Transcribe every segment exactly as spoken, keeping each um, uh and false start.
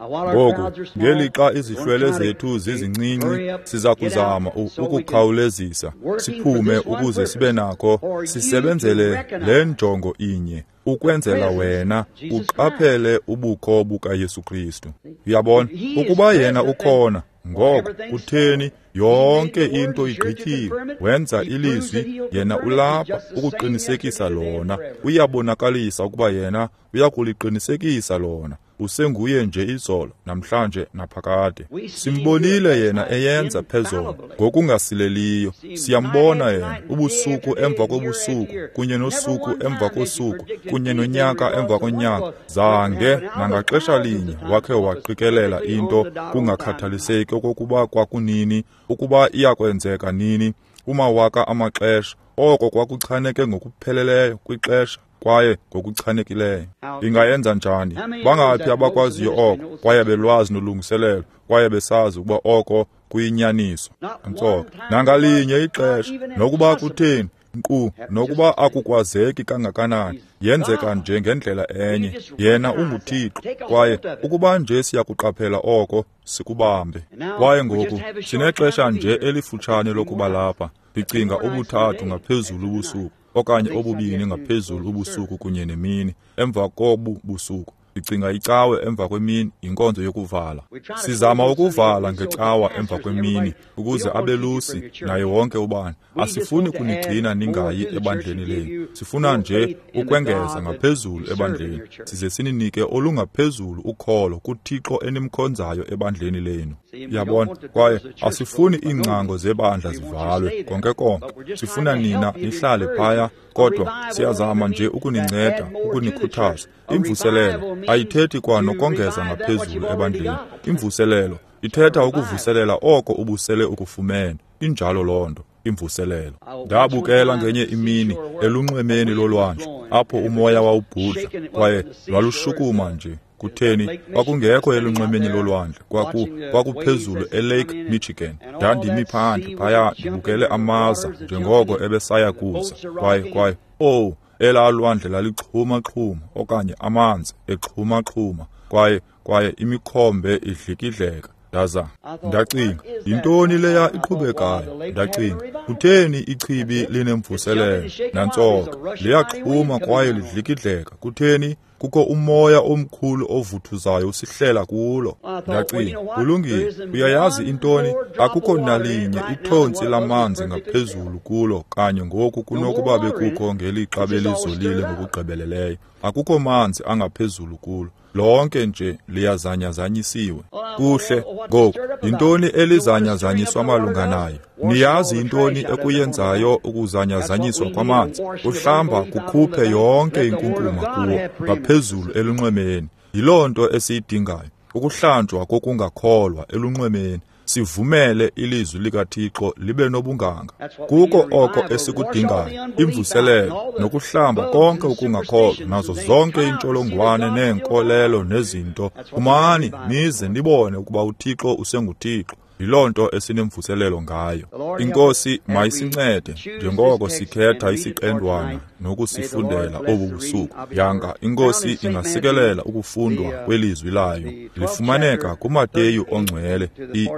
Ngoku, ngelixa izihlwele zethu zizincinci, siza kuzama ukukhawulezisa siphume ukuze sibe nako sisebenzele le njongo inye, ukwenzela wena uqaphele ubukho bukaYesu Kristu. Uyabona, ukuba yena ukhona, ngoko kutheni yonke into igqityiwe. Wenza ilizwi, yena ulapha ukuqinisekisa lona. Uyabonakalisa ukuba yena uyakuliqinisekisa lona. Usenguye nje izolo, namhlanje, naphakade. Simbonile yena eyenza phezolo ngokungasileliyo. Siyambona yena ubusuku emva kobusuku, kunye nosuku emva kosuku, kunye nonyaka emva konyaka. Zange nangaxesha linye wakhe waqikelela into, kungakhathaliseki okokuba kwakunini, ukuba iyakwenzeka nini, kumawaka amaxesha. Oko kwakuchaneke ngokupheleleyo kwixesha kwaye ngokuchanekileyo. Ingayenza njani? Bangaphi abakwaziyo oko, kwaye belwazi nolungiselelo, kwaye besazi ukuba oko kuyinyaniso? Ntsoko, nangalinye ixesha, nokuba kutheni, nkqu nokuba akukwazeki kangakanani, yenzeka nje ngendlela enye. Yena unguThixo, kwaye ukuba nje siyakuqaphela oko, sikubambe. Kwaye ngoku sinexesha nje elifutshane lokuba lapha. Ndicinga obuthathu ngaphezulu ubusuku, okanye obubini ngaphezulu ubusuku kunye nemini. Emva kobu busuku, ndicinga icawe emva kwemini yinkonzo yokuvala. Sizama ukuvala ngecawa emva kwemini ukuze abelusi naye wonke ubani. Asifuni kunigcina ningayi ebandleni lenu. Sifuna nje ukwengeza ngaphezulu ebandleni, size sininike olungaphezulu ukholo kuThixo enimkhonzayo ebandleni lenu. Yabona, kwaye asifuni iingcango zebandla zivalwe konke konke. Sifuna nina nihlale phaya, kodwa siyazama nje ukuninceda, ukunikhuthaza. Imvuselelo ayithethi kwa nokongeza ngaphezulu ebandleni. Imvuselelo ithetha ukuvuselela oko ubusele ukufumene. Injalo loo nto, imvuselelo. Ndabukela ngenye imini elunxwemeni lolwandle, apho umoya wawubhudla kwaye lwalushukuma nje. Kutheni? Kwakungekho elunxwemeni lolwandle, kwaku kwakuphezulu eLake Michigan. Ndandimi phandle phaya ndibukele amaza njengoko ebesaya kuza. Kwaye kwaye oh, elaa lwandle lalixhuma-xhuma, okanye amanzi exhuma-xhuma, kwaye kwaye imikhombe idlikidleka. Ndaza ndacinga, yintoni leya iqhubekayo? Ndacinga, kutheni ichibi linemvuselelo? Nantsoka, liyaxhuma kwaye lidlikidleka. Kutheni? Kukho umoya omkhulu ovuthuzayo usihlela kulo. Ndacinga, kulungile, uyayazi intoni? Akukho nalinye ithontsi lamanzi ngaphezulu kulo kanye ngoku kunokuba bekukho ngelixa belizolile ngokugqibeleleyo. Akukho manzi angaphezulu kulo. Lonke nje liyazanyazanyisiwe. Kuhle, ngoku, yintoni elizanyazanyiswa malunga nayo? Niyazi yintoni ekuyenzayo ukuzanyazanyiswa kwamanzi? Uhlamba kukhuphe yonke inkunkuma kuwo ngaphezulu elunxwemeni. Yiloo nto esiyidingayo, ukuhlanjwa kokungakholwa elunxwemeni. Sivumele ilizwi likaThixo libe nobunganga. Kuko oko esikudingayo, imvuselelo nokuhlamba konke ukungakholwa nazo zonke iintsholongwane neenkolelo nezinto. Phumani nize nibone ukuba uThixo usenguThixo. Yiloo nto esinemvuselelo ngayo. INkosi mayisincede njengoko sikhetha isiqendwana nokusifundela obu busuku. Yanga iNkosi ingasikelela ukufundwa kwelizwi layo. Lifumaneka kuMateyu ongcwele,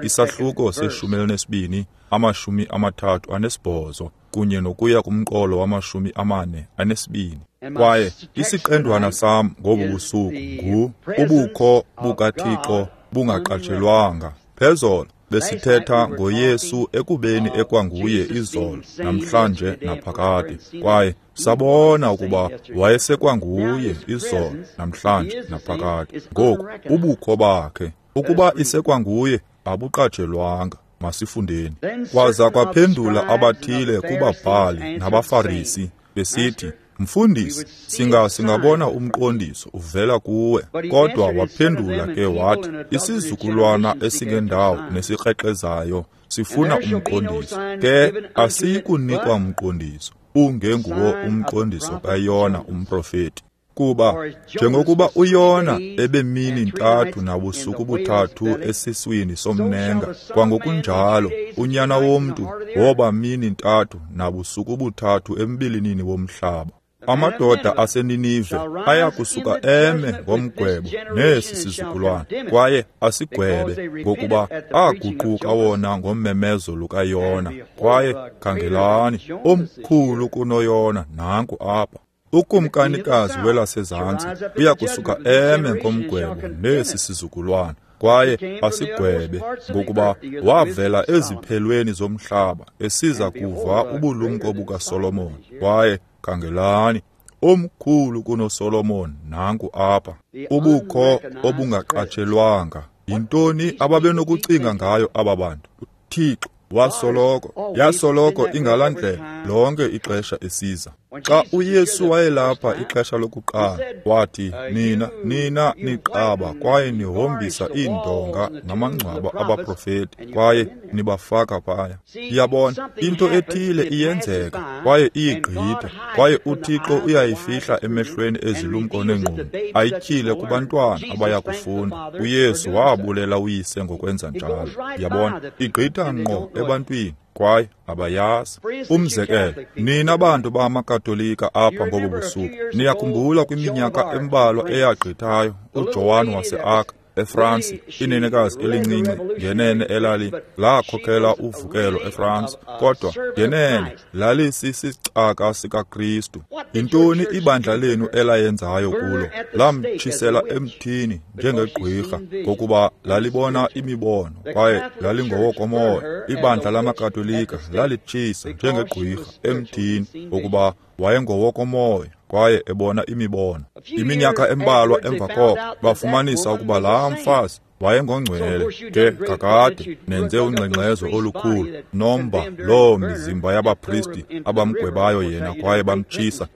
isahluko seshumi elinesibini, amashumi amathathu anesibhozo, kunye nokuya kumqolo wamashumi amane anesibini. Kwaye isiqendwana sam ngobu busuku ngu ubukho bukaThixo bungaqatshelwanga. Phezolo besithetha ngoYesu ekubeni ekwanguye izolo, namhlanje, naphakade. Kwaye sabona ukuba wayesekwanguye izolo, namhlanje, naphakade. Ngoku ubukho bakhe, ukuba isekwanguye, abuqatshelwanga. Masifundeni. Kwaza kwaphendula abathile kubabhali nabaFarisi besithi, Mfundisi, singa singabona umqondiso uvela kuwe. Kodwa waphendula ke wathi, isizukulwana esingendawo nesikrexezayo sifuna umqondiso. Ke asiyikunikwa mqondiso ungenguwo umqondiso kaYona umprofeti. Kuba njengokuba uYona ebemini ntathu nabusuku buthathu esiswini somnenga, kwangokunjalo unyana womntu woba mini ntathu nabusuku buthathu embilinini womhlaba. Amadoda aseNinive aya kusuka eme ngomgwebo nesi sizukulwana, kwaye asigwebe, ngokuba aguquka wona ngommemezo lukaYona. Kwaye khangelani, omkhulu kunoYona nanku apha. Ukumkanikazi welasezantsi uya kusuka eme ngomgwebo nesi sizukulwana, kwaye asigwebe, ngokuba wavela eziphelweni zomhlaba esiza kuva ubulumko bukaSolomon. Kwaye khangelani, omkhulu kunoSolomon nanku apha. Ubukho obungaqatshelwanga. Yintoni ababenokucinga ngayo aba bantu? UThixo wasoloko, yasoloko ingalaa ndlela lonke ixesha esiza. Xa uYesu wayelapha ixesha lokuqala, wathi, nina, nina niqaba kwaye nihombisa iindonga namangcwaba abaprofeti, kwaye nibafaka phaya. Iyabona, into ethile iyenzeka kwaye iyigqitha, kwaye uThixo uyayifihla emehlweni ezilumko nengqondo, ayityhile kubantwana abaya kufunda. uYesu wabulela uyise ngokwenza njalo. Yabona, igqitha ngqo ebantwini, kwaye abayazi. Umzekelo, nina bantu bamaKatolika apha ngobu busuku, niyakhumbula kwiminyaka embalwa eyagqithayo uJoan wase-Arc eFransi, inenekazi elincinci ngenene elali lakhokela uvukelo eFransi, kodwa ngenene lalisisicaka sikaKristu. Yintoni ibandla lenu elayenzayo kulo? Lamtshisela emthini njengegqwirha, ngokuba lalibona imibono kwaye lalingowokomoya. Ibandla lamaKatolika lalitshisa njengegqwirha emthini, ngokuba wayengowokomoya kwaye ebona imibono. Iminyaka embalwa emva koko bafumanisa ukuba laa mfazi wayengongcwele. Ke kakade nenze ungxengxezo olukhulu, nomba loo mizimba yabapristi abamgwebayo yena kwaye bamtshisa,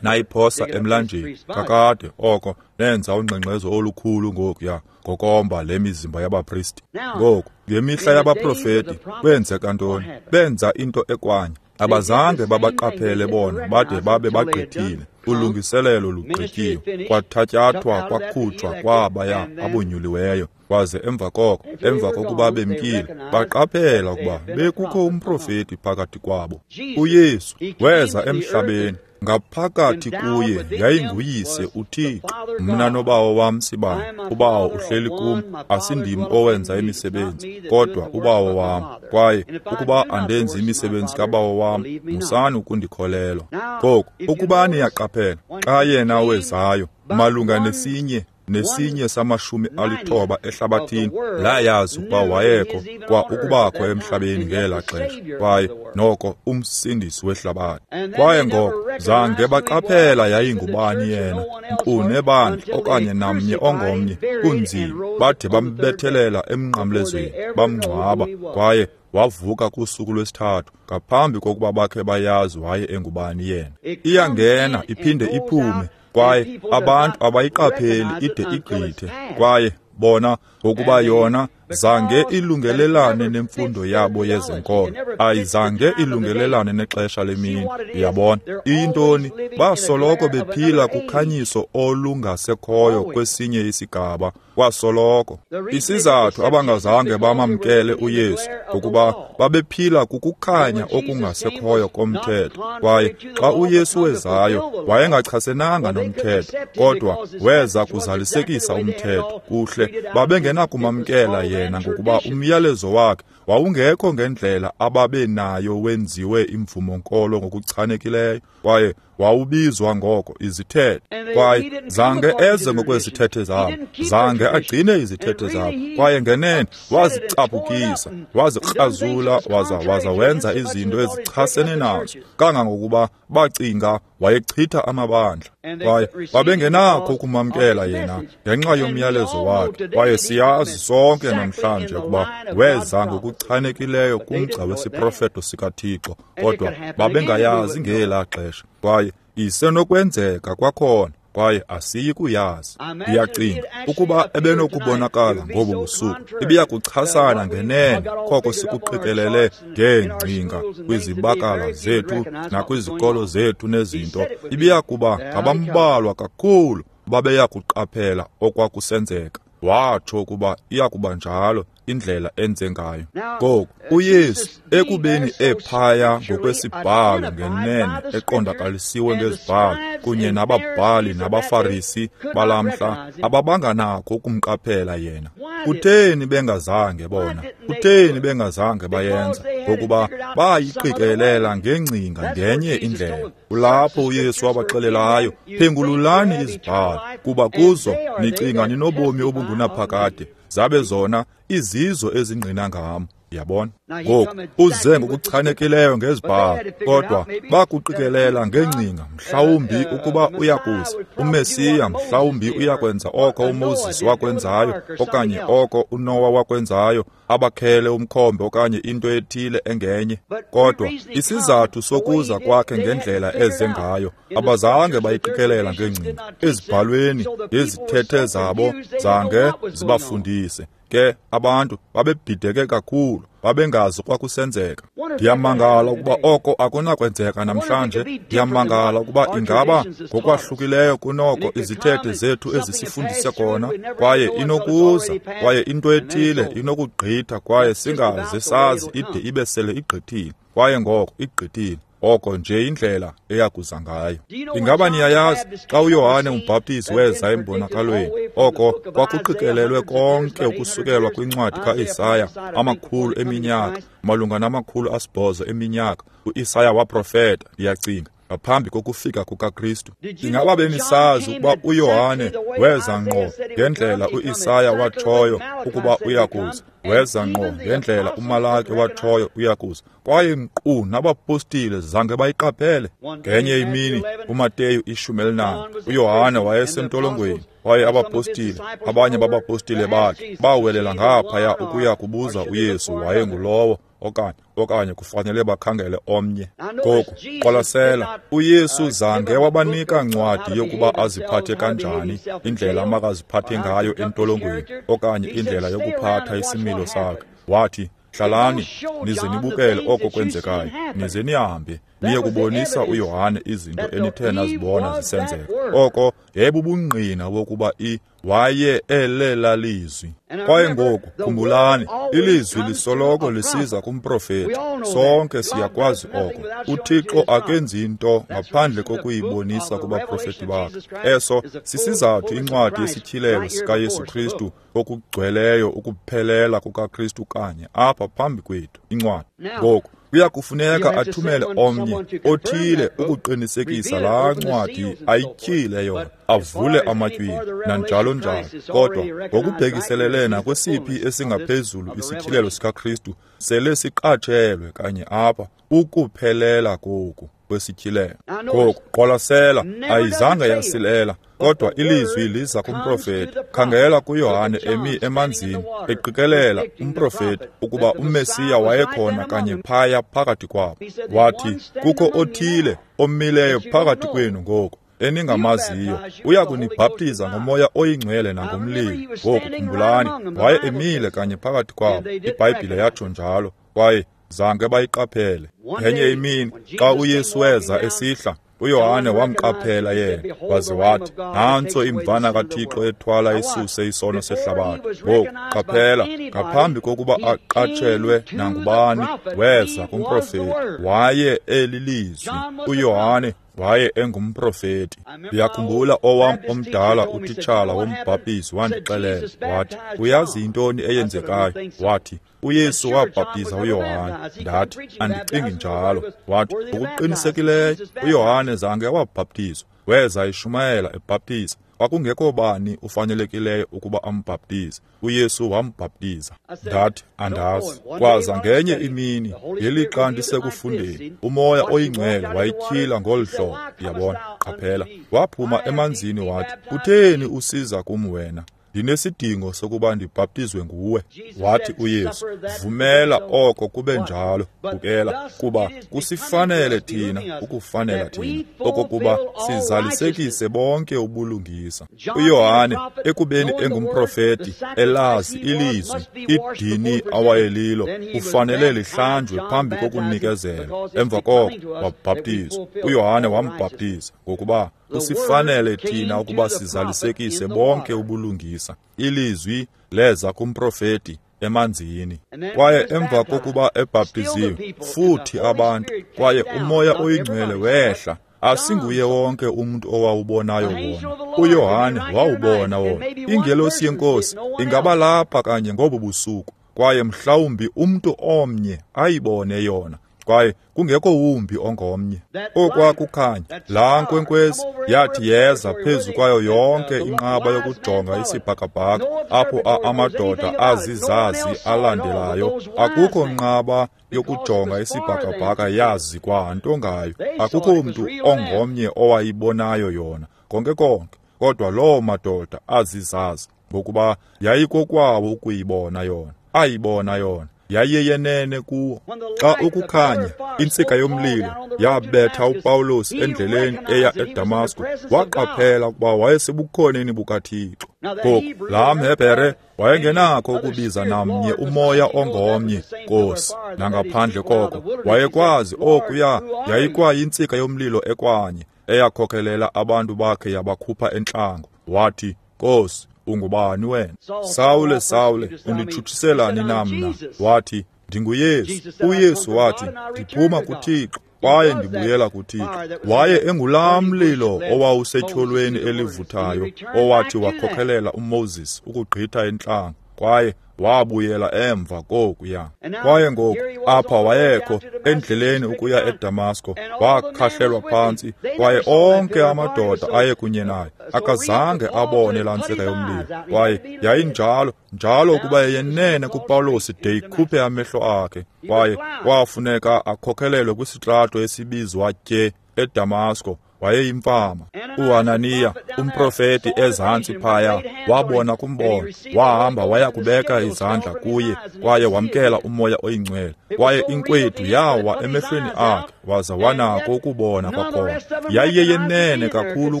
nayiphosa emlanjeni. Kakade oko nenza ungxengxezo olukhulu ngokuya ngokomba le mizimba yabapristi. Ngoku ngemihla yabaprofeti kwenzeka ntoni? Benza into ekwanye. Abazange babaqaphele bona bade babe bagqithile. Ulungiselelo lugqityiwe, kwathatyathwa kwakhutshwa kwabaya abonyuliweyo. Kwaze emva koko, emva kokuba bemkile, baqaphela ukuba bekukho umprofeti phakathi kwabo. uYesu weza emhlabeni, ngaphakathi kuye yayinguyise uThixo. Mna nobawo wam sibani, ubawo uhleli kum, asindim owenza imisebenzi, kodwa ubawo wam. Kwaye ukuba andenzi imisebenzi kabawo wam, musani ukundikholelwa. Ngoku, ukuba niyaqaphela, xa yena wezayo, malunga nesinye nesinye samashumi alithoba ehlabathini layazi ukuba wayekho kwa ukubakho emhlabeni ngela xesha, kwaye noko umsindisi wehlabathi. Kwaye ngoko zange baqaphela yayingubani yena, nkqu nebandla okanye namnye ongomnye, kunzima bade bambethelela emnqamlezweni, bamngcwaba, kwaye wavuka kusuku lwesithathu ngaphambi kokuba bakhe bayazi waye engubani yena. Iyangena iphinde iphume, kwaye abantu abayiqapheli ide igqithe, kwaye bona ngokuba yona zange ilungelelane nemfundo yabo yezenkolo, ayizange ilungelelane nexesha lemini. Uyabona iyintoni? Basoloko bephila kukhanyiso olungasekhoyo kwesinye isigaba, kwasoloko. Isizathu abangazange bamamkele uYesu ngokuba babephila kukukhanya okungasekhoyo komthetho. Kwaye xa uYesu wezayo wayengachasenanga nomthetho, kodwa weza kuzalisekisa umthetho. Kuhle, babengenakumamkela yena ngokuba umyalezo wakhe wawungekho ngendlela ababenayo wenziwe imvumo-nkolo ngokuchanekileyo, kwaye wawubizwa ngoko izithethe. Kwaye zange eze ngokwezithethe zabo, zange agcine izithethe zabo, kwaye ngenene wazicaphukisa, wazikrazula, waza waza wenza izinto ezichasene nazo, kangangokuba bacinga wayechitha amabandla. Kwaye babengenakho ukumamkela yena ngenxa yomyalezo wakhe. Kwaye siyazi sonke namhlanje ukuba weza ngokuchanekileyo kumgca wesiprofeto sikaThixo, kodwa babengayazi ngelaa xesha. Kwaye isenokwenzeka kwakhona, kwaye asiyi kuyazi. Ndiyacinga ukuba ebenokubonakala ngobu busuku, ibiya kuchasana ngenene koko sikuqikelele ngeengcinga kwizibakala zethu nakwizikolo zethu nezinto. Ibiya kuba ngabambalwa kakhulu babeya kuqaphela okwakusenzeka. Watsho ukuba iya kuba njalo, indlela enze ngayo. Ngoku uYesu ekubeni ephaya ngokwesibhalo ngenene eqondakalisiwe ngezibhalo kunye nababhali nabaFarisi balamhla ababanganakho ukumqaphela yena. Kutheni bengazange bona? Kutheni bengazange bayenza? Ngokuba bayiqikelela ngengcinga ngenye indlela. Kulapho uYesu wabaxelelayo, phengululani izibhalo, kuba kuzo nicinga ninobomi obungunaphakade, zabe zona izizo ezingqina ngam. Yabona? Ngoku uze ngokuchanekileyo ngezibhalo, kodwa bakuqikelela ngengcinga, mhlawumbi ukuba uyakuza uMesiya, mhlawumbi uyakwenza oko uMoses wakwenzayo okanye oko uNowa wakwenzayo, abakhele umkhombe okanye into ethile engenye. Kodwa isizathu sokuza kwakhe ngendlela eze ngayo abazange bayiqikelela ngengcinga. Ezibhalweni izithethe zabo zange zibafundise. Ke abantu babebhideke kakhulu, babengazi kwakusenzeka. Ndiyamangala ukuba oko akunakwenzeka namhlanje. Ndiyamangala ukuba ingaba ngokwahlukileyo kunoko izithethe zethu ezisifundise kona, kwaye inokuza, kwaye into ethile inokugqitha, kwaye singaze sazi ide ibe sele igqithile, kwaye ngoko igqithile. Oko nje indlela eyakuza ngayo. Ingaba niyayazi xa uYohane umbhaptizi weza embonakalweni, oko kwakuqikelelwe konke ukusukelwa kwincwadi kaIsaya amakhulu eminyaka, malunga namakhulu asibhozo eminyaka. uIsaya waprofeta, ndiyacinga, ngaphambi kokufika kukaKristu. Ingaba benisazi ukuba uYohane weza ngqo ngendlela uIsaya watshoyo ukuba uyakuza, weza ngqo ngendlela uMalaki watshoyo uyakuza, kwaye nkqu nabapostile zange bayiqaphele. Ngenye imini uMateyu ishumi elinane, uYohane wayesentolongweni, kwaye abapostile, abanye babapostile bakhe bawelela ngaphaya ukuya kubuza uYesu wayengulowo okanye okanye kufanele bakhangele omnye. Ngoku qwalasela, uYesu zange wabanika ncwadi yokuba aziphathe kanjani, indlela amakaziphathe ngayo entolongweni okanye indlela yokuphatha isimilo sakhe. Wathi, hlalani nize nibukele oko kwenzekayo, nize nihambe niye kubonisa uYohane izinto enithe nazibona zisenzeka. Oko yayibubungqina bokuba i waye elela lizwi. Kwaye ngoku khumbulani, ilizwi lisoloko lisiza kumprofeti. Sonke siyakwazi oko. UThixo akenzi into ngaphandle kokuyibonisa kubaprofeti bakhe. Eso sisizathu incwadi yesityhilelo sikaYesu Kristu okugcweleyo ukuphelela kukaKristu kanye apha phambi kwethu, incwadi. Ngoku kuya kufuneka athumele omnye othile ukuqinisekisa laa ncwadi ayityhile yona, avule amatywina nanjalo njalo. Kodwa ngokubhekiselele nakwesiphi esingaphezulu isityhilelo sikaKristu sele siqatshelwe kanye apha ukuphelela koku kwesityhilelo. Ngoku qwalasela, ayizange yasilela, kodwa ilizwi liza kumprofeti. Khangela kuYohane emi emanzini eqikelela umprofeti ukuba uMesiya wayekhona kanye phaya phakathi kwabo. Wathi, kukho othile omileyo phakathi kwenu ngoku eningamaziyo, uya kunibhaptiza ngomoya oyingcwele nangomlilo. Ngoku khumbulani, waye emile kanye phakathi kwabo. IBhayibhile yatsho njalo, kwaye zange bayiqaphele. Ngenye imini xa uYesu weza esihla, uYohane wamqaphela yena, waze wathi, nantso imvana kaThixo ethwala isuse isono sehlabathi. Ngoku qaphela, ngaphambi kokuba aqatshelwe nangubani, weza kumprofeti. Waye elilizwi. uYohane waye engumprofeti. Ndiyakhumbula owam omdala utitshala wombhaptizi wandixelela, wathi, uyazi yintoni eyenzekayo? Wathi, uYesu wabhaptiza uYohane. Ndathi, andicingi njalo. Wathi, ngokuqinisekileyo uYohane zange wabhaptizwa, weza eshumayela ebhaptiza. Kwakungekho bani ufanelekileyo ukuba ambhaptize. uYesu wambhaptiza. Ndathi, andazi. Kwaza ngenye imini ngelixa ndisekufundeni, umoya oyingcwele wayityhila ngolu hlobo. Yabona, qaphela, waphuma emanzini wathi, kutheni usiza kum wena? Ndinesidingo sokuba ndibhaptizwe nguwe. Wathi uYesu, vumela oko kube njalo. Bukela, kuba kusifanele thina ukufanela thina okokuba sizalisekise bonke ubulungisa. uYohane ekubeni engumprofeti, elazi ilizwi, idini awayelilo kufanele lihlanjwe phambi kokunikezela. Emva koko wabhaptizwa. uYohane wambhaptiza ngokuba kusifanele thina ukuba sizalisekise bonke ubulungisa. Ilizwi leza kumprofeti emanzini. Kwaye emva kokuba ebhaptiziwe, futhi abantu, kwaye uMoya oyiNgcwele wehla. Asinguye wonke umuntu owawubonayo wona. UYohane wawubona wona. Ingelosi yeNkosi ingaba lapha kanye ngobu busuku, kwaye mhlawumbi umntu omnye ayibone yona, kwaye kungekho wumbi ongomnye. Okwakukhanya, laa nkwenkwezi yathi yeza phezu kwayo yonke inqaba yokujonga isibhakabhaka, apho amadoda azizazi alandelayo. Akukho nqaba yokujonga isibhakabhaka yazi kwanto ngayo. Akukho mntu ongomnye owayibonayo yona konke konke, kodwa loo madoda azizazi, ngokuba yayikokwabo ukuyibona yona. Ayibona yona, yayiyenene kuwo. Xa ukukhanya, intsika yomlilo yabetha uPawulos endleleni eya eDamasko, waqaphela ukuba wayesebukhoneni bukaThixo. Ngoku laa mHebhere wayengenakho ukubiza namnye umoya ongomnye Nkosi, nangaphandle koko wayekwazi okuya yayikwayintsika yomlilo ekwanye eyakhokelela abantu bakhe yabakhupha entlango. Wathi, Nkosi, ungubani wena? Sawule, Sawule, unditshutshiselani na mna? Wathi, ndinguYesu. UYesu wathi, ndiphuma kuThixo kwaye ndibuyela kuThixo. Waye engulaa mlilo owawusetyholweni elivuthayo owathi wakhokhelela uMoses ukugqitha entlango, kwaye wabuyela emva kokuya. Kwaye ngoku apha wayekho endleleni ukuya eDamasko, wakhahlelwa phantsi, kwaye onke amadoda aye kunye naye akazange abone laa ntsika yomlilo. Kwaye yayinjalo njalo ukuba yenene kuPawulos de ikhuphe amehlo akhe, kwaye kwafuneka akhokhelelwe kwisitrato esibizwa Tye eDamasko. Wayeyimfama. uHananiya, umprofeti ezantsi phaya, wabona kumbono, wahamba waya kubeka izandla kuye, kwaye wamkela uMoya oyiNgcwele. Kwaye inkwethu yawa emehlweni akhe, waza wanako ukubona kwakhona. Yayiyenene kakhulu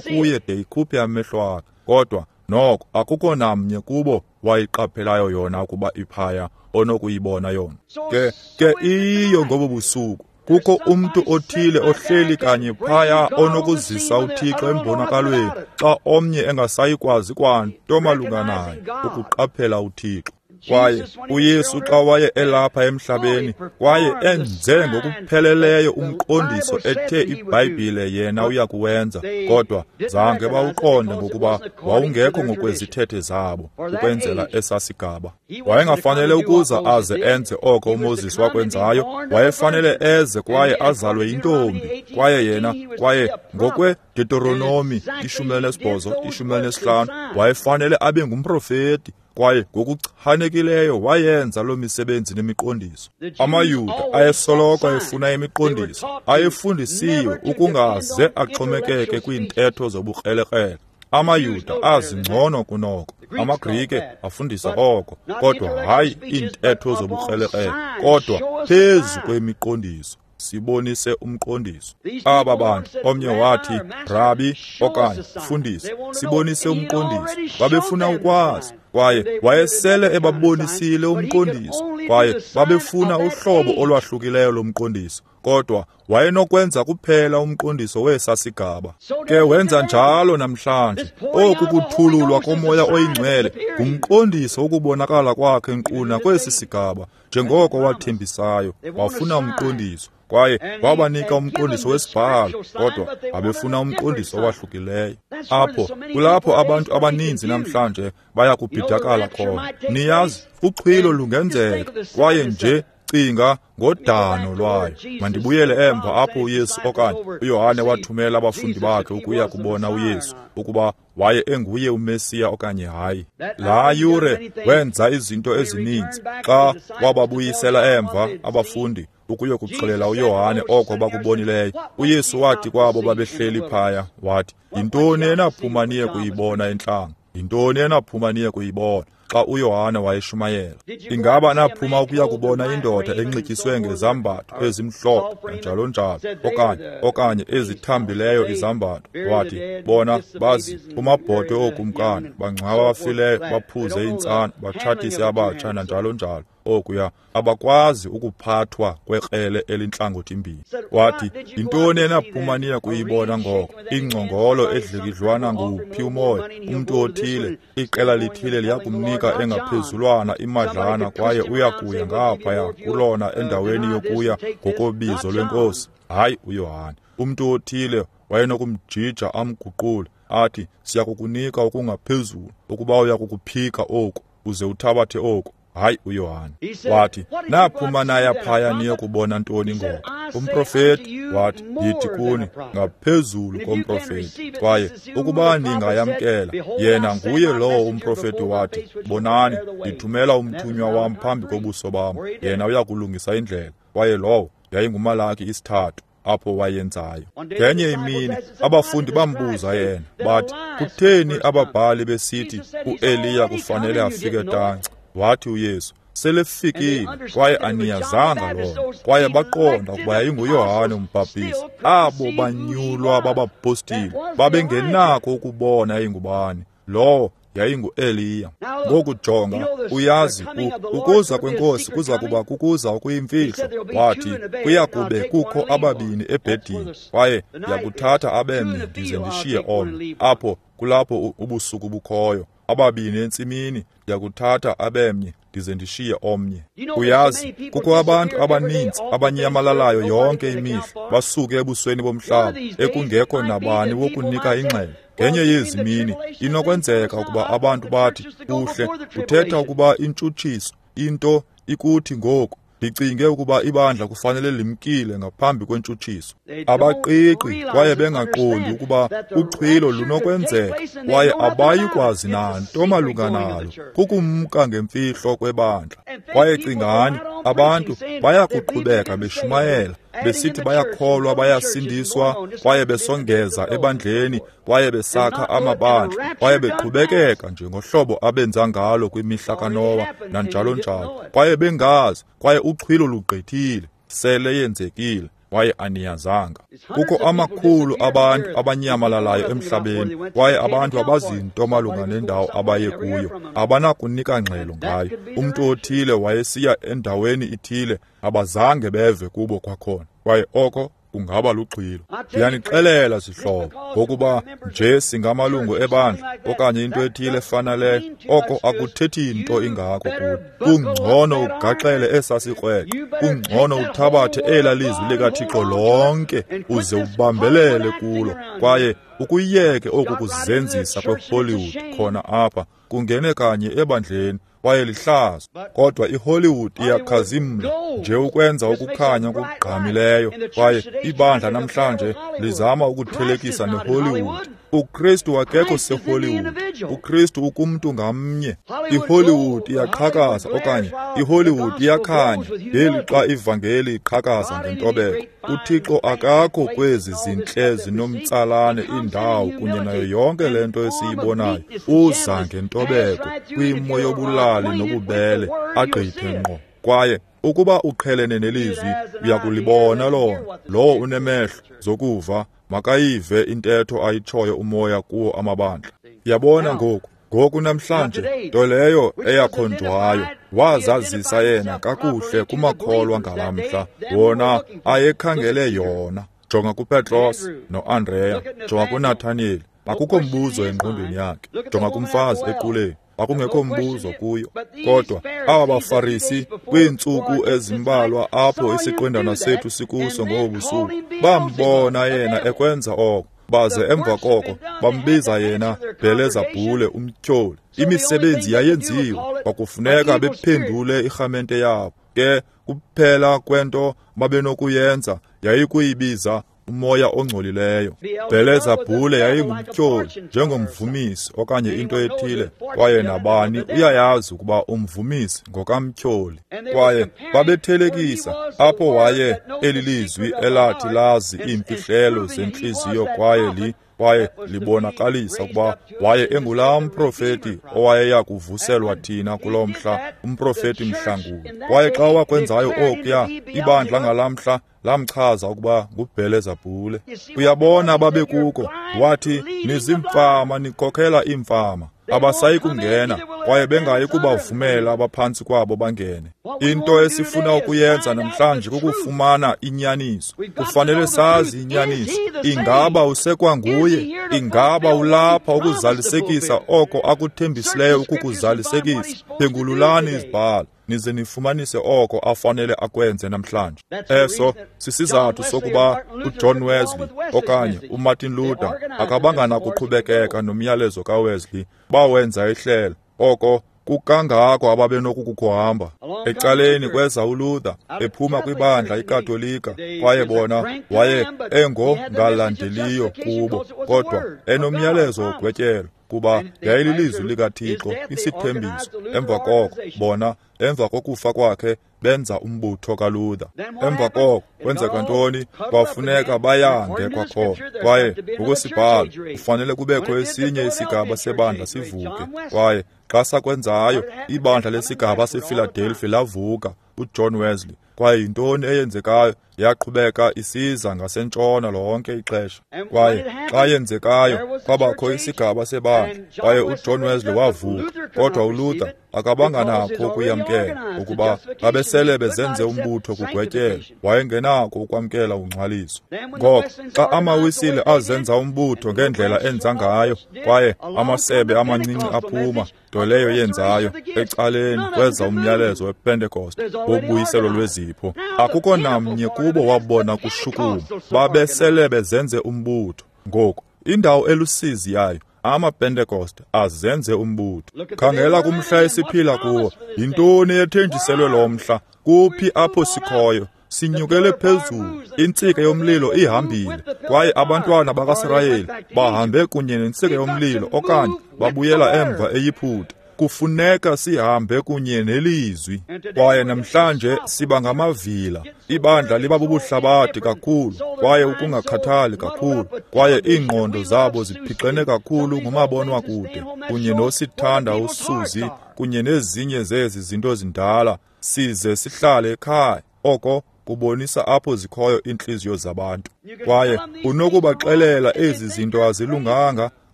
kuye de ikhuphe amehlo akhe, kodwa noko akukho namnye kubo wayiqaphelayo yona ukuba iphaya onokuyibona yona. Ke ke iyo ngobo busuku kukho umntu othile ohleli kanye phaya onokuzisa uThixo embonakalweni xa omnye engasayikwazi kwanto malunga naye ukuqaphela uThixo. Kwaye uYesu xa waye elapha emhlabeni, kwaye enze ngokupheleleyo umqondiso ethe iBhayibhile yena uyakuwenza, kodwa zange bawuqonde ngokuba wawungekho ngokwezithethe zabo ukwenzela esasigaba. Wayengafanele ukuza aze enze oko uMoses wakwenzayo, wayefanele eze kwaye azalwe yintombi. Kwaye yena, kwaye ngokwe-Deuteronomi ishumi elinesibhozo, ishumi elinesihlanu, wayefanele abe ngumprofeti, kwaye ngokuchanekileyo wayenza loo misebenzi nemiqondiso. AmaYuda ayesoloko efuna imiqondiso, ayefundisiwe ukungaze axhomekeke kwiintetho zobukrelekrele. AmaYuda azingcono kunoko, amaGrike afundisa oko, kodwa hayi iintetho zobukrelekrele, kodwa phezu kwemiqondiso. Sibonise umqondiso. Aba bantu, omnye wathi, Rabi okanye mfundisi, sibonise umqondiso. Babefuna ukwazi, kwaye wayesele ebabonisile umqondiso, kwaye babefuna uhlobo olwahlukileyo lomqondiso, kodwa wayenokwenza kuphela umqondiso wesasigaba. Ke wenza njalo namhlanje. Oku kuthululwa koMoya oyiNgcwele ngumqondiso wokubonakala kwakhe nkqu kwesi sigaba, njengoko wathembisayo. Wafuna umqondiso, kwaye wabanika umqondiso wesibhalo, kodwa babefuna umqondiso owahlukileyo. Apho kulapho abantu abaninzi namhlanje baya kubhidakala khona. Niyazi, uxhwilo lungenzeka, kwaye nje cinga ngodano lwayo. Mandibuyele emva apho uYesu okanye uYohane wathumela abafundi bakhe ukuya kubona uYesu ukuba waye enguye uMesiya okanye hayi. Laa yure wenza izinto ezininzi xa wababuyisela emva abafundi ukuyokuxelela uYohane oko bakubonileyo. uYesu wathi kwabo babehleli phaya, wathi, yintoni enaphuma niye kuyibona entlango? Yintoni enaphuma niye kuyibona xa uYohane wayeshumayela? Ingaba naphuma ukuya kubona indoda enxityiswe ngezambatho ezimhlophe njalo njalo, okanye okanye ezithambileyo izambatho? Wathi, bona bazi kumabhotwe ookumkani, bangcwaba abafileyo, baphuze iintsana, batshatise abatsha nanjalo njalo. okuya, abakwazi ukuphathwa kwekrele elintlangothi-mbini. Wathi, yintoni enaphuma niya kuyibona ngoko? Ingcongolo edlikidlwana nguwuphi umoya? Umntu othile, iqela lithile liyakumnika engaphezulwana imadlana kwaye uyakuya ngaphaya kulona endaweni yokuya ngokobizo lwenkosi. Hayi uYohane. Umntu othile wayenokumjija amguqule, athi, siyakukunika okungaphezulu ukuba uyakukuphika oku uze uthabathe oku. Hayi uYohane. Wathi, naphuma naya phaya niyokubona ntoni ngoko? Umprofeti? Wathi, ndithi kuni, ngaphezulu komprofeti. Kwaye ukuba ningayamkela, yena nguye lowo umprofeti wathi, bonani, ndithumela umthunywa wam phambi kobuso bam, yena uyakulungisa indlela. Kwaye lowo yayinguMalaki isithathu apho wayenzayo. Ngenye imini abafundi bambuza yena, bathi, kutheni ababhali besithi uEliya kufanele afike tanci? Wathi uYesu, selefikile kwaye aniyazanga lona. Kwaye baqonda ukuba yayinguYohane umbhaptizi. Abo banyulwa babapostile babengenako ukubona yayingubani lowo yayinguEliya. Ngoku jonga, uyazi, ukuza kwenkosi kuza kuba kukuza okuyimfihlo. Wathi, kuyakube kukho ababini ebhedini, kwaye ndiyakuthatha abemnye ndize ndishiye omnye. Apho kulapho ubusuku bukhoyo. Ababini entsimini, ndiyakuthatha abemnye ndize ndishiye omnye. Uyazi, kukho abantu abaninzi abanyamalalayo yonke imihla, basuke ebusweni bomhlaba, ekungekho nabani wokunika ingxelo. Ngenye yezi mini inokwenzeka ukuba abantu bathi, kuhle, uthetha ukuba intshutshiso into ikuthi ngoku. Ndicinge ukuba ibandla kufanele limkile ngaphambi kwentshutshiso. Abaqiqi kwaye bengaqondi ukuba uchwilo lunokwenzeka, kwaye abayi kwazi nanto malunga nalo. Kukumka ngemfihlo kwebandla. Kwaye cingani, abantu bayakuqhubeka beshumayela, besithi bayakholwa, bayasindiswa, kwaye besongeza ebandleni, kwaye besakha amabandla, kwaye beqhubekeka nje ngohlobo abenza ngalo kwimihla kaNowa nanjalo njalo, kwaye bengazi, kwaye uchwilo lugqithile, sele yenzekile, kwaye aniyazanga. Kukho amakhulu abantu abanyamalalayo emhlabeni, kwaye abantu abazinto malunga nendawo abaye kuyo, abanakunika ngxelo ngayo. Umntu othile wayesiya endaweni ithile, abazange beve kubo kwakhona, kwaye oko kungaba luxhilo. Ndiyanixelela zihlobo, ngokuba nje singamalungu ebandla okanye into ethile efana leyo, oko akuthethi nto ingako kuwe. Kungcono ugaxele esasikrweqe, kungcono uthabathe ela lizwi likaThixo lonke uze ubambelele kulo, kwaye ukuyeke oku kuzenzisa kweHollywood khona apha, kungene kanye ebandleni, kwaye lihlazo. Kodwa iHollywood iyakhazimla nje ukwenza ukukhanya okugqamileyo, kwaye ibandla namhlanje lizama ukuthelekisa neHollywood. uKristu akekho seHollywood. uKristu ukumntu ngamnye. iHollywood iyaqhakaza okanye iHollywood iyakhanya ngelixa ivangeli iqhakaza ngentobeko. uThixo akakho kwezi zintle zinomtsalane indawo kunye nayo yonke le nto esiyibonayo. Uza ngentobeko kwimo yobulali nobubele, agqithe ngqo. Kwaye ukuba uqhelene nelizwi, uyakulibona lona. Lowo unemehlo zokuva makayive intetho ayitshoyo umoya kuwo amabandla. Yabona ngoku, ngoku namhlanje, nto leyo eyakhonjwayo, wazazisa yena kakuhle kumakholwa ngalamhla, wona ayekhangele yona. Jonga kuPetros noAndreya, jonga kuNathaniyeli, akukho mbuzo engqondweni yakhe. Jonga kumfazi equleni, akungekho mbuzo kuyo. Kodwa aba baFarisi kwiintsuku ezimbalwa apho isiqwendana sethu sikuso ngobu busuku, bambona yena ekwenza oko, baze emva koko bambiza yena Bhelezabhule, umtyholi. Imisebenzi yayenziwa, kwakufuneka bephendule irhamente yabo. Ke kuphela kwento babenokuyenza yayikuyibiza umoya ongcolileyo. Bhelezabhule yayingumtyholi, njengomvumisi okanye into ethile, kwaye nabani uyayazi ukuba umvumisi ngokamtyholi. Kwaye babethelekisa apho waye elilizwi elathi lazi iimfihlelo zentliziyo, kwaye li kwaye libonakalisa ukuba waye engulaa mprofeti owayeya kuvuselwa thina kuloo mhla, umprofeti mhlanguli. Kwaye xa wakwenzayo okuya, ibandla ngalaa mhla lamchaza ukuba nguBhelezabhule. Uyabona babekuko, wathi, nizimfama, nikhokhela iimfama. Abasayi kungena, kwaye bengayi kubavumela abaphantsi kwabo bangene. Into esifuna ukuyenza namhlanje kukufumana inyaniso. Kufanele sazi inyaniso. Ingaba usekwanguye? Ingaba ulapha ukuzalisekisa oko akuthembisileyo ukukuzalisekisa? Phengululani izibhalo, nize nifumanise oko afanele akwenze namhlanje. Eso sisizathu sokuba uJohn Wesley okanye uMartin Luther akabanga nakuqhubekeka nomyalezo kaWesley. Bawenza ihlelo oko kukangako ababenokukuhamba. Ecaleni kweza uLuther ephuma kwibandla iKatolika, kwaye bona waye engongalandeliyo kubo, kodwa enomyalezo wogwetyelo, kuba yayililizwi likaThixo, isithembiso. Emva koko bona, emva kokufa kwakhe, benza umbutho kaLuther. Emva koko kwenzeka ntoni? Kwafuneka bayange kwakhona, kwaye ngokwesibhalo kufanele kubekho esinye isigaba sebandla sivuke. Kwaye xa sakwenzayo, ibandla lesigaba sePhiladelphia lavuka, uJohn Wesley. Kwaye yintoni eyenzekayo? Yaqhubeka isiza ngasentshona lonke ixesha. Kwaye xa yenzekayo, kwabakho isigaba sebandla, kwaye uJohn Wesley wavuka. Kodwa uLuther akabanga nakho ukuyamkela, ukuba babesele bezenze umbutho kugwetyelo. Wayengenako ukwamkela ungcwaliso. Ngoko xa amaWisile azenza umbutho ngendlela enza ngayo, kwaye amasebe amancinci aphuma, nto leyo yenzayo, ecaleni kweza umyalezo wePentecost wobuyiselo lwezipho. Akukho namnye kubo wabona kushukuma. Babesele bezenze umbutho. Ngoku indawo elusizi yayo, amaPentecost azenze umbutho. Khangela kumhla esiphila kuwo. Yintoni ethenjiselwe lo mhla? Kuphi apho sikhoyo? Sinyukele phezulu, intsika yomlilo ihambile, kwaye abantwana bakaSirayeli bahambe kunye nentsika yomlilo, okanye babuyela emva eYiputa. Kufuneka sihambe kunye nelizwi. Kwaye namhlanje siba ngamavila. Ibandla liba bubuhlabathi kakhulu, kwaye ukungakhathali kakhulu, kwaye iingqondo zabo ziphixene kakhulu ngumabonwakude kunye nosithanda uSuzi kunye nezinye zezi zinto zindala, size sihlale ekhaya. Oko kubonisa apho zikhoyo iintliziyo zabantu. Kwaye unokubaxelela ezi zinto azilunganga,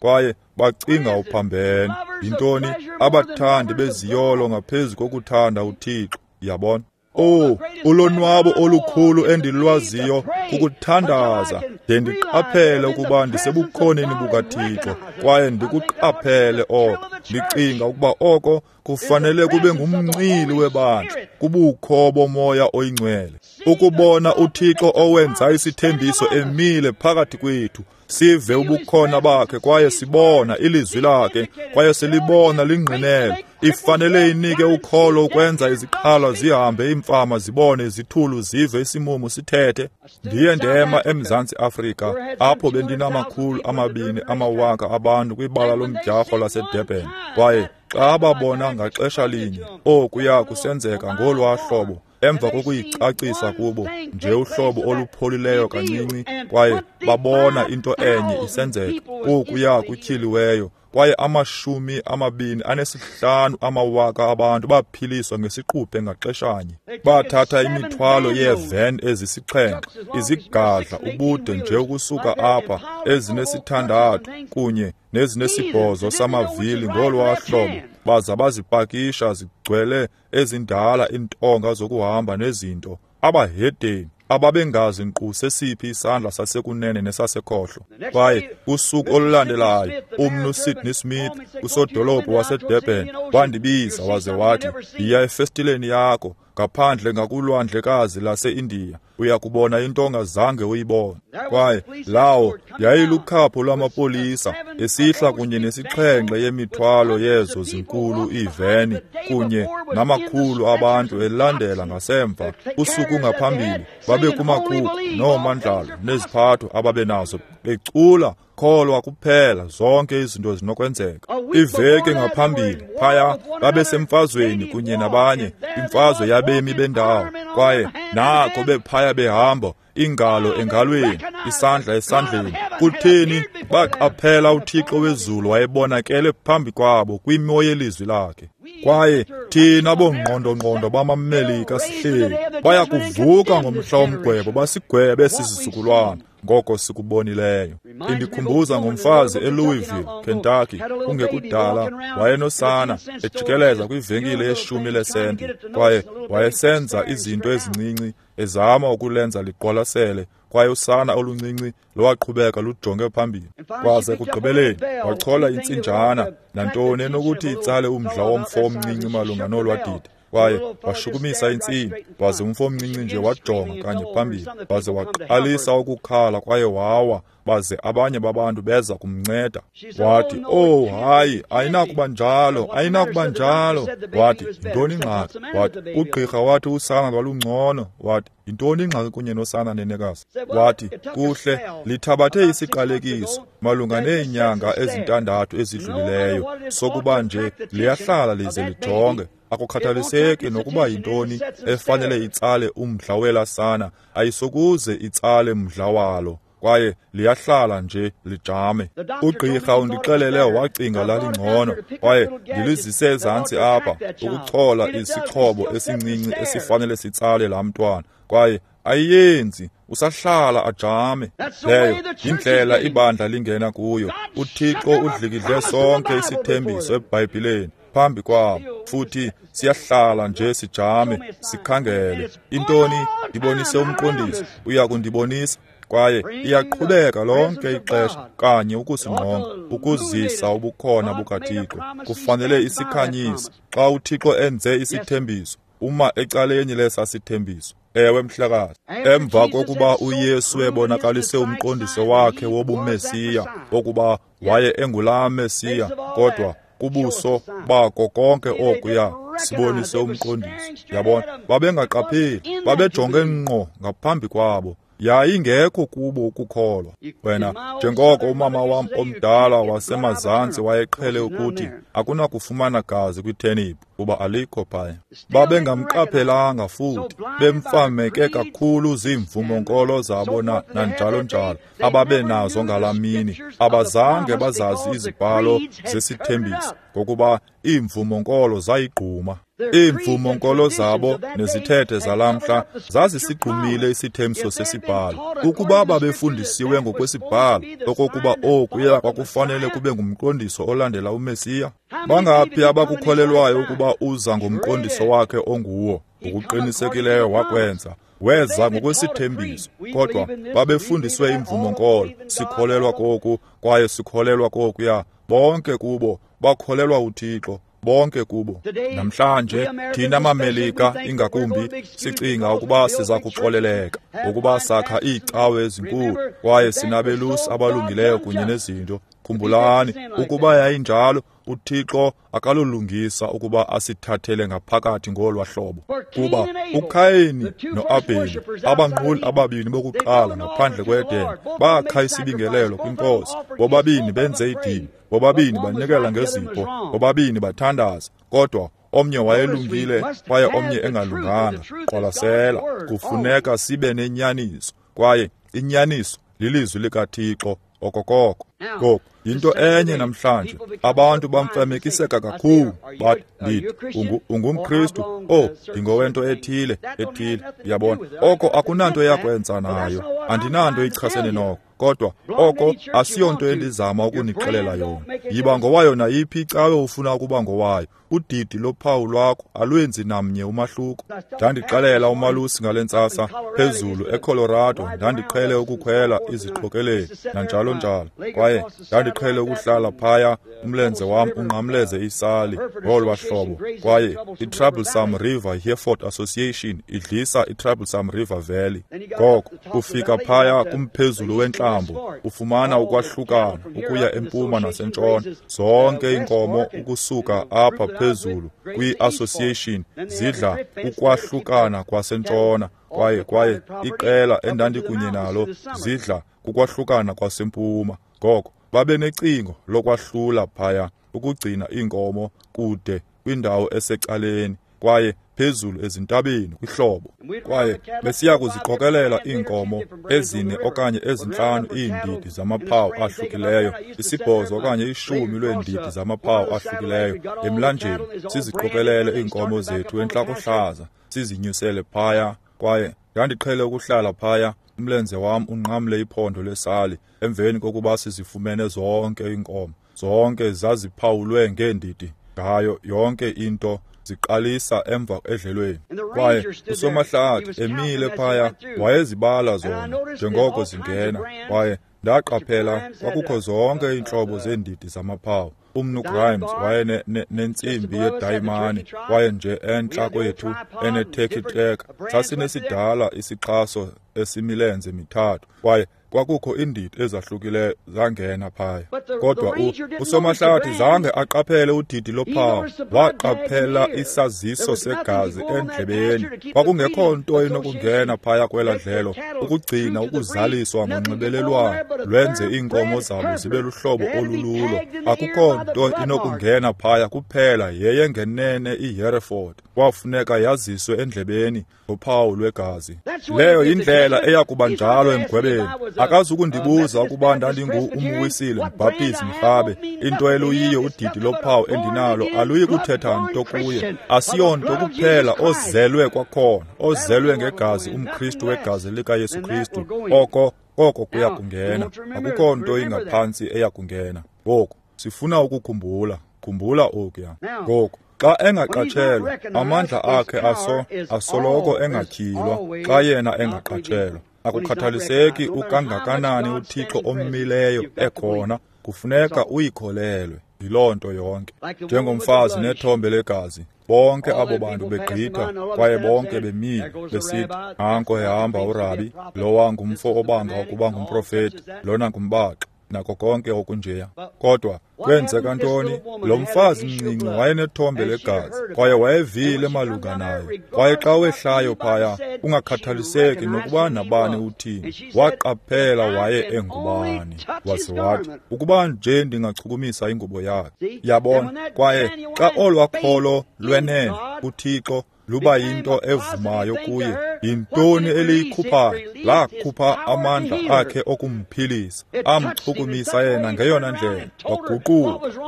kwaye bacinga uphambene. Yintoni? Abathandi beziyolo ngaphezu kokuthanda uThixo. Yabona? Oh, ulonwabo olukhulu endilwaziyo kukuthandaza de ndiqaphele ukuba ndisebukhoneni bukaThixo, kwaye ndikuqaphele oko. Ndicinga ukuba oko kufanele kube ngumncili webandla, kubukho bomoya oyingcwele, ukubona uThixo owenza isithembiso emile phakathi kwethu, sive ubukhona bakhe, kwaye sibona ilizwi lakhe, kwaye silibona lingqinela. Ifanele inike ukholo ukwenza iziqhalo zihambe, iimfama zibone, izithulu zive, isimumu sithethe. Ndiye ndema eMzantsi Afrika, apho bendinamakhulu amabini amawaka abantu kwibala lomdyarho laseDurban, kwaye xa babona ngaxesha linye okuya kusenzeka ngolwaa hlobo, emva kokuyicacisa kubo nje uhlobo olupholileyo kancinci, kwaye babona into enye isenzeka, okuya kutyhiliweyo, kwaye amashumi amabini anesihlanu amawaka abantu baphiliswa ngesiquphe ngaxeshanye. Bathatha imithwalo yeeven ezisixhenxe, izigadla ubude nje ukusuka apha, ezinesithandathu kunye nezinesibhozo samavili ngolwaa hlobo, baza bazipakisha zigcwele ezindala iintonga zokuhamba nezinto. Abahedeni ababengazi nkqu sesiphi isandla sasekunene nesasekhohlo. Kwaye usuku olulandelayo, umnu Sidney Smith, usodolophu waseDurban, wandibiza waze wathi, yiya efestileni yakho ngaphandle ngakulwandlekazi laseIndiya, uya kubona into ongazange uyibone. Kwaye lawo yayilukhapho lwamapolisa esihla kunye nesixhenxe yemithwalo yezo zinkulu iiveni kunye namakhulu abantu elandela ngasemva. Usuku ngaphambili babe kumakhulu noomandlalo neziphatho ababenazo, becula kholwa kuphela, zonke izinto zinokwenzeka. Iveki ngaphambili phaya babesemfazweni kunye nabanye, imfazwe yabemi bendawo, kwaye nako bephaya behamba, ingalo engalweni, isandla esandleni. Kutheni? Baqaphela uThixo wezulu wayebonakele phambi kwabo kwimo yelizwi lakhe. Kwaye thina bongqondongqondo bamaMelika sihleli baya kuvuka ngomhla womgwebo basigwebe esi sizukulwana ngoko sikubonileyo. Indikhumbuza ngomfazi eLouisville, Kentucky, kungekudala wayenosana ejikeleza kwivenkile yeshumi lesenti, kwaye wayesenza izinto ezincinci ezama ukulenza liqwalasele, kwaye usana oluncinci lwaqhubeka lujonge phambili. Kwaze ekugqibeleni wachola intsinjana nantoni enokuthi itsale umdla womfo omncinci malunga nolwadidi, kwaye washukumisa intsimbi, waze umfo omncinci nje wajonga kanye phambili, waze waqalisa ukukhala kwaye wawa, baze abanye babantu beza kumnceda. Wathi, "Oh hayi, ayinakuba njalo, ayinakuba njalo." Wathi, "Yintoni ingxaki?" Wathi, "Ugqirha wathi usana lwalungcono." Wathi, "Yintoni ingxaki kunye nosana, nenekazi?" Wathi, "Kuhle, lithabathe isiqalekiso malunga neenyanga ezintandathu ezidlulileyo sokuba nje liyahlala lize lijonge. Akukhathaliseki nokuba yintoni efanele itsale umdla welasana, ayisokuze itsale mdla walo, kwaye liyahlala nje lijame. Ugqirha undixelele wacinga lalingcono, kwaye ndilizise ezantsi apha ukuchola isixhobo esincinci esifanele sitsale laa mntwana, kwaye ayenzi, usahlala ajame. Leyo yindlela ibandla lingena kuyo. UThixo udlikidle sonke isithembiso eBhayibhileni phambi kwabo, futhi siyahlala nje sijame sikhangele. Intoni? Ndibonise umqondiso, uya kundibonisa. Kwaye iyaqhubeka lonke ixesha kanye ukusingqonga, ukuzisa ubukhona bukaThixo. Kufanele isikhanyise. Xa uThixo enze isithembiso, uma ecaleni lesa sithembiso. Ewe, mhlekazi. Emva kokuba uYesu ebonakalise umqondiso wakhe wobuMesiya, wokuba waye engulaa Mesiya, kodwa kubuso bako konke okuya sibonise umqondiso. Yabona, babengaqapheli, babejonge ngqo ngaphambi kwabo. Yayingekho kubo ukukholwa. Wena, njengoko umama wam omdala wasemazantsi wayeqhele ukuthi, akunakufumana gazi kwitheniphu kuba alikho phaya. Babengamqaphelanga futhi bemfameke kakhulu ziimvumo-nkolo zabo na nanjalo njalo ababenazo ngalaa mini. Abazange bazazi izibhalo zesithembiso ngokuba iimvumo-nkolo zayigquma. Iimvumo-nkolo zabo nezithethe zalamhla zazisigqumile isithembiso sesibhalo. Ukuba babefundisiwe ngokwesibhalo okokuba okuya kwakufanele kube ngumqondiso olandela uMesiya, bangaphi abakukholelwayo ukuba uza ngomqondiso wakhe onguwo? Ngokuqinisekileyo wakwenza. Weza ngokwesithembiso, kodwa babefundiswe imvumo-nkolo. Sikholelwa koku kwaye sikholelwa kokuya. Bonke kubo bakholelwa uThixo, bonke kubo. Namhlanje thina maMelika ingakumbi sicinga ukuba siza kuxoleleka ngokuba sakha iicawe ezinkulu kwaye sinabelusi abalungileyo kunye nezinto. Khumbulani, ukuba yayinjalo, uThixo akalolungisa ukuba asithathele ngaphakathi ngolwa hlobo. Kuba uKhayini noAbheli, abanquli ababini bokuqala ngaphandle kweEden, bakha isibingelelo kwiNkosi. Bobabini benze idini, bobabini banikela ngezipho, bobabini bathandaza, kodwa omnye wayelungile kwaye omnye engalunganga. Qwalasela, kufuneka sibe nenyaniso, kwaye inyaniso lilizwi likaThixo okokoko. Ngoku yinto enye namhlanje, abantu bamfamekiseka kakhulu, bathi, ndithi ungumKristu, oh, ndingowento ethile ethile. Uyabona, oko akunanto yakwenza nayo, andinanto ichasene noko, kodwa oko asiyonto endizama ukunixelela yona. Yiba ngowayo nayiphi icawe ufuna ukuba ngowayo, udidi lophawu lwakho alwenzi namnye umahluko. Ndandixelela umalusi ngale ntsasa phezulu eColorado, ndandiqhele ukukhwela iziqokeleli nanjalo njalo, kwaye ndandiqhele ukuhlala phaya umlenze wam unqamleze isali ngolwa hlobo. Kwaye iTroublesome River Hereford Association idlisa iTroublesome River Valley. Ngoko ufika phaya kumphezulu wentlambo, ufumana ukwahlukana ukuya empuma nasentshona. Zonke iinkomo ukusuka apha phezulu kwi-association zidla ukwahlukana kwasentshona, kwaye kwaye iqela endandikunye nalo zidla kukwahlukana kwasempuma. Ngoko babe necingo lokwahlula phaya ukugcina iinkomo kude kwindawo esecaleni, Kwaye phezulu ezintabeni kwihlobo, kwaye besiya kuziqokelela iinkomo ezine okanye ezintlanu iindidi zamaphawu ahlukileyo, isibhozo okanye ishumi lweendidi zamaphawu ahlukileyo emlanjeni, siziqokelele iinkomo zethu entlakohlaza, sizinyusele phaya. Kwaye ndandiqhele ukuhlala phaya, umlenze wam unqamle iphondo lesali, emveni kokuba sizifumene zonke iinkomo. Zonke zaziphawulwe ngeendidi ngayo yonke into, ziqalisa emva edlelweni. Kwaye usomahlathi emile phaya wayezibala zona njengoko zingena. Kwaye ndaqaphela kwakukho zonke iintlobo zeendidi zamaphawu. Umnu Grimes waye nentsimbi yedayimani, kwaye nje entla kwethu eneturkey track sasinesidala isixhaso esimilenze mithathu, kwaye kwakukho iindidi ezahlukileyo zangena phaya. Kodwa usomahlathi zange aqaphele udidi lophawu, waqaphela isaziso segazi endlebeni. Kwakungekho nto inokungena phaya kwela dlelo ukugcina ukuzaliswa ngonxibelelwano lwenze iinkomo zabo zibe luhlobo olululo. Akukho nto inokungena phaya kuphela yeyengenene iHereford. Kwafuneka yaziswe endlebeni ngophawu lwegazi. Leyo yindlela eyakuba njalo emgwebeni. Akazukundibuza ukuba ndandingu umwisile, mbhaptizi, mrhabe. Into eluyiyo udidi lophawu endinalo aluyi kuthetha nto kuye. Asiyonto kuphela ozelwe kwakhona, ozelwe ngegazi, umKristu wegazi likaYesu Kristu. Oko koko kuya kungena. Akukho nto ingaphantsi eya kungena. Ngoku sifuna ukukhumbula, khumbula okuya. Ngoku xa engaqatshelwa, amandla akhe aso asoloko engatyhilwa. Xa yena engaqatshelwa, akukhathaliseki ukangakanani uThixo ommileyo ekhona, kufuneka uyikholelwe. Yiloo nto yonke. Njengomfazi nethombe legazi, bonke abo bantu begqitha, kwaye bonke bemile besithi, nanko ehamba urabi, lowa ngumfo obanga ukuba ngumprofeti, lona ngumbaxi, nako konke okunjeya. Kodwa kwenzeka ntoni? Lo mfazi mncinci wayenethombe legazi, kwaye wayevile malunga naye. Kwaye xa wehlayo phaya, ungakhathaliseki nokuba nabani uthini, waqaphela waye engubani. Waze wathi, ukuba nje ndingachukumisa ingubo yakhe. Yabona? Kwaye xa olwakholo lwenene kuThixo luba yinto evumayo kuye, yintoni eliyikhuphayo? Lakhupha amandla akhe okumphilisa, amchukumisa yena ngeyona ndlela. Waguquka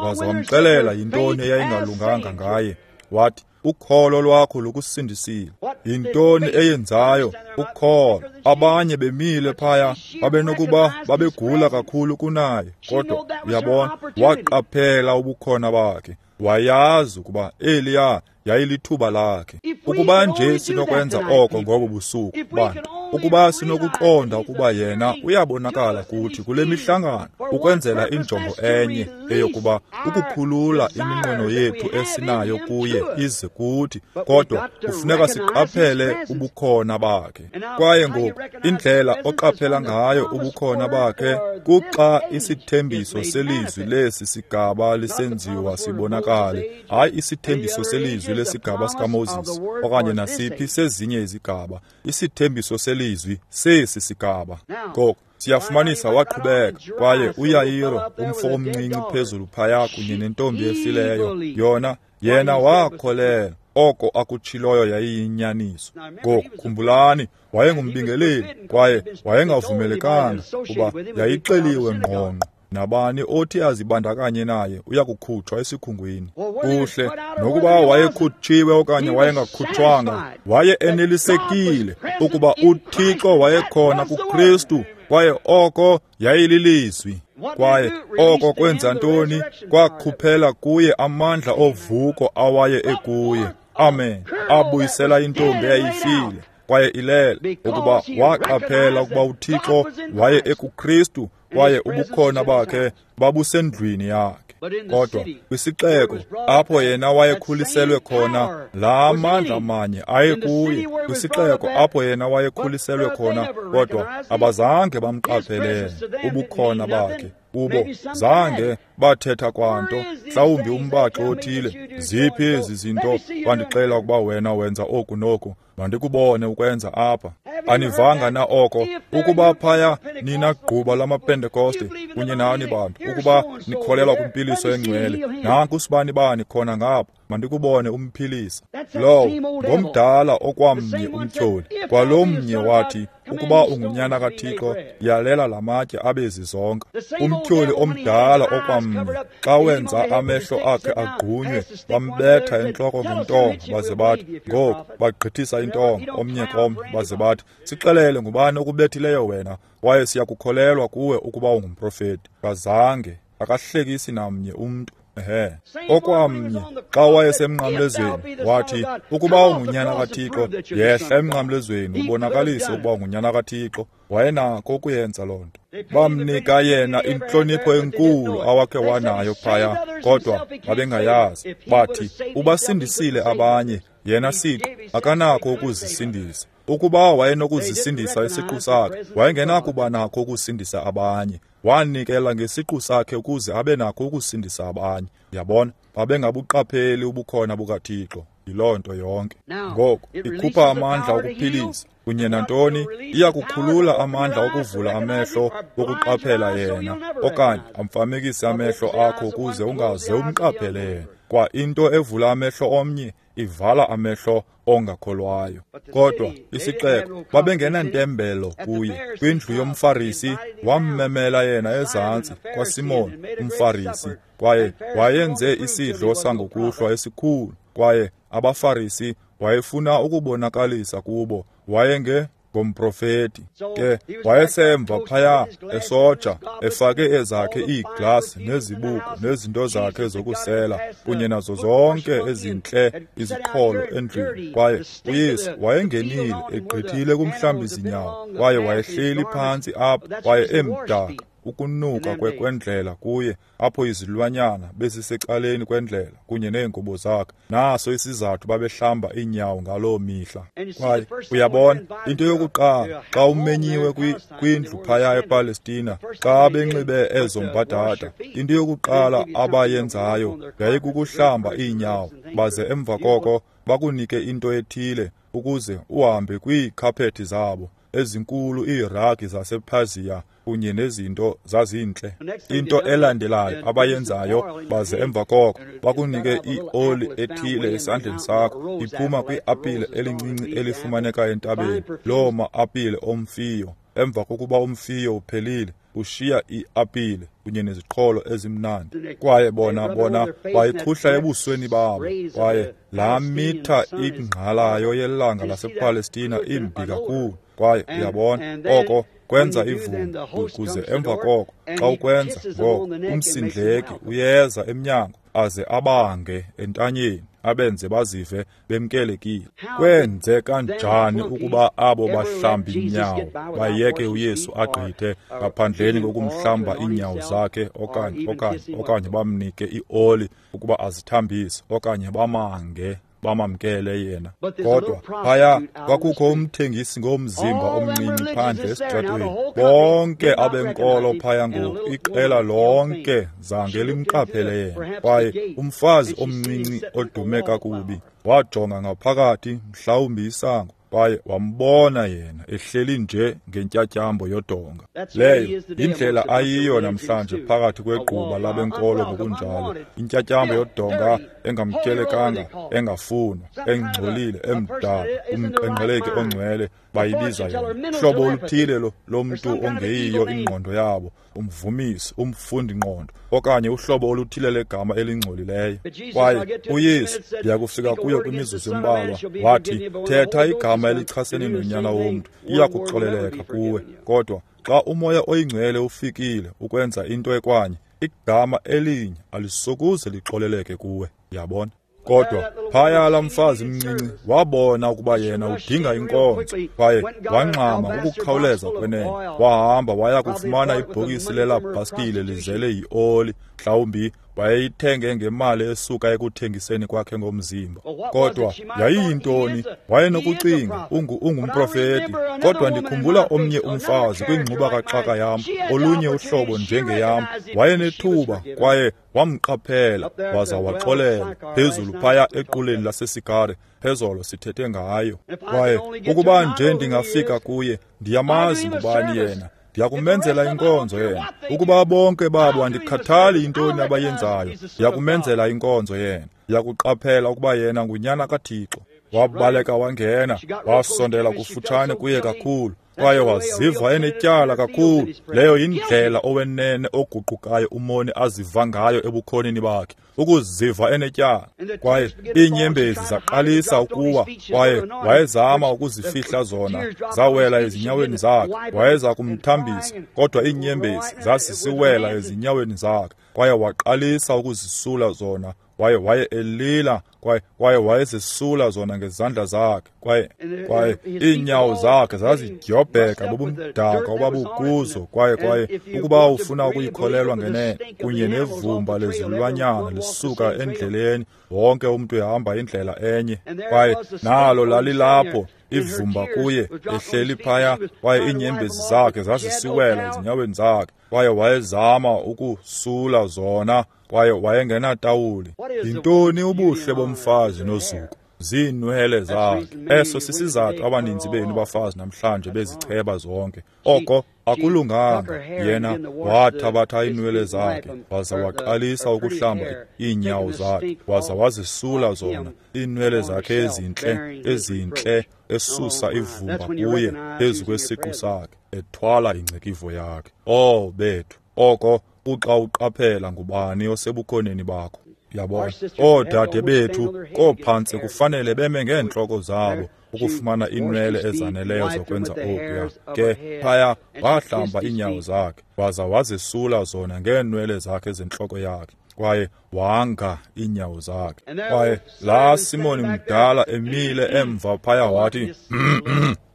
waze wamxelela yintoni eyayingalunganga ngaye. Wathi, ukholo lwakho lukusindisile. Yintoni eyenzayo? Ukholo. Abanye bemile phaya babenokuba babegula kakhulu kunaye, kodwa uyabona, waqaphela ubukhona bakhe. Wayazi ukuba eliya yayilithuba lakhe. Ukuba nje sinokwenza oko ngobo busuku, bantu, ukuba sinokuqonda ukuba yena uyabonakala kuthi kule mihlangano ukwenzela injongo enye, eyokuba ukukhulula iminqweno yethu esinayo kuye ize kuthi, kodwa kufuneka siqaphele ubukhona bakhe. Kwaye ngoku indlela oqaphela ngayo ubukhona bakhe kuxa isithembiso selizwi lesi sigaba lisenziwa sibonakale, hayi isithembiso selizwi lesigaba sikaMoses okanye nasiphi sezinye izigaba, isithembiso selizwi sesi sigaba. Ngoku siyafumanisa waqhubeka, kwaye uYairo, umfo omncinci phezulu phaya kunye nentombi efileyo, yona yena wakholela oko akutshiloyo yayiyinyaniso. Ngoku khumbulani, wayengumbingeleli kwaye wayengavumelekanga kuba yayixeliwe ngqongqo. Nabani othi azibandakanye naye uyakukhutshwa esikhungwini. Kuhle, nokuba wayekhutshiwe okanye wayengakhutshwanga, waye enelisekile ukuba uThixo wayekhona kuKristu, kwaye oko yayililizwi. Kwaye oko kwenza ntoni? Kwakhuphela kuye amandla ovuko awaye ekuye. Amen. Abuyisela intombi eyayifile kwaye ilele, ukuba waqaphela ukuba uThixo waye ekuKristu kwaye ubukhona bakhe babusendlwini yakhe. Kodwa kwisixeko apho yena wayekhuliselwe khona, laa mandla manye ayekuye. Kwisixeko apho yena wayekhuliselwe khona, kodwa abazange bamqaphelele ubukhona bakhe kubo, zange bathetha kwanto. Mhlawumbi umbaxi othile, ziphi ezi zinto wandixelela ukuba wena wenza oku noku, mandikubone ukwenza apha. Anivanga na oko? Ukuba phaya nina gquba lamaPentekoste kunye nani bantu, ukuba nikholelwa kwimpiliso engcwele, nanku sibani bani khona ngapha, mandikubone umphilisa. Lowo ngomdala okwamnye umtyholi. Kwalomnye wathi, ukuba ungunyana kaThixo, yalela lamatye abe zizonka. Umtyholi omdala okwamnye, xa wenza amehlo akhe agqunywe, bambetha entloko ngentonga, baze bathi, ngoku bagqithisa intonga omnye komnye, baze bathi, sixelele ngubani okubethileyo wena, kwaye siyakukholelwa kuwe ukuba ungumprofeti. Kazange akahlekisi namnye umntu. Ehe. Okwamnye xa wayesemnqamlezweni wathi, ukuba ungunyana kaThixo, yehla emnqamlezweni ubonakalise ukuba ungunyana kaThixo. Wayenako ukuyenza loo nto. Bamnika yena intlonipho enkulu awakhe wanayo phaya, kodwa babengayazi. Bathi, ubasindisile abanye, yena siqu akanakho ukuzisindisa. Ukuba wayenokuzisindisa isiqu sakhe, wayengenakuba nakho ukusindisa abanye. Wanikela ngesiqu sakhe ukuze abe nakho ukusindisa abanye. Yabona, babengabuqapheli ubukhona bukaThixo. Yiloo nto yonke. Ngoku ikhupha amandla okuphilisa kunye nantoni, iyakukhulula amandla okuvula amehlo wokuqaphela yena, okanye amfamekise amehlo akho ukuze ungaze umqaphele yena. Kwa into evula amehlo omnye ivala amehlo ongakholwayo. Kodwa isixeko babengenantembelo kuye. Kwindlu yomFarisi wammemela yena ezantsi kwaSimon umFarisi, kwaye wayenze isidlo sangokuhlwa esikhulu, kwaye abaFarisi wayefuna ukubonakalisa kubo wayenge ngomprofeti. Ke wayesemva phaya esoja, efake ezakhe iiglasi nezibuko nezinto zakhe zokusela kunye nazo zonke ezintle iziqholo endlwini. Kwaye uYesu wayengenile egqithile kumhlambi-zinyawo, kwaye wayehleli phantsi apho, kwaye emdaka ukunuka kwendlela kuye, apho izilwanyana bezisecaleni kwendlela kunye neengubo zakhe. Naso isizathu babehlamba iinyawo ngaloo mihla. Kwaye uyabona, into yokuqala xa umenyiwe kwindlu phaya ePalestina, xa benxibe ezo mbadada, into yokuqala abayenzayo yayikukuhlamba iinyawo, baze emva koko bakunike into ethile ukuze uhambe kwiikhaphethi zabo ezinkulu, iiragi zasePersia kunye nezinto zazintle. Into elandelayo abayenzayo, baze emva koko bakunike ioli ethile esandleni sakho, iphuma kwiapile elincinci elifumaneka entabeni, loo ma-apile omfiyo. Emva kokuba umfiyo uphelile, ushiya iapile kunye neziqholo ezimnandi. Kwaye bona bona bayikhuhla ebusweni babo. Kwaye laa mitha ingqalayo yelanga lasePalestina imbi kakhulu. Kwaye uyabona, oko kwenza ivumba, ukuze emva koko xa ukwenza ngoko umsindleki uyeza emnyango aze abange entanyeni, abenze bazive bemkelekile. Kwenzeka njani ukuba abo bahlambi inyawo bayeke uYesu agqithe ngaphandleni kokumhlamba iinyawo zakhe, okanye okanye okanye bamnike ioli ukuba azithambise, okanye bamange bamamkele yena? Kodwa phaya kwakukho umthengisi ngomzimba omncinci phandle esitratweni. Bonke abenkolo phaya ngoku, iqela lonke zange limqaphele yena. Kwaye umfazi omncinci odume kakubi wajonga ngaphakathi, mhlawumbi isango, kwaye wambona yena ehleli nje ngentyatyambo yodonga. Leyo yindlela ayiyo namhlanje phakathi kwegquba labenkolo ngokunjalo, intyatyambo yodonga engamkelekanga, engafunwa, engcolile, emdala, umqenqeleki ongcwele bayibiza yona. Hlobo oluthile lomntu ongeyiyo ingqondo yabo, umvumisi, umfundi-ngqondo, okanye uhlobo oluthile legama elingcolileyo. Kwaye uYesu, ndiyakufika kuyo kwimizuzu embalwa, wathi, thetha igama elichasene noNyana womntu, iyakuxoleleka kuwe. Kodwa xa uMoya oyiNgcwele ufikile ukwenza into ekwanye, igama elinye alisokuze lixoleleke kuwe. Yabona? Kodwa phaya laa mfazi mncinci wabona ukuba yena udinga inkonzo, kwaye wangxama ukukhawuleza kwenene. Wahamba waya kufumana ibhokisi lelabhaskile lizele yioli, mhlawumbi wayeyithenge ngemali esuka ekuthengiseni kwakhe ngomzimba. Kodwa yayiyintoni? Wayenokucinga ungumprofeti. Kodwa ndikhumbula omnye umfazi kwingxuba kaxaka yam, olunye uhlobo njengeyam, wayenethuba kwaye wamqaphela waza waxolela phezulu phaya equleni laseSikare, phezolo sithethe ngayo. Kwaye ukuba nje ndingafika kuye, ndiyamazi ngubani yena, ndiyakumenzela inkonzo yena. Ukuba bonke babo andikhathali intoni abayenzayo, ndiyakumenzela inkonzo yena. Yakuqaphela ukuba yena ngunyana kaThixo. Wabaleka wangena, wasondela kufutshane kuye kakhulu, kwaye waziva enetyala kakhulu. Leyo yindlela owenene oguqukayo umoni aziva ngayo ebukhoneni bakhe, ukuziva enetyala. Kwaye iinyembezi zaqalisa ukuwa, kwaye wayezama ukuzifihla zona, zawela ezinyaweni zakhe. Wayeza kumthambisa, kodwa iinyembezi zazisiwela ezinyaweni zakhe, kwaye waqalisa ukuzisula zona. Kwaye waye elila, kwaye kwaye wayezisula zona ngezandla zakhe, kwaye kwaye iinyawo zakhe zazidyobheka bubumdaka obabukuzo. Kwaye kwaye ukuba ufuna ukuyikholelwa ngenene, kunye nevumba lezilwanyana lisuka endleleni, wonke umntu ehamba indlela enye. Kwaye nalo lalilapho ivumba kuye, ehleli phaya, kwaye iinyembezi zakhe zazisiwela ezinyaweni zakhe, kwaye wayezama ukusula zona, kwaye wayengenatawuli. Yintoni ubuhle bomfazi nozuko? Ziinwele zakhe. Eso sisizathu abaninzi benu bafazi namhlanje bezicheba zonke. Oko akulunganga. Yena wathabatha iinwele zakhe, waza waqalisa ukuhlamba iinyawo zakhe, waza wazisula zona iinwele zakhe ezintle, ezintle, esusa ivumba kuye phezu kwesiqu sakhe, ethwala ingcikivo yakhe. Oh bethu, oko uxa uqaphela ngubani osebukhoneni bakho. Yabona, oodade bethu koophantsi kufanele beme ngeentloko zabo ukufumana iinwele ezaneleyo zokwenza okuya. Ke phaya wahlamba iinyawo zakhe, waza wazisula zona ngeenwele zakhe zentloko yakhe, kwaye wanga iinyawo zakhe. Kwaye laa Simoni mdala emile emva phaya wathi,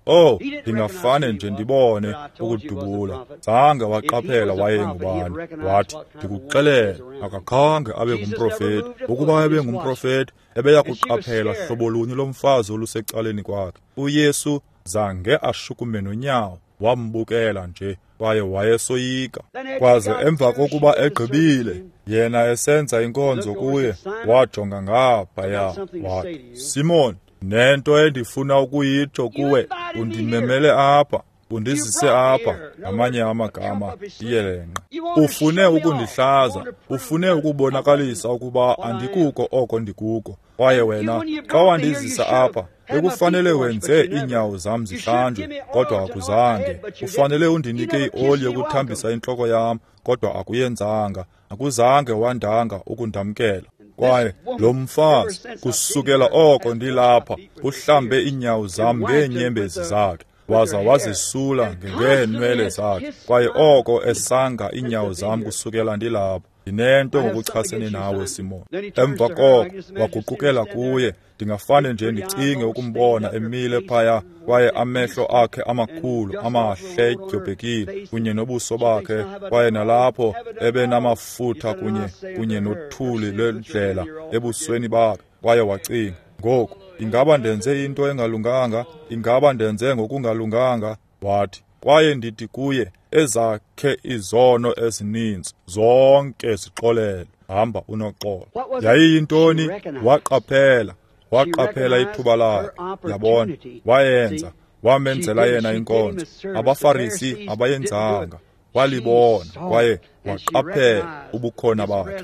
oh, ndingafane nje ndibone ukudubula. Zange waqaphela wayengubani. Wathi, ndikuxelele, akakhange abe ngumprofeti. Ukuba ebe ngumprofeti, ebeya kuqaphela hlobo lunye lomfazi olusecaleni kwakhe. UYesu zange ashukume nonyawo, wambukela nje, kwaye wayesoyika. Kwaze emva kokuba egqibile, yena esenza inkonzo kuye, wajonga ngaphaya, wathi, Simon, nento endifuna ukuyitsho kuwe, undimemele apha, undizise apha, ngamanye amagama, iyelenqe. Ufune ukundihlaza, ufune ukubonakalisa ukuba andikuko oko ndikuko. Kwaye wena, xa wandizisa apha, bekufanele wenze iinyawo zam zihlanjwe, kodwa akuzange. Ufanele undinike ioli yokuthambisa intloko yam, kodwa akuyenzanga. Akuzange wandanga ukundamkela. Kwaye lo mfazi, kusukela oko ndilapha, uhlambe iinyawo zam ngeenyembezi zakhe, waza wazisula ngeenwele zakhe. Kwaye oko esanga iinyawo zam kusukela ndilapha. Ndinento ngokuchasene nawe, Simon. Emva koko waguqukela kuye. Ndingafane nje ndicinge ukumbona emile phaya, kwaye amehlo akhe amakhulu amahle edyobhekile, kunye nobuso bakhe, kwaye nalapho ebenamafutha kunye kunye nothuli lwendlela ebusweni bakhe. Kwaye wacinga, ngoku ingaba ndenze into engalunganga? Ingaba ndenze ngokungalunganga? Wathi, kwaye ndithi kuye, ezakhe izono ezininzi zonke zixolelwe, hamba unoxolo. Yayiyintoni? Waqaphela, waqaphela ithuba lakhe. Yabona, wayenza, wamenzela yena inkonzo. AbaFarisi abayenzanga. Walibona, kwaye waqaphela ubukhona bakhe.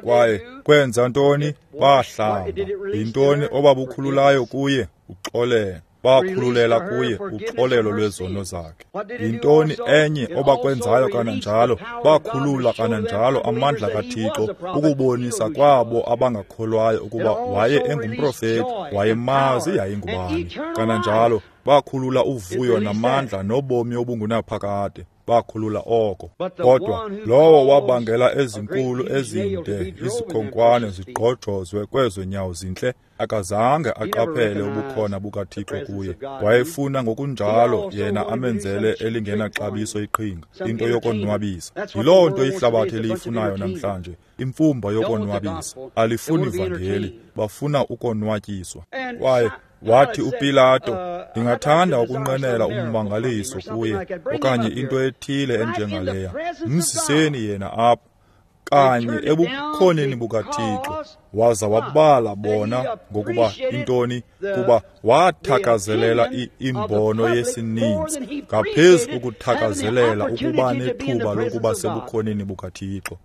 Kwaye kwenza ntoni? Bahlamba. Yintoni obabukhululayo kuye? Uxolelo. Bakhululela kuye uxolelo lwezono zakhe. Yintoni enye obakwenzayo kananjalo? Bakhulula kananjalo amandla kaThixo ukubonisa kwabo abangakholwayo ukuba waye engumprofeti, wayemazi yayingubani. Kananjalo bakhulula uvuyo namandla nobomi obungunaphakade. Bakhulula oko. Kodwa lowo wabangela ezinkulu ezinde izikhonkwane zigqojozwe kwezo nyawo zintle, akazange aqaphele ubukhona bukaThixo kuye. Wayefuna ngokunjalo yena amenzele elingenaxabiso iqhinga, into yokonwabisa. Yiloo nto ihlabathi eliyifunayo namhlanje, imfumba yokonwabisa. Alifuni ivangeli, bafuna ukonwatyiswa. Kwaye wathi uPilato, ndingathanda ukunqwenela ummangaliso kuye, okanye into ethile enjengaleya. Mziseni yena apha, kanye ebukhoneni bukaThixo. Waza wabala bona ngokuba intoni, kuba wathakazelela imbono yesininzi ngaphezu kokuthakazelela ukuba nethuba lokuba sebukhoneni bukaThixo.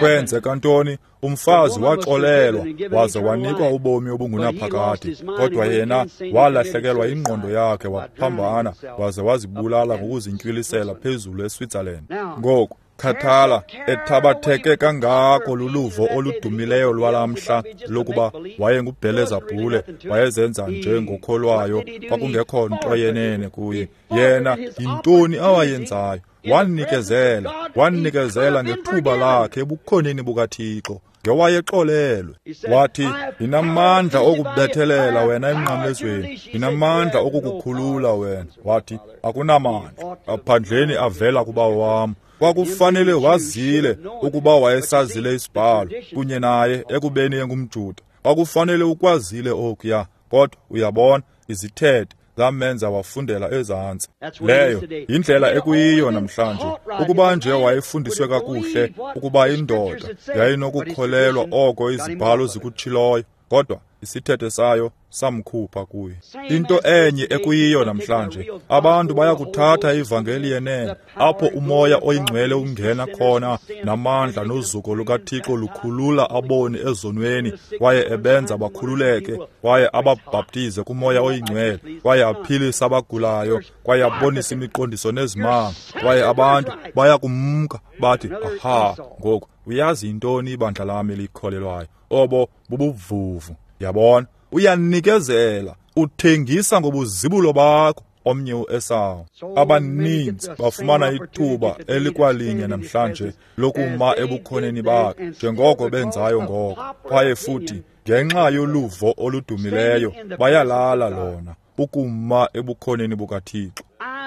Kwenzeka ntoni? Umfazi waxolelwa waze wanikwa ubomi obungunaphakade, kodwa yena walahlekelwa ingqondo yakhe, waphambana waze wazibulala ngokuzintywilisela phezulu eSwitzerland. Ngoku khathala, ethabatheke kangako luluvo oludumileyo lwalamhla lokuba wayenguBhelezabhule, wayezenza njengokholwayo, kwakungekho nto yenene kuye. Yena yintoni awayenzayo? Wanikezela, wanikezela ngethuba lakhe ebukhoneni bukaThixo, ngewayexolelwe. Wathi, ndinamandla okubethelela wena emnqamlezweni, ndinamandla okukukhulula wena. Wathi, akunamandla ngaphandleni avela kubawo wam. Kwakufanele wazile ukuba wayesazile isibhalo kunye naye ekubeni engumJuda. Kwakufanele ukwazile okuya, kodwa uyabona, izithethe zamenza wafundela ezantsi. Leyo yindlela ekuyiyo namhlanje. Ukuba nje wayefundiswe kakuhle ukuba indoda yayinokukholelwa oko izibhalo zikutshiloyo, kodwa isithethe sayo samkhupha kuye. Into enye ekuyiyo namhlanje, abantu bayakuthatha ivangeli yenene, apho umoya oyingcwele ungena khona namandla nozuko lukaThixo lukhulula aboni ezonweni, kwaye ebenza bakhululeke, kwaye ababhaptize kumoya oyingcwele, kwaye aphilise abagulayo, kwaye abonise imiqondiso nezimanga, kwaye abantu bayakumka bathi, aha, ngoku uyazi yintoni ibandla lam elikholelwayo? Obo bubuvuvu. Yabona, uyanikezela, uthengisa ngobuzibulo bakho. Omnye uEsawu. Abaninzi bafumana ithuba elikwalinye namhlanje lokuma ebukhoneni bakhe njengoko benzayo ngoko, kwaye futhi ngenxa yoluvo oludumileyo bayalala lona ukuma ebukhoneni bukaThixo.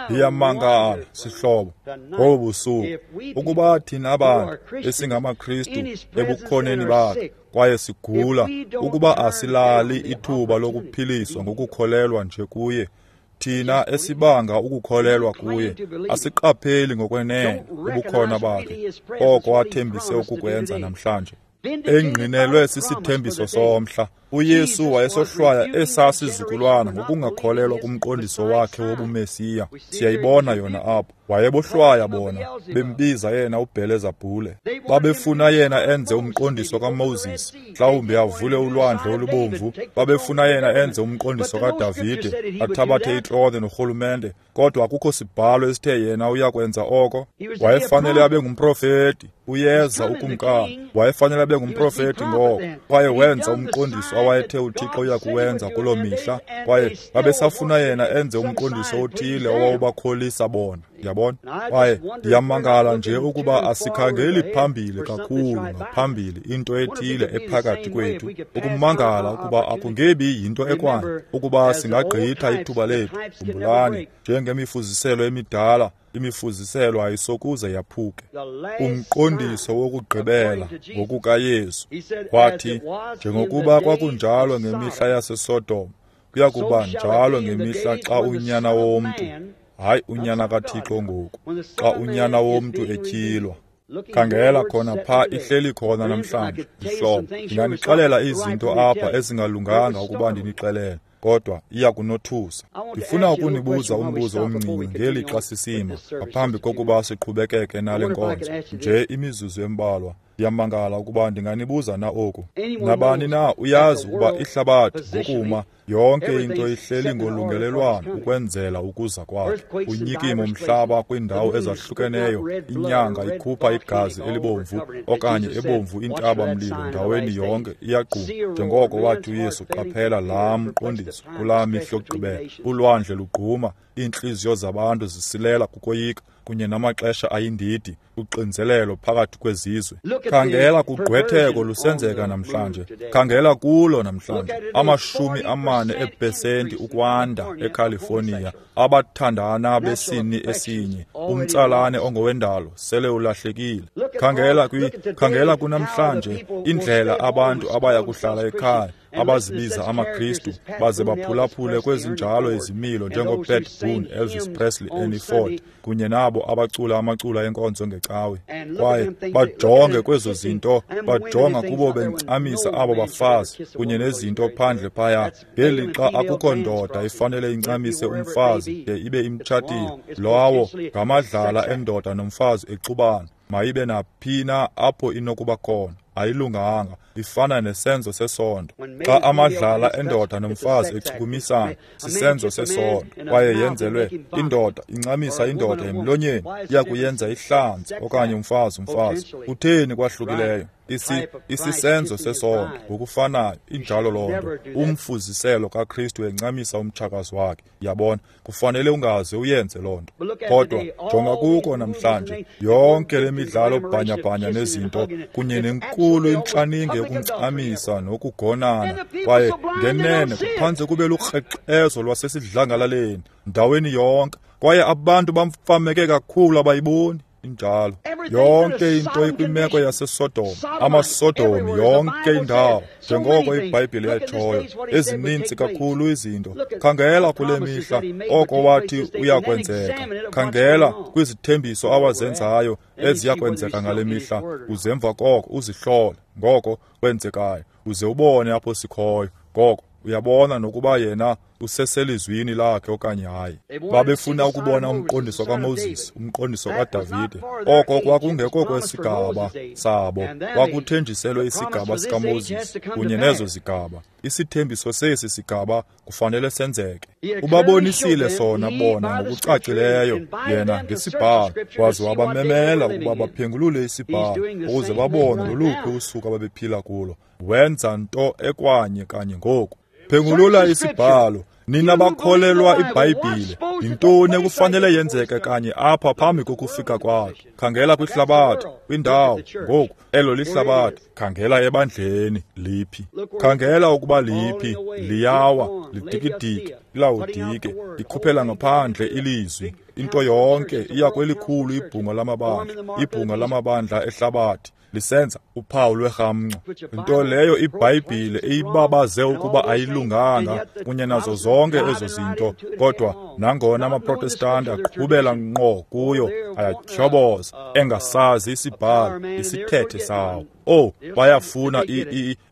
Ndiyamangala, sihlobo, ngobu busuku, ukuba thina abantu esingamaKristu ebukhoneni bakhe kwaye sigula, ukuba asilali ithuba lokuphiliswa ngokukholelwa nje kuye. Thina esibanga ukukholelwa kuye asiqapheli ngokwenene ubukhona bakhe, oko athembise ukukwenza namhlanje. Engqinelwe sisithembiso somhla, uYesu wayesohlwaya esaa sizukulwana ngokungakholelwa kumqondiso wakhe wobuMesiya. Siyayibona yona apho. Wayebohlwaya bona, bembiza yena uBhelezabhule. Babefuna yena enze umqondiso kaMoses, mhlawumbi avule ulwandle olubomvu. Babefuna yena enze umqondiso kaDavide, athabathe itrone norhulumente, kodwa akukho sibhalo esithe yena uyakwenza oko. Wayefanele abe ngumprofeti, uyeza ukumkani. Wayefanele abe ngumprofeti ngoko, kwaye wenza umqondiso awayethe uThixo uyakuwenza kuloo mihla, kwaye babesafuna yena enze umqondiso othile owawubakholisa bona. Yabona? Kwaye ndiyamangala nje ukuba asikhangeli phambili kakhulu ngaphambili into ethile ephakathi kwethu, ukumangala ukuba akungebi yinto ekwayo ukuba singagqitha ithuba lethu. Khumbulani, njengemifuziselo emidala, imifuziselo ayisokuze yaphuke. Umqondiso wokugqibela ngokukaYesu wathi, njengokuba kwakunjalo ngemihla yaseSodom, kuya kuba njalo ngemihla xa uNyana womntu, hayi uNyana kaThixo ngoku, xa uNyana womntu etyhilwa. Khangela khona pha, ihleli khona namhlanje, zihlobo. Ndinganixelela izinto apha ezingalunganga ukuba ndinixelele, kodwa iya kunothusa. Ndifuna ukunibuza umbuzo omncinci ngelixa sisima ngaphambi kokuba siqhubekeke nale nkonzo, nje imizuzu embalwa. Ndiyamangala ukuba ndinganibuza na oku. Nabani na uyazi ukuba ihlabathi ngokuma yonke into ihleli ngolungelelwano ukwenzela ukuza kwakhe. Unyikimo umhlaba kwiindawo ezahlukeneyo, inyanga ikhupha igazi elibomvu okanye ebomvu intaba-mlilo ndaweni yonke iyagquma. Njengoko wathi uYesu, qaphela laa mqondiso kulaa mihla yokugqibela. Ulwandle lugquma, iintliziyo zabantu zisilela kukoyika, kunye namaxesha ayindidi, uxinzelelo phakathi kwezizwe. Khangela kugqwetheko lusenzeka namhlanje. Khangela kulo namhlanje. Amashumi amane eepesenti ukwanda eCalifornia, abathandana besini esinye, umtsalane ongowendalo sele ulahlekile. Khangela kwi khangela kunamhlanje indlela abantu abaya kuhlala ekhaya, abazibiza amaKristu, baze baphulaphule kwezinjalo izimilo njengoPat Boone, Elvis Presley, Ernie Ford, kunye nabo abacula amacula enkonzo ngecawe. Kwaye bajonge kwezo zinto, bajonga kubo bencamisa abo bafazi kunye nezinto phandle phaya, ngelixa akukho ndoda ifanele incamise umfazi de ibe imtshatile. Lowo ngamadlala endoda nomfazi exubana. Mayibe naphina apho inokuba khona. Ayilunganga, ifana nesenzo sesondo. Xa amadlala endoda nomfazi echukumisana, sisenzo sesondo. Kwaye yenzelwe indoda incamisa indoda emlonyeni, iyakuyenza ihlanze okanye umfazi umfazi. Kutheni kwahlukileyo? Isi isisenzo sesondo ngokufanayo, injalo loo nto. Umfuziselo kaKristu encamisa umtshakazi wakhe. Yabona, kufanele ungaze uyenze loo nto. Kodwa jonga kuko namhlanje, yonke le midlalo bhanyabhanya nezinto kunye nenkulu intlaninge yokuncamisa nokugonana, kwaye ngenene kuphantse kube lukrexezo lwasesidlangalaleni ndaweni yonke, kwaye abantu bamfameke kakhulu abayiboni. Injalo yonke into ikwimeko yaseSodom, amaSodomi yonke indawo, njengoko iBhayibhile yatshoyo. Ezininzi kakhulu izinto. Khangela kule mihla oko wathi uyakwenzeka. Khangela kwizithembiso awazenzayo eziyakwenzeka ngale mihla, uze emva koko uzihlole ngoko kwenzekayo, uze ubone apho sikhoyo. Ngoko uyabona nokuba yena useselizwini lakhe okanye hayi. Babefuna ukubona umqondiso kaMoses, umqondiso kaDavide. Oko kwakungekho kwesigaba sabo, kwakuthenjiselwe isigaba sikaMoses kunye nezo zigaba. Isithembiso sesi sigaba kufanele senzeke. Ubabonisile sona bona ngokucacileyo yena ngesibhalo, waze wabamemela ukuba baphengulule isibhalo ukuze babone loluphi usuku ababephila kulo. Wenza nto ekwanye kanye ngoku. Phengulula isibhalo, nina bakholelwa iBhayibhile. Yintoni ekufanele yenzeke kanye apha phambi kokufika kwakhe? Khangela kwihlabathi, kwindawo ngoku, elo lihlabathi. Khangela ebandleni, liphi? Khangela ukuba liphi. Liyawa, lidikidiki, ilawudike, likhuphela ngaphandle ilizwi. Into yonke iya kwelikhulu ibhunga lamabandla, ibhunga lamabandla ehlabathi, lisenza uphawu lwerhamncwa. Into leyo iBhayibhile eyibabaze ukuba ayilunganga kunye nazo zonke ezo zinto, kodwa nangona amaProtestanti aqhubela ngqo kuyo, ayatyhoboza engasazi isibhalo, isithethe sawo. Oh, bayafuna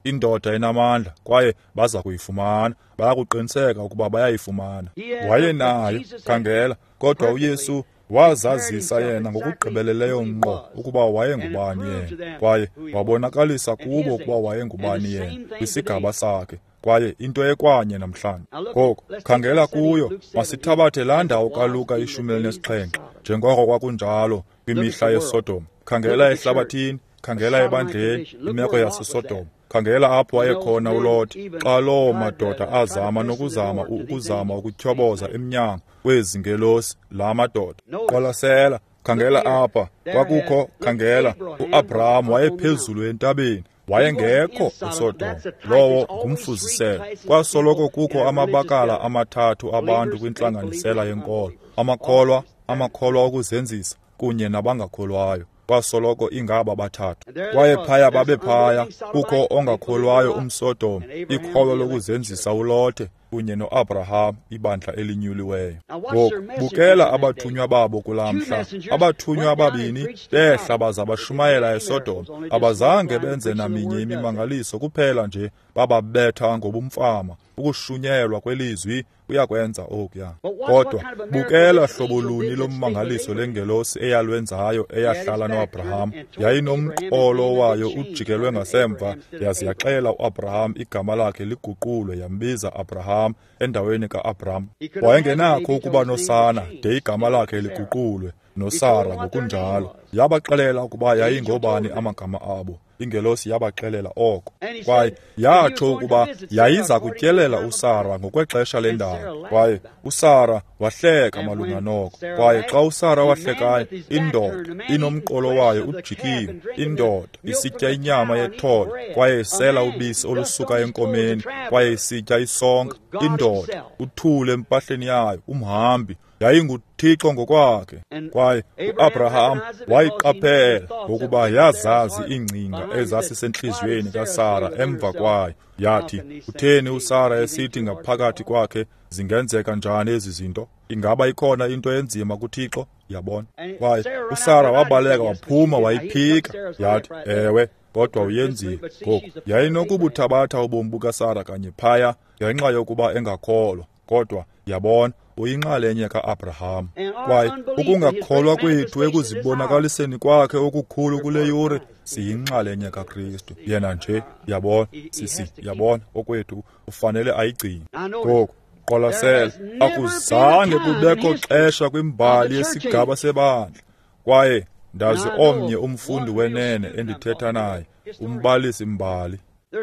indoda enamandla, kwaye baza kuyifumana. Bayakuqiniseka ukuba bayayifumana. Wayenayo, khangela, kodwa uYesu wazazisa yena ngokugqibeleleyo ngqo ukuba wayengubani yena, kwaye wabonakalisa kubo ukuba wayengubani yena kwisigaba sakhe, kwaye into ekwanye namhlanje. Ngoku khangela kuyo, masithabathe laa ndawo kaLuka ishumi elinesixhenxe, njengoko kwakunjalo kwimihla yeSodom. Khangela ehlabathini, khangela ebandleni, imeko yaseSodom. Khangela apho wayekhona uLothi xa loo madoda azama nokuzama ukuzama ukutyhoboza emnyango kwezi ngelosi la madoda. Qwalasela, khangela apha, kwakukho, khangela, uAbraham wayephezulu entabeni, wayengekho eSodom. Lowo ngumfuziselo. Kwasoloko kukho amabakala amathathu abantu kwintlanganisela yenkolo: amakholwa, amakholwa okuzenzisa, kunye nabangakholwayo. Kwasoloko ingaba bathathu. Kwaye phaya babephaya, kukho ongakholwayo umSodom, ikholwa lokuzenzisa uLothe, kunye noAbraham, ibandla elinyuliweyo. Ngoku bukela abathunywa babo kulaa mhla. Abathunywa ababini behla baza bashumayela eSodom. Abazange benze naminye imimangaliso, kuphela nje bababetha ngobumfama. Ukushunyelwa kwelizwi kuyakwenza okuya. Kodwa bukela hlobo luni lommangaliso lengelosi eyalwenzayo eyahlala noAbraham. Yayinomqolo wayo ujikelwe ngasemva, yaze yaxela uAbraham igama lakhe liguqulwe, yambiza Abraham endaweni kaAbraham. Wayengenakho ukuba nosana de igama lakhe liguqulwe, noSara ngokunjalo. Yabaxelela ukuba yayingobani amagama abo. Ingelosi yabaxelela oko. Kwaye yatsho ukuba yayiza kutyelela uSara ngokwexesha lendalo. Kwaye uSara wahleka malunga noko. Kwaye xa uSara wahlekayo, indoda inomqolo wayo ujikiwe, indoda isitya inyama yethole, kwaye isela ubisi olusuka enkomeni, kwaye isitya isonka, indoda uthule empahleni yayo, umhambi, yayinguThixo ngokwakhe. Kwaye uAbraham wayiqaphela ngokuba yazazi iingcinga ezasisentliziyweni kaSara emva kwayo. Yathi, utheni uSara esithi ngaphakathi kwakhe, zingenzeka njani ezi zinto? Ingaba ikhona into enzima kuThixo? Yabona. Kwaye uSara wabaleka waphuma wayiphika. Yathi, ewe, kodwa uyenzile. Ngoku yayinokubuthabatha ubomi bukaSara kanye phaya ngenxa yokuba engakholwa, kodwa Yabona, uyinxalenye ka-Abraham. Kwaye ukungakholwa kwethu ekuzibonakaliseni kwakhe okukhulu kule yure, siyinxalenye kaKristu. Yena nje, yabona, sisi, yabona, okwethu ufanele ayigcine. Ngoku qwalasela, akuzange kubekho xesha kwimbali yesigaba sebandla. Kwaye ndazi omnye umfundi wenene endithetha naye, umbalisi mbali.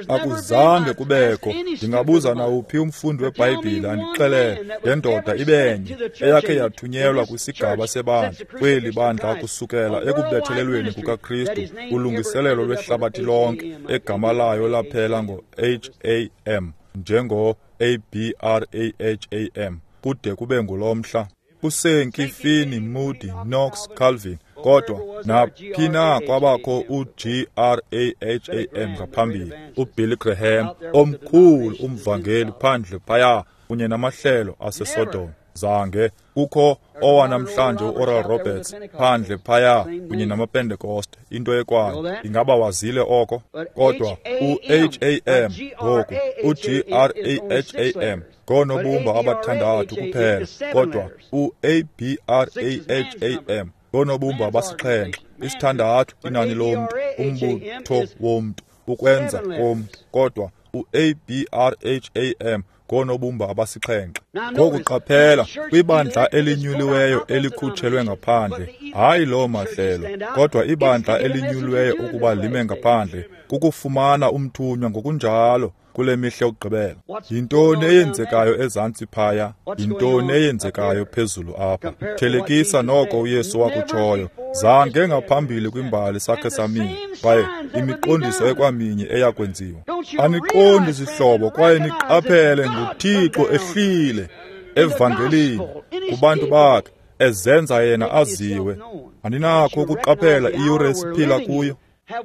Akuzange kubekho, ndingabuza nawuphi umfundi weBhayibhile andixelele ngendoda ibenye eyakhe yathunyelwa kwisigaba sebandla kweli bandla kusukela ekubethelelweni kukaKristu ulungiselelo lwehlabathi lonke egama layo laphela ngo-H A M njengo-A B R A H A M kude kube ngulo mhla. USankey, Finney, Moody, Knox, Calvin, kodwa naphi na kwabakho u-G R A H A M ngaphambili, uBilly Graham omkhulu umvangeli phandle phaya kunye namahlelo aseSodom. Zange kukho owanamhlanje uOral Roberts phandle phaya kunye namaPentekoste, into ekwayo. Ingaba wazile oko? Kodwa u-H A M ngoku, u-G R A H A M ngoonobumba abathandathu kuphela, kodwa u-A B R A H A M ngoonobumba abasixhenxe, isithandathu inani lomntu, umbutho womntu, ukwenza komntu, kodwa u-A B R H A M ngoonobumba abasixhenxe. Ngoku qaphela, kwibandla elinyuliweyo elikhutshelwe ngaphandle, hayi loo mahlelo, kodwa ibandla elinyuliweyo ukuba lime ngaphandle, kukufumana umthunywa ngokunjalo kule mihla yokugqibela. Yintoni eyenzekayo ezantsi phaya? Yintoni eyenzekayo phezulu apha? Thelekisa noko uYesu wakutshoyo. Zange ngaphambili kwimbali sakhe samile, kwaye imiqondiso ekwaminye eyakwenziwa. Aniqondi zihlobo, kwaye niqaphele nguThixo ehlile evangelini kubantu bakhe, ezenza yena aziwe. Aninakho ukuqaphela iyure esiphila kuyo?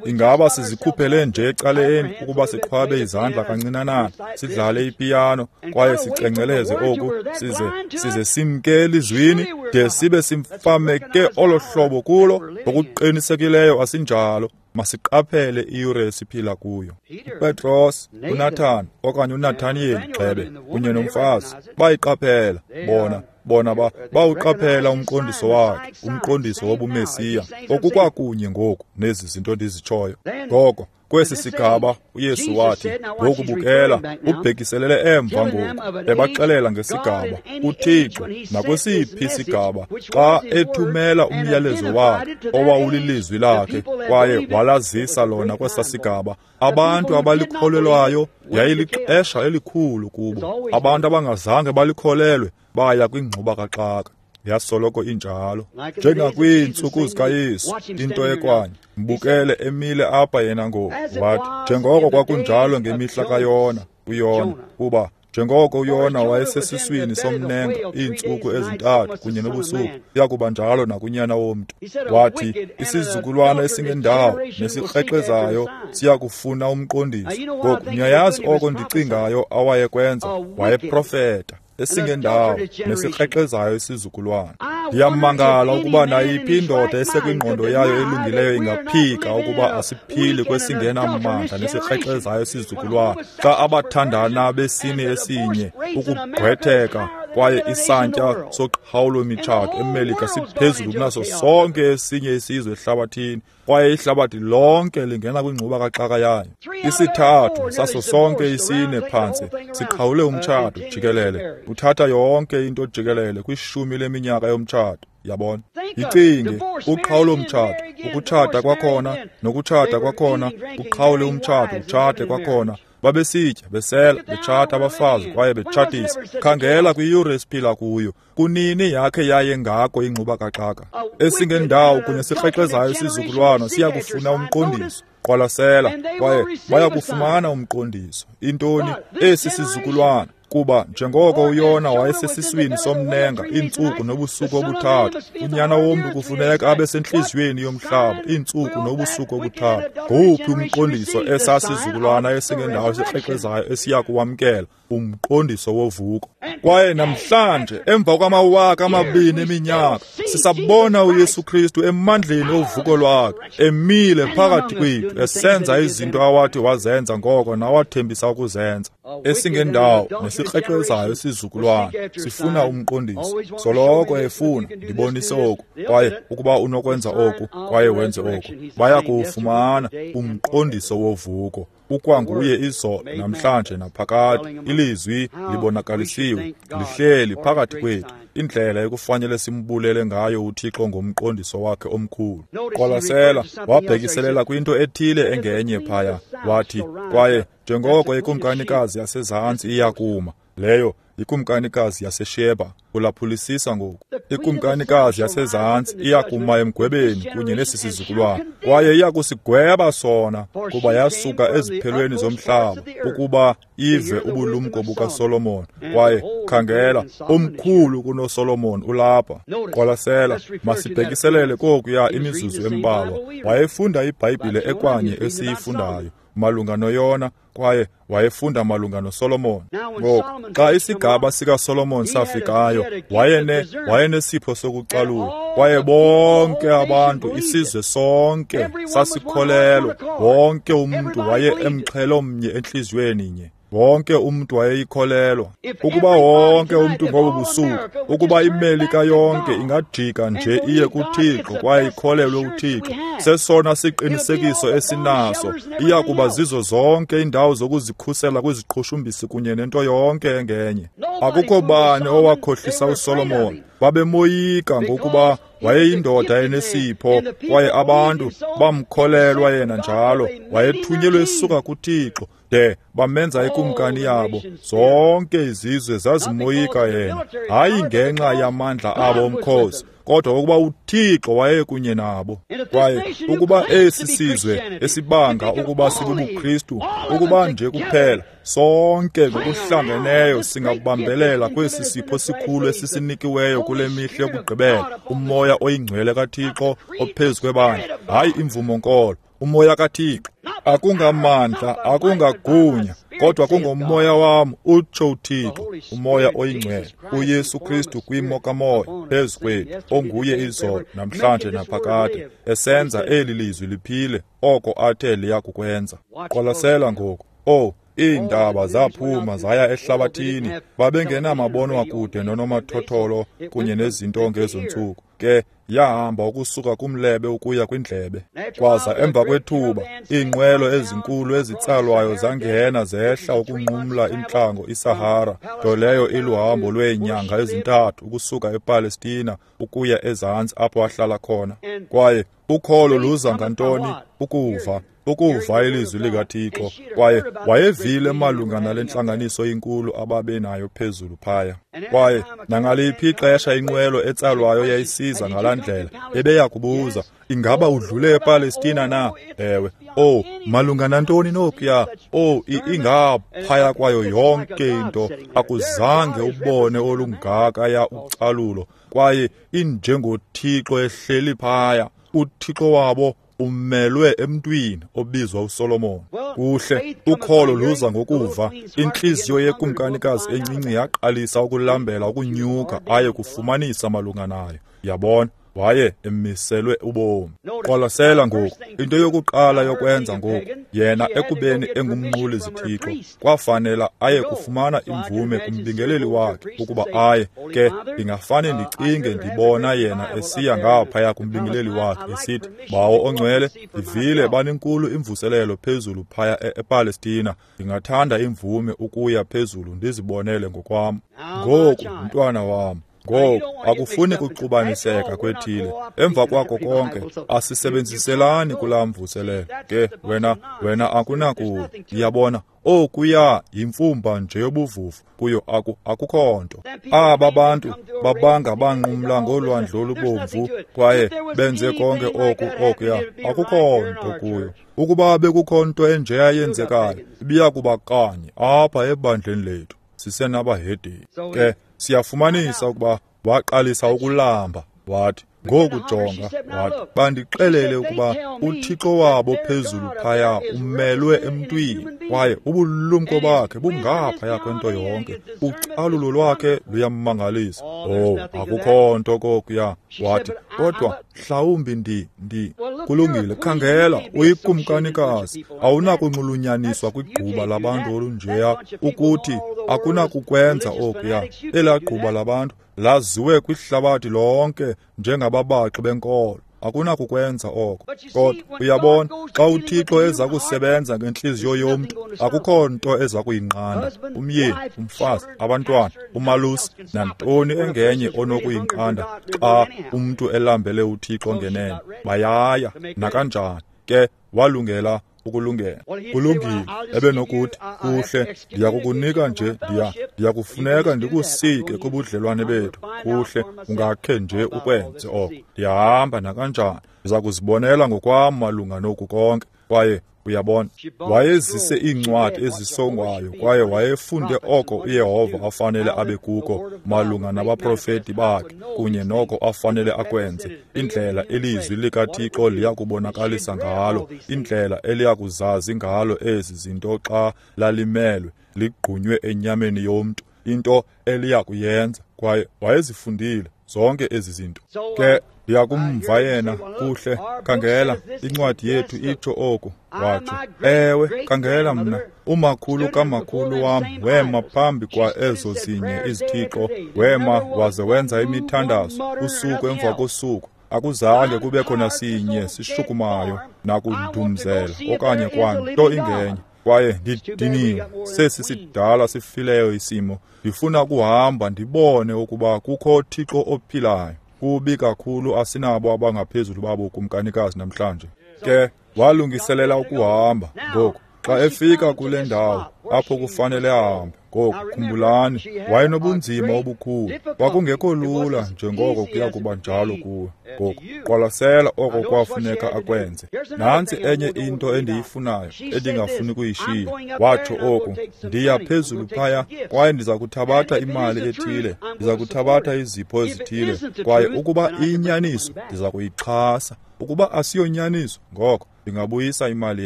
Ingaba sizikhuphele nje ecaleni ukuba siqhwabe izandla kancinanana, sidlale ipiyano, kwaye sicenceleze oku, size size simke elizwini de sibe simfameke olo hlobo kulo? Ngokuqinisekileyo asinjalo. Masiqaphele iyure esiphila kuyo. UPetros, uNathan okanye uNathaniyeli gxebe kunye nomfazi bayiqaphela bona bona ba bawuqaphela umqondiso wakhe, umqondiso wobuMesiya, okukwakunye ngoku nezi zinto ndizitshoyo. Ngoko kwesi sigaba uYesu wathi, ngoku bukela, ubhekiselele emva ngoku, ebaxelela ngesigaba uThixo nakwesiphi isigaba xa ethumela umyalezo wakhe owawulilizwi lakhe kwaye walazisa lona kwesa sigaba. Abantu abalikholelwayo yayilixesha elikhulu kubo. Abantu abangazange balikholelwe baya kwingxuba kaxaka. Yasoloko injalo, njengakwiintsuku zikaYesu, into ekwanye. Mbukele emile apha yena ngoku, wathi, njengoko kwakunjalo ngemihla kaYona, uYona, kuba njengoko uYona wayesesiswini somnenga iintsuku ezintathu kunye nobusuku, kuya njalo nakunyana womntu. Wathi, isizukulwana esingendawo nesikrexezayo siya kufuna umqondiso. Ngoku niyayazi oko ndicingayo awayekwenza, wayeprofeta esingendawo nesikrexezayo isizukulwana. Ndiyamangala ukuba nayiphi indoda esekwingqondo yayo elungileyo ingaphika ukuba asiphili kwesingenamandla nesikrexezayo isizukulwana, xa abathandana besini esinye ukugqwetheka kwaye isantya soqhawulo-mitshato eMelika siphezulu kunaso sonke esinye isizwe ehlabathini, kwaye ihlabathi lonke lingena kwingxuba kaxaka yayo. Isithathu saso sonke isine phantse siqhawule umtshato jikelele, uthatha yonke into jikelele kwishumi leminyaka yomtshato. Yabona, icinge uqhawulo mtshato, ukutshata kwakhona nokutshata kwakhona, uqhawule umtshato utshate kwakhona. Babesitya, besela, betshata abafazi kwaye betshatisa. Khangela kwiyure esiphila kuyo. Kunini yakhe yaye ngako ingxuba kaxaka esingendawo kunye sikrexezayo isizukulwana siya kufuna umqondiso. Qwalasela, kwaye baya kufumana umqondiso. Intoni? Esi sizukulwana. Kuba njengoko uYona wayesesiswini somnenga iintsuku nobusuku obuthathu, unyana womntu kufuneka abe sentliziyweni yomhlaba iintsuku nobusuku obuthathu. Ngowuphi umqondiso esasizukulwana esingendawo esikrexezayo esiya kuwamkela? Umqondiso wovuko. Kwaye namhlanje emva kwamawaka amabini eminyaka sisabona uYesu Kristu emandleni ovuko lwakhe, emile phakathi kwethu, esenza izinto awathi wazenza ngoko nawathembisa ukuzenza. Esingendawo nesikrexezayo isizukulwana sifuna umqondiso. Soloko efuna, ndibonise oku, kwaye ukuba unokwenza oku, kwaye wenze oku, baya kuwufumana umqondiso wovuko. Ukwanguye izolo, namhlanje naphakade. Ilizwi libonakalisiwe, lihleli phakathi kwethu. Indlela ekufanele simbulele ngayo uThixo ngomqondiso wakhe omkhulu. Qwalasela, wabhekiselela kwinto ethile engenye phaya, wathi, kwaye njengoko ikumkanikazi yasezantsi iyakuma, leyo ikumkanikazi yaseSheba, ulaphulisisa ngoku. Ikumkanikazi yasezantsi iyakuma emgwebeni kunye nesi sizukulwana, kwaye iyakusigweba sona, kuba yasuka eziphelweni zomhlaba ukuba ive ubulumko bukaSolomon. Kwaye khangela, omkhulu kunoSolomon ulapha. Qwalasela, masibhekiselele kokuya imizuzu embalwa. Wayefunda iBhayibhile ekwanye esiyifundayo malunga noYona, kwaye wayefunda malunga noSolomon. Ngoku, xa isigaba sikaSolomon safikayo, wayene wayenesipho sokucalula, kwaye bonke abantu, isizwe sonke sasikholelwa. Wonke umntu waye emxhelo mnye entliziyweni nye. Wonke umntu wayeyikholelwa. Ukuba wonke umntu ngobu busuku, ukuba iMelika yonke ingajika nje iye kuThixo kwaye ikholelwe uThixo, sesona siqinisekiso esinaso. Iya kuba zizo zonke iindawo zokuzikhusela kwiziqhushumbisi kunye nento yonke engenye. Akukho bani owakhohlisa uSolomon. Babemoyika ngokuba wayeyindoda enesipho, kwaye abantu bamkholelwa yena njalo. Wayethunyelwe esuka kuThixo, de bamenza ikumkani yabo. Zonke izizwe zazimoyika yena, hayi ngenxa yamandla abo omkhosi, kodwa ukuba uThixo wayekunye nabo. Kwaye ukuba esi sizwe esibanga ukuba sibubuKristu, ukuba nje kuphela sonke ngokuhlangeneyo singabambelela kwesi sipho sikhulu esisinikiweyo kule mihla yokugqibela, uMoya oyiNgcwele kaThixo ophezu kwebandla, hayi imvumo-nkolo, uMoya kaThixo. Akungamandla, akungagunya, kodwa kungomoya wam, utsho uThixo, uMoya oyiNgcwele, uYesu Kristu kwimo kaMoya phezu kwethu, onguye izolo, namhlanje naphakade, esenza eli lizwi liphile, oko athe liya kukwenza. Qwalasela ngoku. Oh, iindaba zaphuma zaya ehlabathini. Babengenamabonwakude nonomathotholo kunye nezinto ngezo ntsuku. Ke yahamba ukusuka kumlebe ukuya kwindlebe. Kwaza emva kwethuba, iinqwelo ezinkulu ezitsalwayo zangena zehla ukunqumla intlango iSahara, nto leyo iluhambo lweenyanga ezintathu ukusuka ePalestina ukuya ezantsi apho ahlala khona. Kwaye ukholo luza ngantoni? Ukuva. Ukuva ilizwi likaThixo. Kwaye wayevile malunga nale ntlanganiso inkulu ababenayo phezulu phaya. Kwaye nangaliphi ixesha inqwelo etsalwayo yayisiza ngalaa ndlela, ebeya kubuza, ingaba udlule ePalestina na? Ewe. Oh, malunga nantoni nokuya? Oh, ingaphaya kwayo yonke into. Akuzange ubone olungaka ya ucalulo. Kwaye injengoThixo ehleli phaya. uThixo wabo umelwe emntwini obizwa uSolomon. Kuhle, ukholo luza ngokuva. Intliziyo yekumkanikazi encinci yaqalisa ukulambela ukunyuka aye kufumanisa malunga nayo. Yabona, waye emiselwe ubomi. Qwalasela ngoku, into yokuqala yokwenza ngoku, yena ekubeni engumnquli zithixo, kwafanela aye kufumana imvume kumbingeleli wakhe ukuba aye. Ke ndingafane ndicinge ndibona yena esiya ngaphaya kumbingeleli wakhe esithi, Bawo ongcwele, ndivile banenkulu imvuselelo phezulu phaya ePalestina, ndingathanda imvume ukuya phezulu ndizibonele ngokwam. Ngoku, mntwana wam, ngoku akufuni kuxubaniseka kwethile. Emva kwako konke, asisebenziselani kulaa mvuselelo. Ke wena wena akunakuyo. Ndiyabona okuya yimfumba nje yobuvuvu, kuyo aku akukho nto. Aba bantu babanga banqumla ngolwandle olubomvu kwaye benze konke oku okuya, akukho nto kuyo. Ukuba bekukho nto enjeya yenzekayo, ibiya kuba kanye apha ebandleni lethu. Sisenabahedeni. Ke siyafumanisa ukuba waqalisa ukulamba. Wathi, Ngoku jonga, wathi, bandixelele ukuba uThixo wabo phezulu phaya umelwe emntwini, kwaye ubulumko bakhe bungaphaya kwento yonke. Ucalulo lwakhe luyamangalisa. Oh, akukho nto kokuya. Wathi, kodwa mhlawumbi ndi ndi kulungile, khangela, uyikumkanikazi, awunakunxulunyaniswa kwigquba labantu olunjeya, ukuthi akunakukwenza okuya. Elaa gquba labantu laziwe kwihlabathi lonke njengababaxi benkolo. Akunakukwenza oko. Kodwa uyabona, xa uThixo eza kusebenza ngentliziyo yomntu, akukho nto eza kuyinqanda. Umyeni, umfazi, abantwana, umalusi, nantoni engenye onokuyinqanda xa umntu elambele uThixo ngenene. Bayaya nakanjani ke, walungela ukulungela. Kulungile, ebenokuthi, kuhle, ndiyakukunika nje, ndiya ndiyakufuneka ndikusike kubudlelwane bethu. Kuhle, ungakhe nje ukwenze oko. Ndiyahamba nakanjani, ndiza kuzibonela ngokwam malunga noku konke. Kwaye uyabona, wayezise iincwadi ezisongwayo kwaye wayefunde oko uYehova afanele abe kuko malunga nabaprofeti bakhe kunye noko afanele akwenze, indlela ilizwi likaThixo liyakubonakalisa ngalo, indlela eliyakuzazi ngalo ezi zinto xa lalimelwe ligqunywe enyameni yomntu, into eliyakuyenza. Kwaye wayezifundile zonke ezi zinto. Ke ndiyakumva yena, kuhle, khangela, incwadi yethu itsho oku. Watsho, ewe, khangela mna, umakhulu kamakhulu wam wema phambi kwa ezo zinye izithixo, wema waze wenza imithandazo usuku emva kosuku. Akuzange kubekho nasinye sishukumayo nakudumzela okanye kwanto ingenye. Kwaye ndidiniwe, sesi sidala sifileyo isimo. Ndifuna ukuhamba ndibone ukuba kukho Thixo ophilayo. Kubi kakhulu asinabo abangaphezulu babo kumkanikazi namhlanje. Ke walungiselela ukuhamba. Ngoku xa efika kule ndawo apho kufanele ahambe, ngoku khumbulani, wayenobunzima obukhulu. Kwakungekho lula njengoko kuya kuba njalo kuwe. Ngoku qwalasela oko kwafuneka akwenze. Nantsi enye into endiyifunayo endingafuni kuyishiya. Watsho oku, ndiya phezulu phaya kwaye ndiza kuthabatha imali ethile, ndiza kuthabatha izipho ezithile, kwaye ukuba iyinyaniso ndiza kuyixhasa. Ukuba asiyonyaniso, ngoko ndingabuyisa imali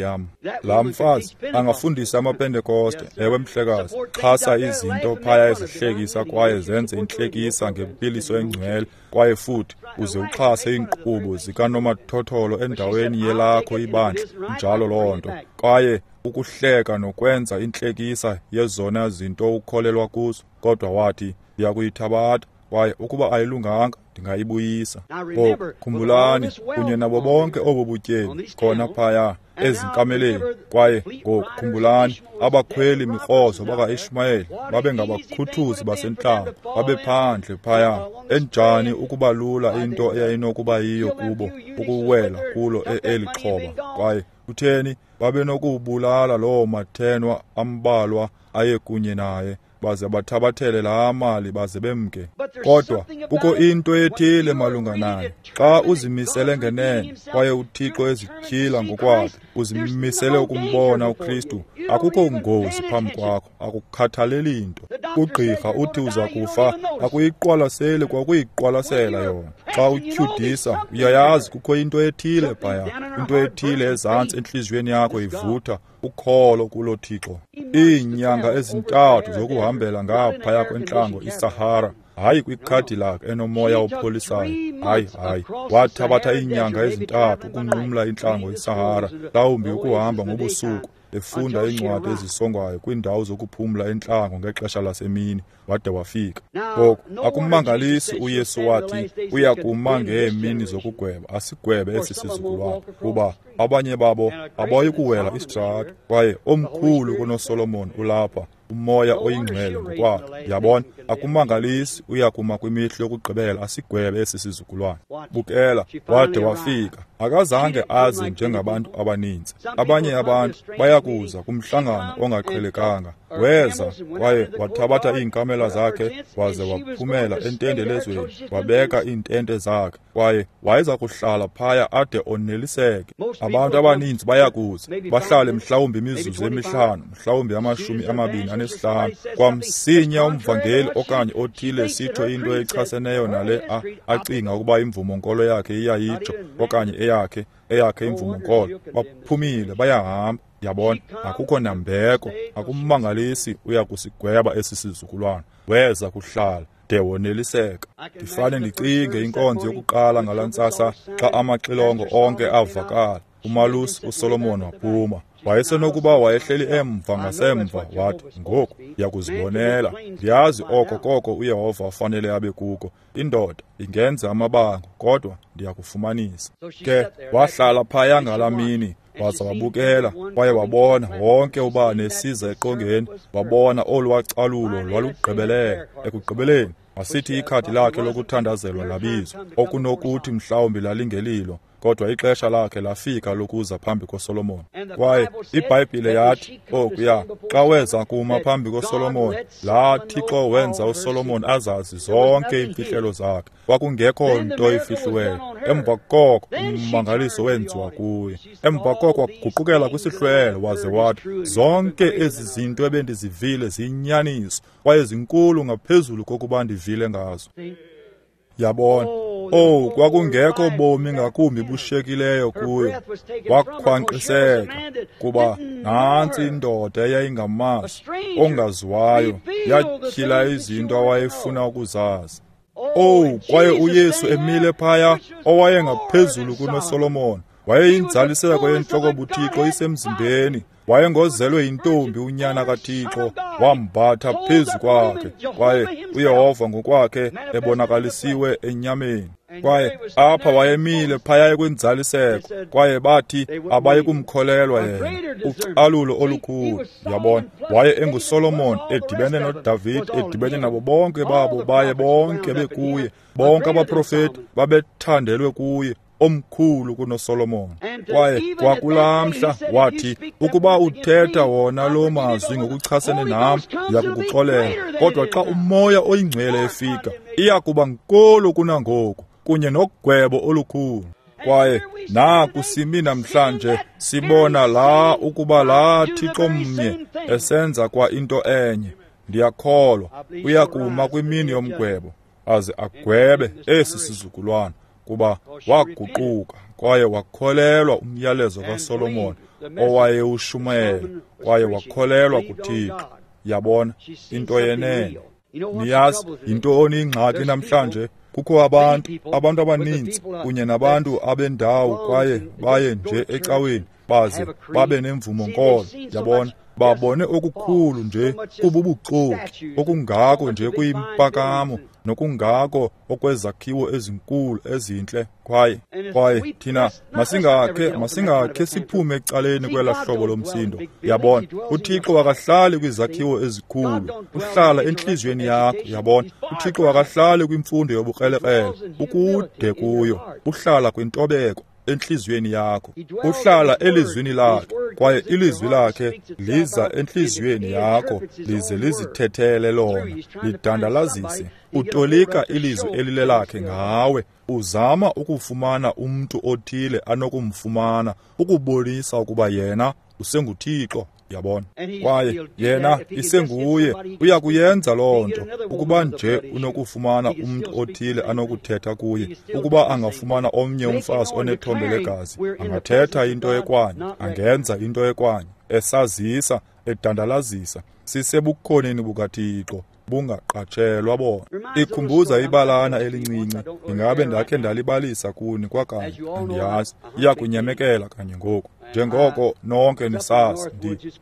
yam. Laa mfazi angafundisa amaPentekoste, ewe mhlekazi, xhasa izinto phaya ezihlekisa kwaye zenze intlekisa ngempiliso engcwele, kwaye futhi uze uxhase iinkqubo zikanomathotholo endaweni yelakho ibandla, njalo loo nto. Kwaye ukuhleka nokwenza intlekisa yezona zinto ukholelwa kuzo. Kodwa wathi, ndiyakuyithabatha, kwaye ukuba ayilunganga ndingayibuyisa. Ngoku khumbulani, kunye nabo bonke obo butyebi khona phaya ezinkameleni. Kwaye ngoku khumbulani, abakhweli mikrozo baka-Ishmayeli babengabakhuthuzi basentlango, babephandle phaya. Enjani ukuba lula into eyayinokuba yiyo kubo ukuwela kulo eli xhoba. Kwaye kutheni babenokubulala loo mathenwa ambalwa aye kunye naye, baze bathabathele laa mali baze bemke. Kodwa kukho into ethile malunga naye. Xa uzimisele ngenene kwaye uThixo ezityhila ngokwakhe, uzimisele ukumbona uKristu, akukho ngozi phambi kwakho, akukhathaleli nto. Ugqirha uthi uza kufa, akuyiqwalaseli kwakuyiqwalasela yona. Xa utyhudisa, uyayazi kukho into ethile phaya, into ethile ezantsi entliziyweni yakho ivutha ukholo kulo Thixo. Iinyanga ezintathu zokuhambela ngaphaya kwentlango iSahara, hayi kwiCadillac enomoya opholisayo, hayi hayi. Wathabatha iinyanga ezintathu ukunqumla intlango iSahara, mhlawumbi ukuhamba ngobusuku, efunda iincwadi ezisongwayo kwiindawo zokuphumla entlango ngexesha lasemini, wade wafika. Ngoku akumangalisi uYesu wathi uya kuma ngeemini zokugweba, asigwebe esi sizukulwana, kuba abanye babo abayi kuwela isitrato, kwaye omkhulu kunoSolomon ulapha, uMoya oyiNgcwele ngokwakhe. Yabona, akumangalisi uya kuma kwimihla yokugqibela asigwebe esi sizukulwana. Bukela, wade wafika. Akazange azi njengabantu abaninzi. Abanye abantu bayakuza kumhlangano ongaqhelekanga. Weza kwaye wathabatha iinkamela zakhe waze waphumela entendelezweni, wabeka iintente zakhe, kwaye wayeza kuhlala phaya ade oneliseke. Abantu abaninzi bayakuza bahlale mhlawumbi imizuzu emihlanu, mhlawumbi amashumi amabini anesihlanu. Kwamsinya umvangeli okanye othile sitsho into echaseneyo nale a, acinga ukuba imvumo-nkolo yakhe iyayitsho okanye eyakhe eyakhe imvumo-nkolo, baphumile bayahamba. Yabona, akukho nambeko, akumangalisi uya kusigweba esi sizukulwana. Weza kuhlala de woneliseka. Ndifane ndicinge inkonzo yokuqala ngalaa ntsasa xa amaxilongo onke avakala. Umalusi uSolomon waphuma. Wayesenokuba wayehleli emva ngasemva, wathi, ngoku ndiyakuzibonela. Ndiyazi oko koko uYehova afanele abe kuko. Indoda ingenza amabango, kodwa ndiyakufumanisa. Ke wahlala phaya ngalaa mini, waza wabukela, kwaye wabona wonke ubani esiza eqongeni, wabona olwacalulo lwalugqibelele. Ekugqibeleni wasithi ikhadi lakhe lokuthandazelwa labizwa, okunokuthi mhlawumbi lalingelilo, kodwa ixesha lakhe lafika lokuza phambi koSolomon. Kwaye iBhayibhile yathi okuya xa weza kuma phambi koSolomon, laa Thixo wenza uSolomon azazi zonke iimfihlelo zakhe, kwakungekho nto ifihliweyo. Emva koko ummangaliso wenziwa kuye. Emva koko waguqukela kwisihlwele waze wathi, zonke ezi zinto ebendizivile ziyinyaniso kwaye zinkulu ngaphezulu kokuba ndivile ngazo. Yabona, oh, kwakungekho bomi ngakumbi bushekileyo kuyo. Wakhwankqiseka kuba nantsi indoda eyayingamazi, ongaziwayo, yatyhila izinto awayefuna ukuzazi. Oh, kwaye uYesu emile phaya, owayengaphezulu kunoSolomon, wayeyinzaliseko yentloko buThixo isemzimbeni. Wayengozelwe yintombi unyana kaThixo, wambatha phezu kwakhe, kwaye uYehova ngokwakhe ebonakalisiwe enyameni. Kwaye apha wayemile phaya kwinzaliseko, kwaye bathi abayi kumkholelwa yena. Ucalulo olukhulu, yabona. Waye enguSolomon edibene noDavid, edibene nabo bonke babo, baye bonke bekuye, bonke abaprofeti babethandelwe kuye, omkhulu kunoSolomon. Kwaye kwakulaa mhla wathi, ukuba uthetha wona lo mazwi ngokuchasene nam, ndiyakukuxolela. Kodwa xa uMoya oyiNgcwele efika, iya kuba nkulu kunangoku, kunye nogwebo olukhulu. Kwaye naku simi namhlanje sibona la ukuba laa Thixo mnye esenza kwa into enye. Ndiyakholwa uyakuma kwimini yomgwebo aze agwebe esi sizukulwana, kuba waguquka kwaye wakholelwa umyalezo kaSolomon owayewushumayela, kwaye wakholelwa kuThixo. Yabona, into yenene. Niyazi yintoni ingxaki namhlanje? Kukho abantu, abantu abaninzi kunye nabantu abendawo, kwaye baye nje ecaweni baze babe nemvumo-nkolo. Yabona, babone okukhulu nje kububuxoki, okungako nje kuyimpakamo, nokungako okwezakhiwo ezinkulu ezintle. Kwaye kwaye thina masingakhe masingakhe siphume ecaleni kwela hlobo lomsindo. Yabona, uThixo akahlali kwizakhiwo ezikhulu, uhlala entliziyweni yakho. Yabona, uThixo akahlali kwimfundo yobukrelekrele, ukude kuyo, uhlala kwintobeko entliziyweni yakho. Uhlala elizwini lakhe, kwaye ilizwi lakhe liza entliziyweni yakho, lize lizithethele lona, lidandalazise. Utolika ilizwi elilelakhe ngawe, uzama ukufumana umntu othile anokumfumana ukubonisa ukuba yena usenguThixo. Yabona, kwaye yena isenguye, uya kuyenza loo nto ukuba nje unokufumana umntu othile anokuthetha kuye. Ukuba angafumana omnye umfazi onethombe legazi, angathetha into ekwanye, angenza into ekwanye, esazisa, edandalazisa, sisebukhoneni bukaThixo, bungaqatshelwa bona. Ikhumbuza ibalana elincinci, ingabe ndakhe ndalibalisa kuni kwakanye, andiyazi, iyakunyamekela kanye ngoku. Njengoko nonke nisazi,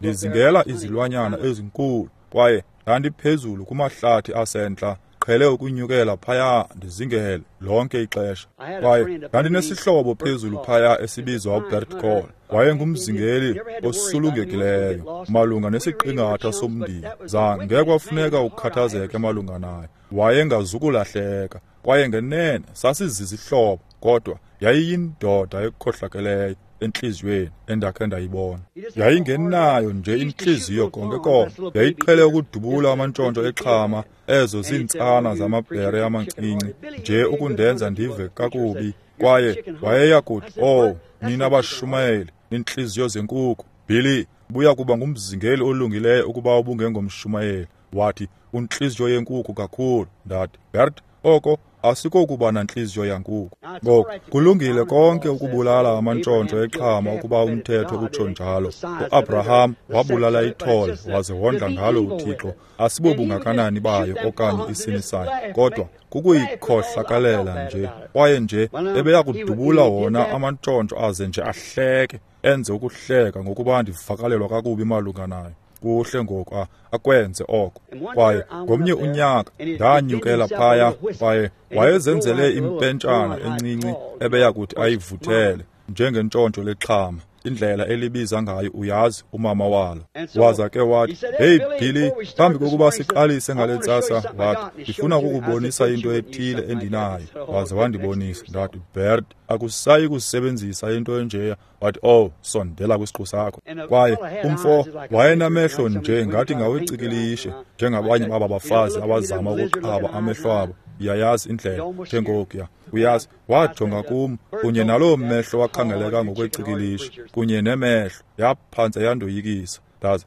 ndizingela izilwanyana ezinkulu, kwaye ndandiphezulu kumahlathi asentla, qhele ukunyukela phaya ndizingele lonke ixesha. Kwaye ndandinesihlobo phezulu phaya esibizwa uBert Call. Wayengumzingeli osulungekileyo malunga nesiqingatha somndili. Zange kwafuneka ukukhathazeke malunga naye, wayengazukulahleka. Kwaye ngenene sasizizihlobo, kodwa yayiyindoda ekhohlakeleyo entliziyweni endakhe ndayibona. Yayingenayo nje intliziyo konke konke. Yayiqhele ukudubula amantshontsho exhama, ezo ziintsana zamabhere amancinci, nje ukundenza ndive kakubi. Kwaye wayeya kuthi, "Oh, nina bashumayeli, nintliziyo zenkukhu. Billy, buya kuba ngumzingeli olungileyo ukuba ubungengomshumayeli." Wathi, "Untliziyo yenkukhu kakhulu." Ndathi, "Bert, oko asikokuba nantliziyo yankukhu. Ngoku kulungile konke ukubulala amantshontsho exhama ukuba umthetho utsho njalo. UAbraham wabulala ithole waze wondla ngalo uThixo. Asibobungakanani bayo okanye isini sayo, kodwa kukuyikhohlakalela nje. Kwaye nje ebeya kudubula wona amantshontsho aze nje ahleke, enze ukuhleka ngokuba ndivakalelwa kakubi malunga nayo. Kuhle ngoku akwenze oko." Kwaye ngomnye unyaka ndanyukela phaya, kwaye wayezenzele impentshana encinci ebeya kuthi ayivuthele njengentshontsho lexhama, indlela elibiza ngayo, uyazi, umama walo. Waza ke wathi, "Hey Billy, phambi kokuba siqalise ngale ntsasa," wathi, "ndifuna ukukubonisa into ethile endinayo." Waze wandibonisa. Ndathi, "Bert, akusayi kusebenzisa into enjeya." Wathi, "Oh, sondela kwisiqu sakho." Kwaye umfo wayenamehlo nje ngathi ngawecikilishe, njengabanye baba bafazi abazama ukuqhaba amehlo abo. Uyayazi indlela njengokuya, uyazi. Wajonga kum kunye naloo mehlo wakhangeleka ngokwecikilishe kunye nemehlo yaphantse yandoyikisa.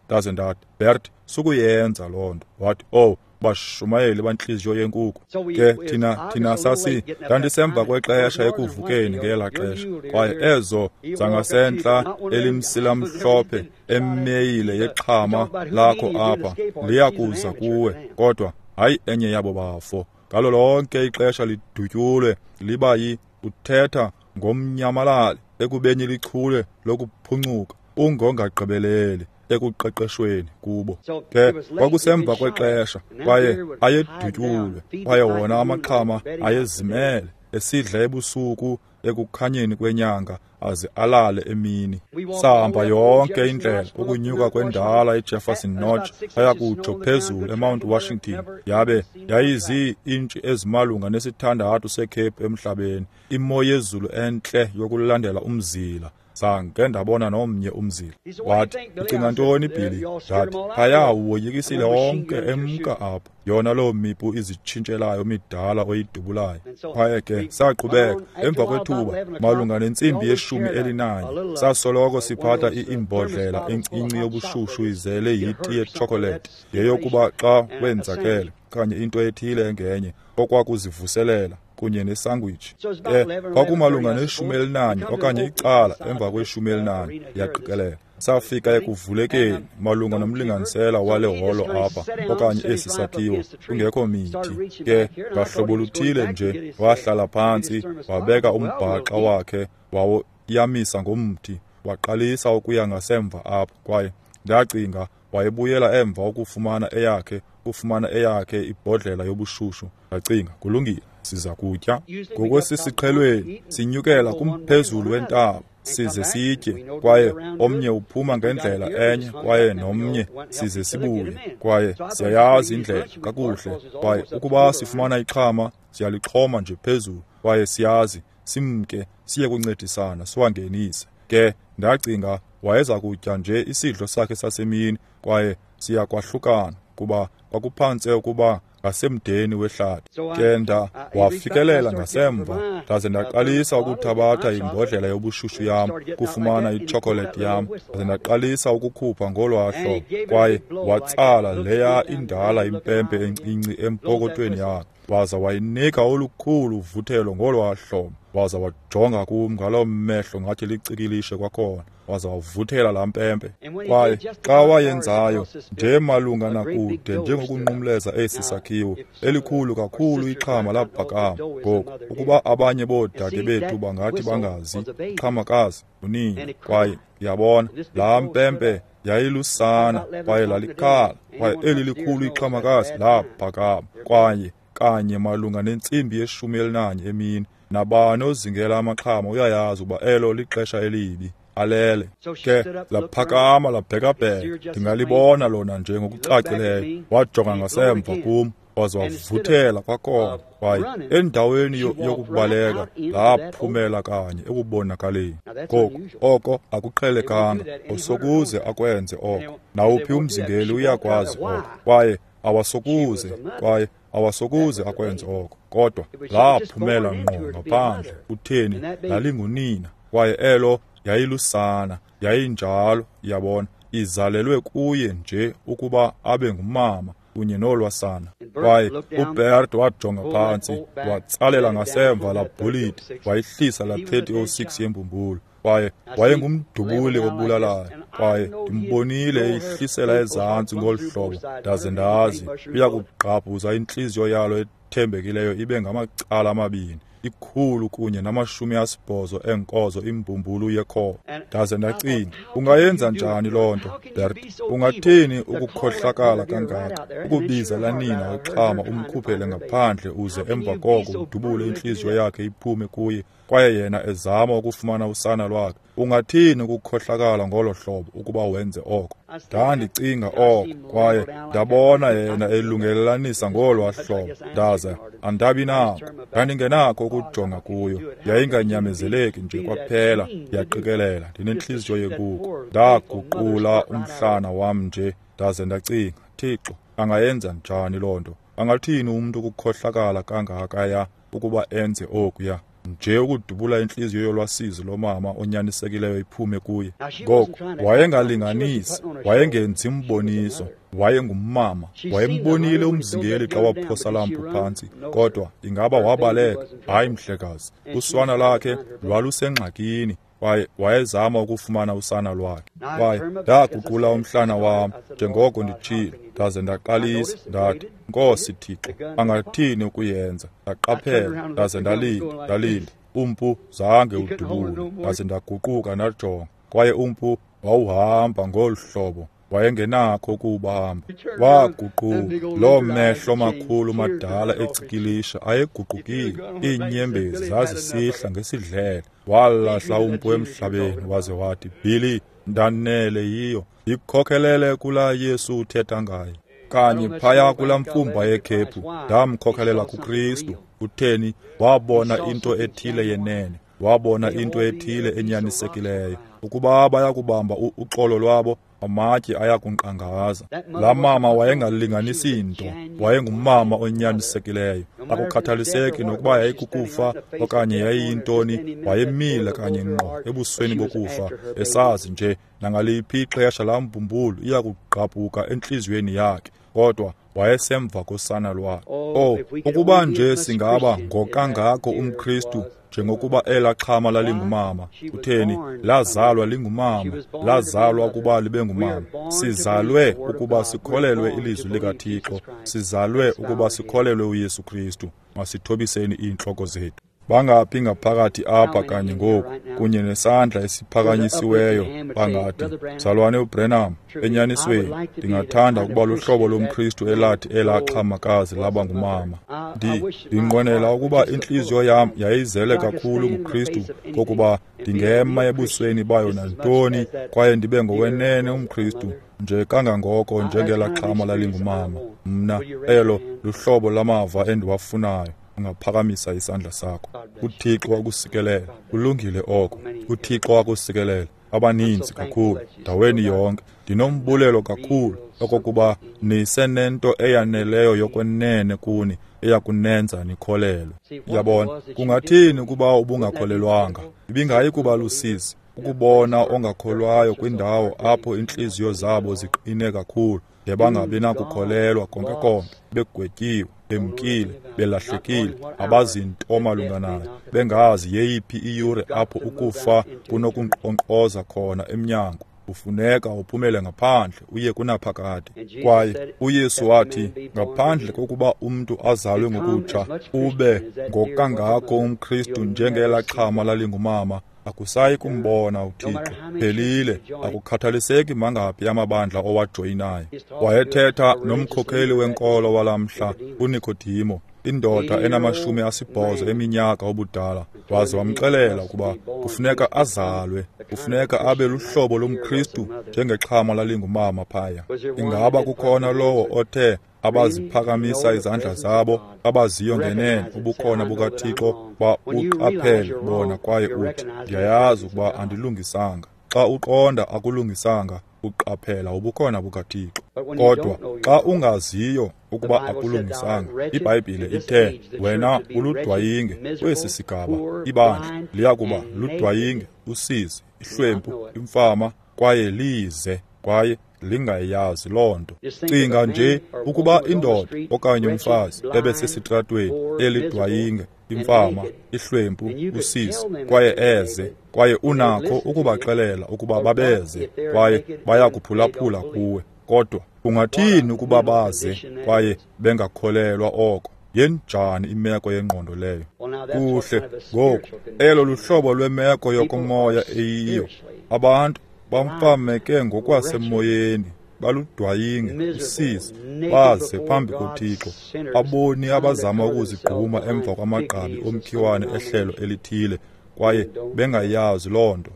Ndaze ndathi, "Bert, sukuyenza loo nto." Wathi, "Oh, bashumayeli bantliziyo yenkukhu." Ke thina thina sasi ndandisemva kwexesha ekuvukeni ngelaa xesha, kwaye ezo zangasentla elimsilamhlophe emeyile yexhama lakho apha liyakuza kuwe, kodwa hayi enye yabo bafo. Ngalo lonke ixesha lidutyulwe liba yi uthetha ngomnyamalali ekubeni lichule lokuphuncuka, ungongagqibeleli ekuqeqeshweni kubo. Ke kwakusemva kwexesha, kwaye ayedutyulwe, kwaye wona amaxhama ayezimele esidla ebusuku ekukhanyeni kwenyanga aze alale emini. Sahamba yonke indlela ukunyuka kwendala iJefferson Notch aya kutsho phezulu eMount Washington. Yabe yayizii-intshi ezimalunga nesithandathu sekhephu emhlabeni, imo yezulu entle yokulandela umzila. Zange ndabona nomnye umzila. Wathi, "Ucinga ntoni, Billy?" Ndathi, "Phaya uwoyikisile wonke emka apha, yona loo mipu izitshintshelayo midala oyidubulayo." Kwaye ke saqhubeka. Emva kwethuba malunga nentsimbi yeshumi elinanye, sasoloko siphatha iimbodlela encinci yobushushu izele yiti yetshokolethi, yeyokuba xa wenzakele okanye into ethile engenye okwakuzivuselela, kunye nesangwich. Ke kwakumalunga neshumi elinanye okanye icala emva kweshumi elinanye, ndiyaqikelela, safika ekuvulekeni malunga nomlinganisela wale holo apha okanye esi sakhiwo, kungekho mithi. Ke ngahlobo luthile nje wahlala phantsi, wabeka umbhaxa wakhe wawoyamisa ngomthi, waqalisa ukuya ngasemva apho. Kwaye ndacinga wayebuyela emva ukufumana eyakhe ukufumana eyakhe ibhodlela yobushushu. Ndacinga, kulungile, siza kutya. Ngokwesisiqhelweni sinyukela kumphezulu wentaba size sitye, kwaye omnye uphuma ngendlela enye kwaye nomnye size sibuye, kwaye siyayazi indlela kakuhle. Kwaye ukuba sifumana ixhama siyalixhoma nje phezulu, kwaye siyazi simke siye kuncedisana siwangenise. Ke ndacinga wayeza kutya nje isidlo sakhe sasemini, kwaye siyakwahlukana kuba kwakuphantse ukuba ngasemdeni wehlathi. Ke nda wafikelela ngasemva, ndaze ndaqalisa ukuthabatha imbodlela yobushushu yam kufumana itshokolethi yam, ndaze ndaqalisa ukukhupha ngolwaa hlobo. Kwaye watsala leya indala impempe encinci empokothweni yakhe, waza wayinika olukhulu uvuthelo ngolwaa hlobo, waza wajonga kum ngaloo mehlo ngathi licikilishe kwakhona, waza wavuthela laa mpempe. Kwaye xa wayenzayo nje malunga nakude njengokunqumleza esi sakhiwo, elikhulu kakhulu ixhama laphakama. Ngoku ukuba abanye boodade bethu bangathi bangazi, ixhamakazi unini. Kwaye yabona laa mpempe yayilusana, kwaye lalikhala, kwaye eli likhulu ixhamakazi laphakama. Kwaye kanye malunga nentsimbi yeshumi elinanye emini, nabani ozingela amaxhama uyayazi ukuba elo lixesha elibi, alele. Ke laphakama labhekabheka, ndingalibona lona nje ngokucacileyo. Wajonga ngasemva kum, waze wavuthela kwakhona. Kwaye endaweni yokubaleka laphumela kanye ekubonakaleni. Ngoku oko akuqhelekanga, awusokuze akwenze oko. Nawuphi umzingeli uyakwazi oko, kwaye awasokuze, kwaye Awasokuze akwenze oko. Kodwa laphumela ngqo ngaphandle. Utheni? Lalingunina. Kwaye elo yayilusana, yayinjalo, yabona, izalelwe kuye nje ukuba abe ngumama kunye nolwasana. Kwaye uBert wajonga phantsi, watsalela ngasemva la bhuliti, wayihlisa la thirty oh six yembumbulu. Kwaye wayengumdubuli obulalayo. Kwaye ndimbonile eyihlisela ezantsi ngolu hlobo, ndaze ndazi uyakugqabhuza intliziyo yalo ethembekileyo ibe ngamacala amabini, ikhulu kunye namashumi asibhozo eenkozo imbumbulu yekhoba. Ndaze ndacinga, ungayenza njani loo nto, Bert? Ungathini ukukhohlakala kangaka, ukubiza lanina wexhama umkhuphele ngaphandle uze emva koko udubule intliziyo yakhe iphume kuye, kwaye yena ezama ukufumana usana lwakhe? Ungathini ukukhohlakala ngolo hlobo ukuba wenze oko? Ndandicinga oko, kwaye ndabona yena elungelelanisa ngolwa hlobo, ndaze andabi nako. Ndandingenako ukujonga kuyo, yayinganyamezeleki nje kwaphela. Yaqikelela ndinentliziyo yenkukhu. Ndaguqula umhlana wam nje, ndaze ndacinga, Thixo, angayenza njani loo nto? Angathini umntu ukukhohlakala kangakaya ukuba enze okuya? Nje ukudubula intliziyo yolwasizi lomama onyanisekileyo iphume kuye. Ngoku wayengalinganisi, wayengenzi mboniso, wayengumama. Wayembonile umzingeli xa waphosa lampu phantsi, kodwa ingaba wabaleka? Hayi mhlekazi, uswana lakhe lwalusengxakini. Kwaye wayezama ukufumana usana lwakhe. Kwaye ndaguqula umhlana wam njengoko nditshilo, ndaze ndaqalisa ndathi, Nkosi Thixo, angathini ukuyenza? Ndaqaphela, ndaze ndalinda, ndalinda. Umpu zange udubule. Ndaze ndaguquka ndajonga, kwaye umpu wawuhamba ngolu hlobo, wayengenakho ukuwubamba. Waguquka, loo mehlo makhulu madala ecikilisha ayeguqukile, iinyembezi zazisihla ngesidlele. Walahla umpu emhlabeni waze wathi, Billy, ndanele yiyo, ndikhokhelele kulaa Yesu uthetha ngaye. Kanye phaya kulaa mfumba yekhephu, ndamkhokhelela kuKristu. Utheni? Wabona into ethile yenene, wabona into ethile enyanisekileyo. Ukuba bayakubamba uxolo lwabo, amatye ayakunkqangaza. Laa mama wayengalinganisi nto, wayengumama onyanisekileyo. Akukhathaliseki nokuba yayikukufa okanye yayiyintoni, wayemile kanye ngqo ebusweni bokufa, esazi nje nangaliphi ixesha laa mbumbulu iyakugqabhuka entliziyweni yakhe. Kodwa wayesemva kosana lwakhe. Oh, ukuba nje singaba ngokangako umKristu njengokuba elaa xhama lalingumama. Utheni? Lazalwa lingumama, lazalwa ukuba libe ngumama. Sizalwe ukuba sikholelwe ilizwi likaThixo, sizalwe ukuba sikholelwe uYesu Kristu. Masithobiseni iintloko zethu. Bangaphi ngaphakathi apha kanye ngoku kunye nesandla esiphakanyisiweyo bangathi, Mzalwane uBrenham, enyanisweni ndingathanda ukuba luhlobo lomKristu elathi elaa xhamakazi laba ngumama. Ndi ndinqwenela ukuba intliziyo yam yayizele kakhulu nguKristu kokuba ndingema ebusweni bayo nantoni kwaye ndibe ngowenene umKristu nje kangangoko njengelaa xhama lalingumama. Mna elo luhlobo lamava endiwafunayo. Ungaphakamisa isandla sakho. UThixo akusikelela. Kulungile oko. UThixo akusikelela. Abaninzi kakhulu ndaweni yonke. Ndinombulelo kakhulu okokuba nisenento eyaneleyo yokwenene kuni eyakunenza nikholelwe. Yabona, kungathini ukuba ubungakholelwanga? Ibingayi kuba lusizi ukubona ongakholwayo kwindawo apho iintliziyo zabo ziqine kakhulu de bangabi nakukholelwa konke konke, begwetyiwe, bemkile, belahlekile, abazinto malunga nayo, bengazi yeyiphi iyure apho ukufa kunokunkqonkqoza khona emnyango. Ufuneka uphumele ngaphandle uye kunaphakade. Kwaye uYesu wathi, ngaphandle kokuba umntu azalwe ngokutsha, ube ngokangako umKristu njengelaa xhama lalingumama, akusayi kumbona uThixo. Phelile, akukhathaliseki mangaphi amabandla owajoyinayo. Wayethetha nomkhokheli wenkolo walamhla, uNikodimo, indoda enamashumi asibhozo eminyaka obudala, waze wamxelela ukuba kufuneka azalwe, kufuneka abe luhlobo lomKristu njengexhama lalingumama phaya. Ingaba kukhona lowo othe abaziphakamisa izandla zabo, abaziyo ngenene ubukhona bukaThixo, babuqaphele bona kwaye uthi, ndiyayazi ukuba andilungisanga. Xa uqonda akulungisanga, uqaphela ubukhona bukaThixo. Kodwa xa ungaziyo ukuba akulungisanga. IBhayibhile ithe wena uludwayinge kwesi sigaba, ibandla liya kuba ludwayinge, usizi, ihlwempu, imfama, kwaye lize, kwaye lingayazi loo nto. Cinga nje ukuba indoda okanye umfazi ebesesitratweni elidwayinge, imfama, ihlwempu, usizi, kwaye eze, kwaye unakho ukubaxelela ukuba babeze, kwaye bayakuphulaphula kuwe. Kodwa ungathini ukuba baze kwaye bengakholelwa oko? Yenjani imeko yengqondo leyo? Kuhle, ngoku elo luhlobo lwemeko yokomoya eyiyo. Abantu bamfameke ngokwasemoyeni, baludwayinge, usizi, baze phambi koThixo. Aboni abazama ukuzigquma emva kwamagqabi omkhiwane ehlelo elithile, kwaye bengayazi loo nto.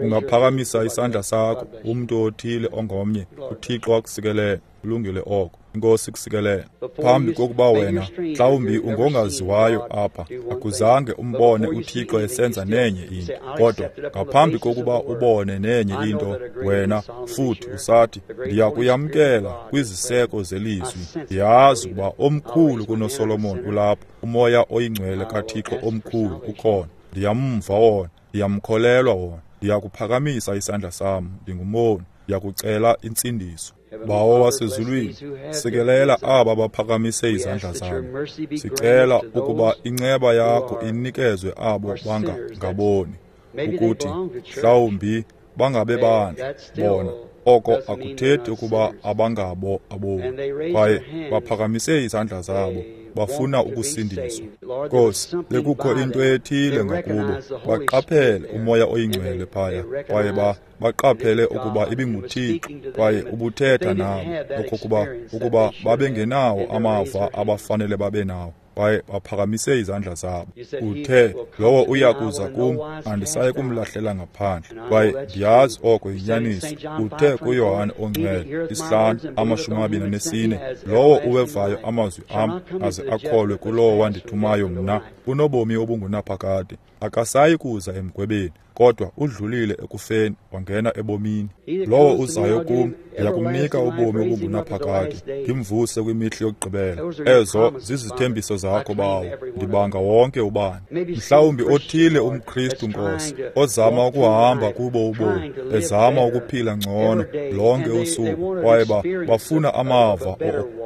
Ungaphakamisa isandla sakho, umntu othile ongomnye, uThixo akusikelele. Kulungile oko. Inkosi kusikelele. Phambi kokuba wena mhlawumbi ungongaziwayo apha, akuzange umbone uThixo esenza nenye into. Kodwa ngaphambi kokuba ubone nenye into, wena futhi usathi, ndiyakuyamkela kwiziseko zelizwi. Ndiyazi ukuba omkhulu kunoSolomon ulapha, umoya oyingcwele kaThixo omkhulu ukhona. Ndiyamva wona, ndiyamkholelwa wona, ndiyakuphakamisa isandla sam, ndingumoni, ndiyakucela intsindiso. Bawo wasezulwini, sikelela aba baphakamise izandla zabo. Sicela ukuba inceba yakho inikezwe abo bangangaboni, ukuthi mhlawumbi bangabe bandla bona. Oko akuthethi ukuba abangabo aboni, kwaye baphakamise izandla zabo, bafuna ukusindiswa. Nkosi, bekukho into ethile ngakubo, baqaphele umoya oyingcwele phaya, kwaye ba baqaphele ukuba ibinguThixo, kwaye ubuthetha nabo, okokuba ukuba babengenawo amava abafanele babe nawo, kwaye baphakamise izandla zabo. Uthe, lowo uya kuza kum, andisayi kumlahlela ngaphandle. Kwaye ndiyazi oko yinyaniso. Uthe kuYohane oNgcwele, isihlanu amashumi amabini anesine, lowo uwevayo amazwi am aze akholwe kulowo wandithumayo mna, unobomi obungunaphakade, akasayi kuza emgwebeni, kodwa udlulile ekufeni wangena ebomini. Lowo uzayo kum, ndiyakumnika ubomi obungunaphakade, ndimvuse kwimihla yokugqibela. Ezo zizithembiso zakho, Bawo, ndibanga wonke ubani. Mhlawumbi othile umKristu, Nkosi, ozama ukuhamba kubo ubomi, ezama ukuphila ngcono lonke usuku, kwaye bafuna amava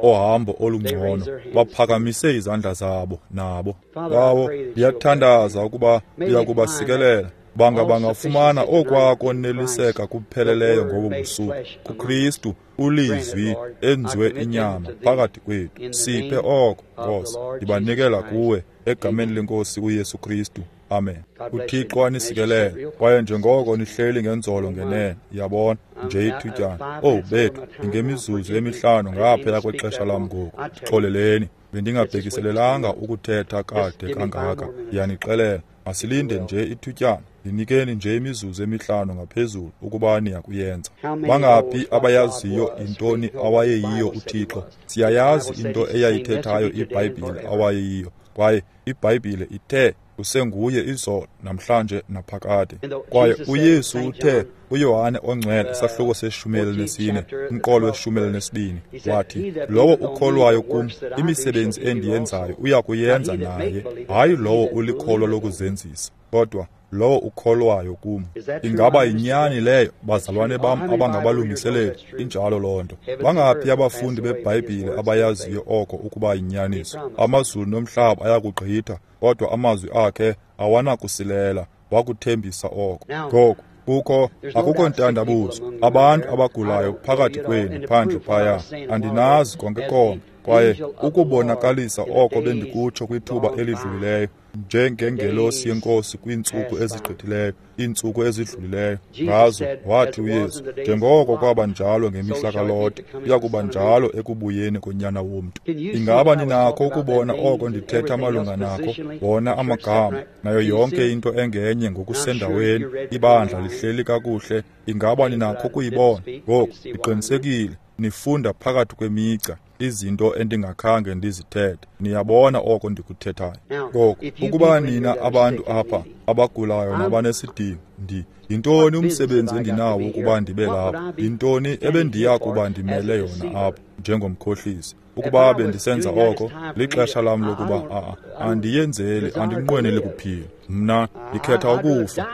ohambo olungcono, baphakamise izandla zabo nabo. Bawo, ndiyathandaza ukuba ndiyakubasikelela, banga bangafumana okwakoneliseka kupheleleyo ngobo busuku kuKristu, ulizwi enziwe inyama phakathi kwethu. Siphe oko, Nkosi. Ndibanikela kuwe egameni lenkosi uYesu Kristu. Amen. uThixo anisikelele. Kwaye njengoko nihleli ngenzolo ngenene, yabona nje ithutyana. Oh bethu, ngemizuzu emihlanu ngaphaya kwexesha lam ngoku. Xoleleni, bendingabhekiselelanga ukuthetha kade kangaka. Ndiyanixelela, masilinde nje ithutyana. Ndinikeni nje imizuzu emihlanu ngaphezulu ukuba niyakuyenza. Bangaphi abayaziyo intoni awayeyiyo uThixo? Siyayazi into eyayithethayo iBhayibhile awayeyiyo, kwaye iBhayibhile ithe usenguye izolo, namhlanje, naphakade. Kwaye uYesu uthe uYohane oNgcwele, isahluko seshumi elinesine, umqolo weshumi elinesibini, wathi, lowo ukholwayo kum, imisebenzi endiyenzayo uya kuyenza naye, hayi lowo ulikholwa lokuzenzisa, kodwa lowo ukholwayo kum. Ingaba yinyani leyo, bazalwane bam abangabalungiseleli? Injalo loo nto. Bangaphi abafundi beBhayibhile abayaziyo oko ukuba yinyaniso? Amazulu nomhlaba ayakugqitha, kodwa amazwi akhe awanakusilela. Wakuthembisa oko. Ngoku kukho akukho ntandabuzo, abantu abagulayo phakathi kwenu phandle phaya, andinazi konke konke, kwaye ukubonakalisa oko bendikutsho kwithuba elidlulileyo, njengengelosi yenkosi kwiintsuku ezigqithileyo, iintsuku ezidlulileyo, ngazo wathi uYesu, njengoko kwaba njalo ngemihla kaLote, kuya kuba njalo ekubuyeni konyana womntu. Ingaba ninakho ukubona oko ndithetha malunga nako? Wona amagama nayo yonke into engenye ngokusendaweni, ibandla lihleli kakuhle. Ingaba ninakho ukuyibona? Ngoku ndiqinisekile nifunda phakathi kwemigca izinto endingakhange ndizithethe. Niyabona oko ndikuthethayo. Ngoku ukuba nina abantu apha abagulayo nabanesidingo, ndi yintoni umsebenzi endinawo ukuba ndibe lapha? Yintoni ebendiya kuba ndimele yona apha njengomkhohlisi? Ukuba bendisenza oko, lixesha lam lokuba a andiyenzeli, andinqweneli kuphila. Mna ndikhetha ukufa,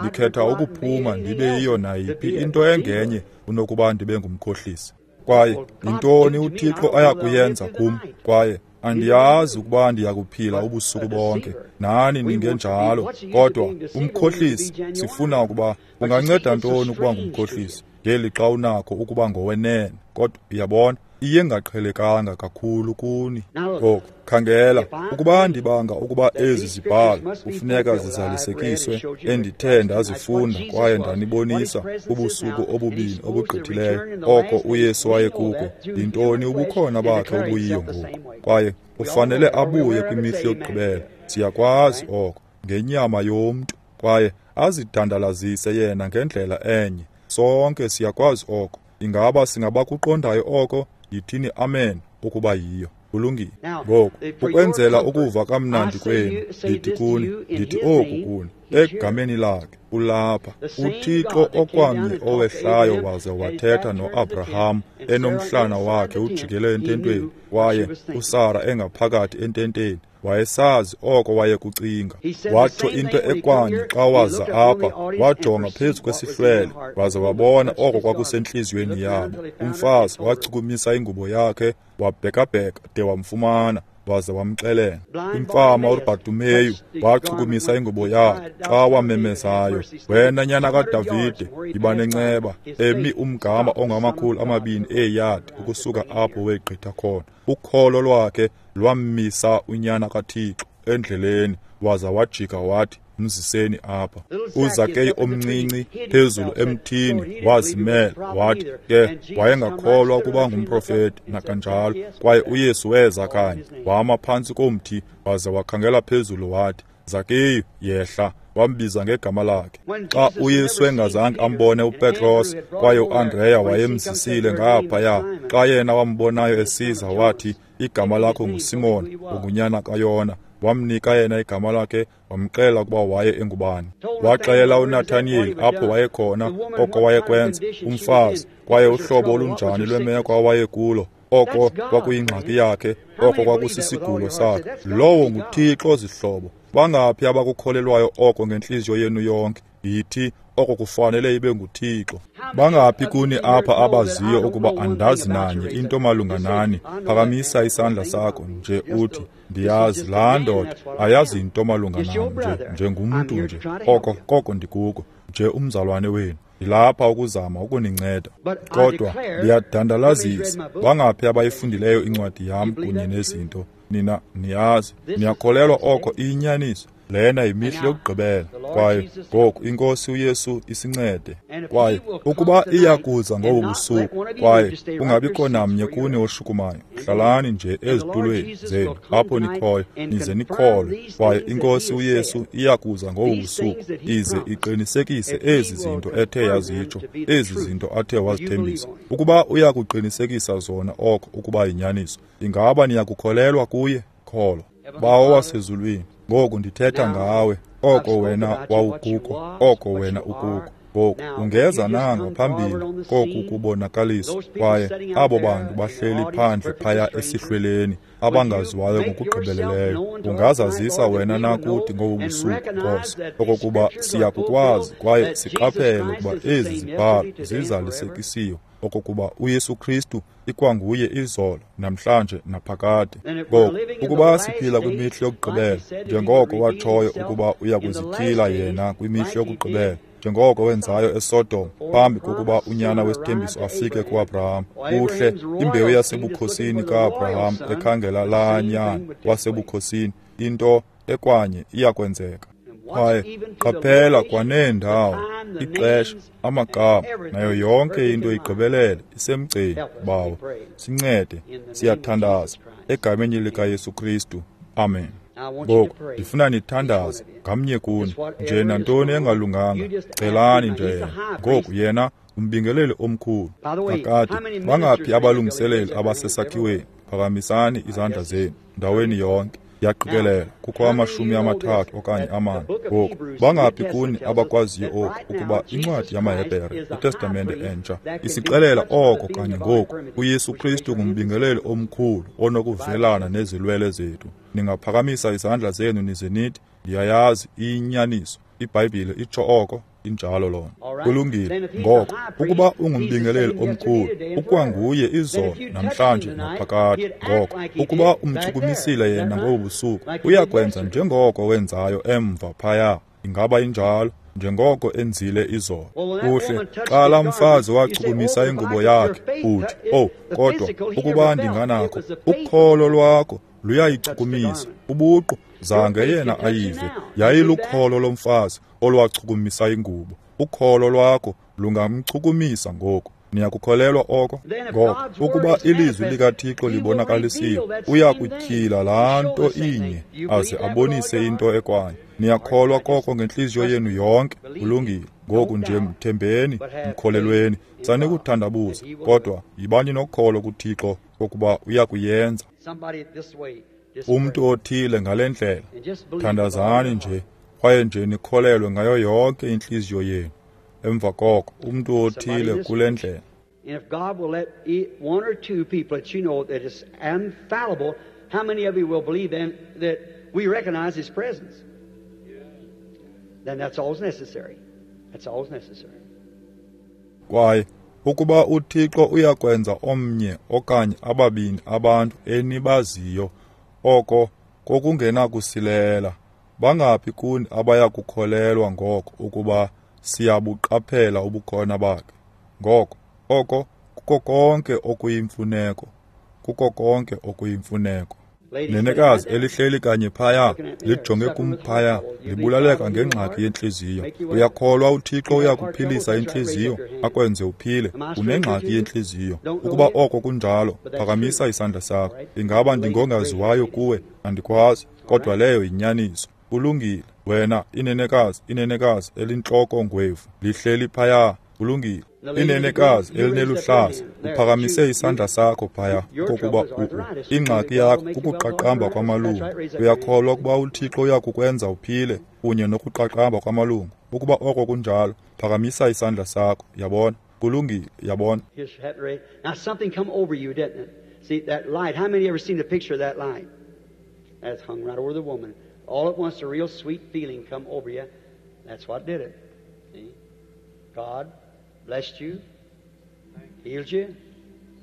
ndikhetha ukuphuma ndibe yiyo nayiphi into engenye kunokuba ndibe ngumkhohlisi. Kwaye yintoni uThixo ayakuyenza kum? Kwaye andiyazi ukuba ndiyakuphila ubusuku bonke, nani ningenjalo. Kodwa umkhohlisi, sifuna ukuba unganceda ntoni ukuba ngumkhohlisi ngeli xa unakho ukuba ngowenene? Kodwa uyabona, iye ngaqhelekanga kakhulu kuni. Ngoku khangela, ukuba ndibanga ukuba ezi zibhalo kufuneka zizalisekiswe endithe ndazifunda kwaye ndanibonisa ubusuku obubini obugqithileyo oko uYesu wayekuko, yintoni ubukhona bakhe obuyiyo ngoku? Kwaye ufanele abuye kwimihla yokugqibela, siyakwazi oko, ngenyama yomntu, kwaye azidandalazise yena ngendlela enye. Sonke siyakwazi oko. Ingaba singabakuqondayo oko? Yithini amen ukuba yiyo. Kulungile. Ngoku, ukwenzela ukuva kamnandi kwenu, ndithi kuni, ndithi oku kuni, egameni lakhe ulapha uThixo okwamnye owehlayo waze wathetha noAbraham enomhlana wakhe ujikele ententweni, kwaye uSara engaphakathi ententeni. Wayesazi oko wayekucinga. Watsho into ekwanye xa waza apha, wajonga phezu kwesihlwele waze wabona oko kwakusentliziyweni yabo. Umfazi wachukumisa ingubo yakhe, wabhekabheka de wamfumana, waze wamxelela. Imfama uBartimeyu wachukumisa ingubo yakhe xa wamemezayo, wena nyana kaDavide, yiba nenceba, emi umgama ongamakhulu amabini eeyadi ukusuka apho wegqitha khona. Ukholo lwakhe lwammisa unyana kaThixo endleleni, waza wajika wathi, mziseni apha. uZakeyu omncinci phezulu emthini wazimela, wathi ke wayengakholwa ukuba ngumprofeti nakanjalo. Kwaye uYesu weza kanye, wama phantsi komthi waze wakhangela phezulu wathi, Zakeyu, yehla. Wambiza ngegama lakhe. Xa uYesu engazange ambone uPetros kwaye uAndreya wayemzisile ngaphaya, xa yena wambonayo esiza wathi, igama lakho nguSimon, ungunyana kaYona. Wamnika yena igama lakhe, wamxelela ukuba waye engubani. Waxelela uNathaniyeli apho wayekhona, oko wayekwenza, umfazi, kwaye uhlobo olunjani lwemeko awayekulo, oko kwakuyingxaki yakhe, oko kwakusisigulo sakhe. Lowo nguThixo, zihlobo. Bangaphi abakukholelwayo oko ngentliziyo yenu yonke? Yithi oko kufanele ibe nguThixo. Bangaphi kuni apha abaziyo ukuba andazi nanye into malunga nani? Phakamisa isandla sakho nje uthi, ndiyazi laa ndoda ayazi into malunga nam, nje njengumntu nje. Oko koko ndikuko, nje umzalwane wenu. Ndilapha ukuzama ukuninceda. Kodwa ndiyadandalazisa, bangaphi abayifundileyo incwadi yam kunye nezinto? Nina niyazi, niyakholelwa oko iyinyaniso. Lena yimihla yokugqibela. Kwaye ngoku iNkosi uYesu isincede. Kwaye ukuba iyakuza ngobu busuku, kwaye kungabikho namnye kuni oshukumayo, hlalani nje ezitulweni zenu apho nikhoyo, nize nikholwe. Kwaye iNkosi uYesu iyakuza ngobu busuku ize iqinisekise ezi zinto ethe yazitsho, ezi zinto athe wazithembisa. Ukuba uyakuqinisekisa zona oko ukuba yinyaniso, ingaba niyakukholelwa kuye? Kholwa. Bawo wasezulwini, ngoku ndithetha ngawe, oko wena wawukuko, oko wena ukuko. Ngoku ungeza na ngaphambili koku kubonakaliswa? Kwaye abo bantu bahleli phandle phaya esihlweleni, abangaziwayo ngokugqibeleleyo, ungazazisa wena na kuthi ngobu busuku, Nkosi, okokuba siyakukwazi kwaye siqaphele ukuba ezi zibhalo zizalisekisiwe, okokuba uYesu Kristu ikwanguye izolo, namhlanje, naphakade. Ngoku ukuba siphila kwimihla yokugqibela, njengoko watshoyo ukuba uyakuzityhila yena kwimihla yokugqibela, njengoko wenzayo eSodom phambi kokuba unyana wesithembiso afike kuAbraham. Kuhle, imbewu yasebukhosini kaAbraham ekhangela laa nyana wasebukhosini, into ekwanye iyakwenzeka. Kwaye qaphela kwaneendawo, ixesha, amagama, nayo yonke into igqibelele isemgceni. Bawo, sincede, siyathandaza egameni likaYesu Kristu. Amen. Ngoku ndifuna nithandaze ngamnye kuni, nje nantoni engalunganga, celani nje yena. Ngoku yena umbingeleli omkhulu. Kakade, bangaphi abalungiseleli abasesakhiweni? Phakamisani izandla zenu ndaweni yonke. Ndiyaqikelela kukho amashumi amathathu okanye amane. Ngoku, bangaphi kuni abakwaziyo oku, ukuba incwadi yamaHebhere, iTestamente Entsha, isixelela oko kanye ngoku, uYesu Kristu ngumbingeleli omkhulu onokuvelana nezilwele zethu. Ningaphakamisa izandla zenu nize nithi, ndiyayazi iyinyaniso, iBhayibhile itsho oko. Injalo lona. Kulungile. Ngoko, ukuba ungumbingeleli omkhulu, ukwanguye izolo, namhlanje, naphakade. Ngoko, ukuba umchukumisile yena ngobu busuku, uyakwenza njengoko wenzayo emva phaya. Ingaba injalo? Njengoko enzile izolo. Kuhle, xa laa mfazi wachukumisa ingubo yakhe, uthi, "Oh, kodwa ukuba ndinganakho." Ukholo lwakho luyayichukumisa. Ubuqu zange yena ayive. Yayilukholo lomfazi olwachukumisa ingubo. Ukholo lwakho lungamchukumisa ngoku. Niyakukholelwa oko? Ngoko, ukuba ilizwi likaThixo libonakalisiwe, uyakutyhila laa nto inye aze abonise into ekwanye. Niyakholwa koko ngentliziyo yenu yonke? Kulungile. Ngoku nje mthembeni, mkholelweni. Sanikuthandabuza, kodwa yibani nokholo kuThixo kokuba uyakuyenza. Umntu othile ngale ndlela, thandazani nje, kwaye nje nikholelwe ngayo yonke intliziyo yenu. Emva koko, umntu othile kule ndlela. And if God will let one or two people that you know that is infallible, how many of you will believe then that we recognize His presence? Then that's all necessary. That's all necessary. Kwaye ukuba uThixo uyakwenza omnye okanye ababini abantu enibaziyo, oko kokungenakusilela. Bangaphi kuni abayakukholelwa ngoko ukuba siyabuqaphela ubukhona bakhe? Ngoko, oko kuko konke okuyimfuneko. Kuko konke okuyimfuneko. Nenekazi elihleli kanye phaya, lijonge kum phaya, libulaleka ngengxaki yentliziyo. Uyakholwa uThixo uyakuphilisa intliziyo, akwenze uphile? Unengxaki yentliziyo. Ukuba oko kunjalo, phakamisa isandla sakho. Ingaba ndingongaziwayo kuwe? Andikwazi, kodwa leyo yinyaniso. Kulungile. Wena, inenekazi, inenekazi elintloko ngwevu, lihleli phaya. Kulungile. Inenekazi elineluhlaza, uphakamise isandla sakho phaya, kokuba ingxaki yakho kukuqaqamba kwamalungu. Uyakholwa ukuba uThixo uyakukwenza uphile kunye nokuqaqamba kwamalungu? Ukuba oko kunjalo, phakamisa isandla sakho. Yabona? Kulungile, yabona. Now something come over you, didn't it? See that light. How many ever seen the picture of that light? That's hung right over the woman. All at once a real sweet feeling come over you. That's what did it. See? God blessed you, healed you,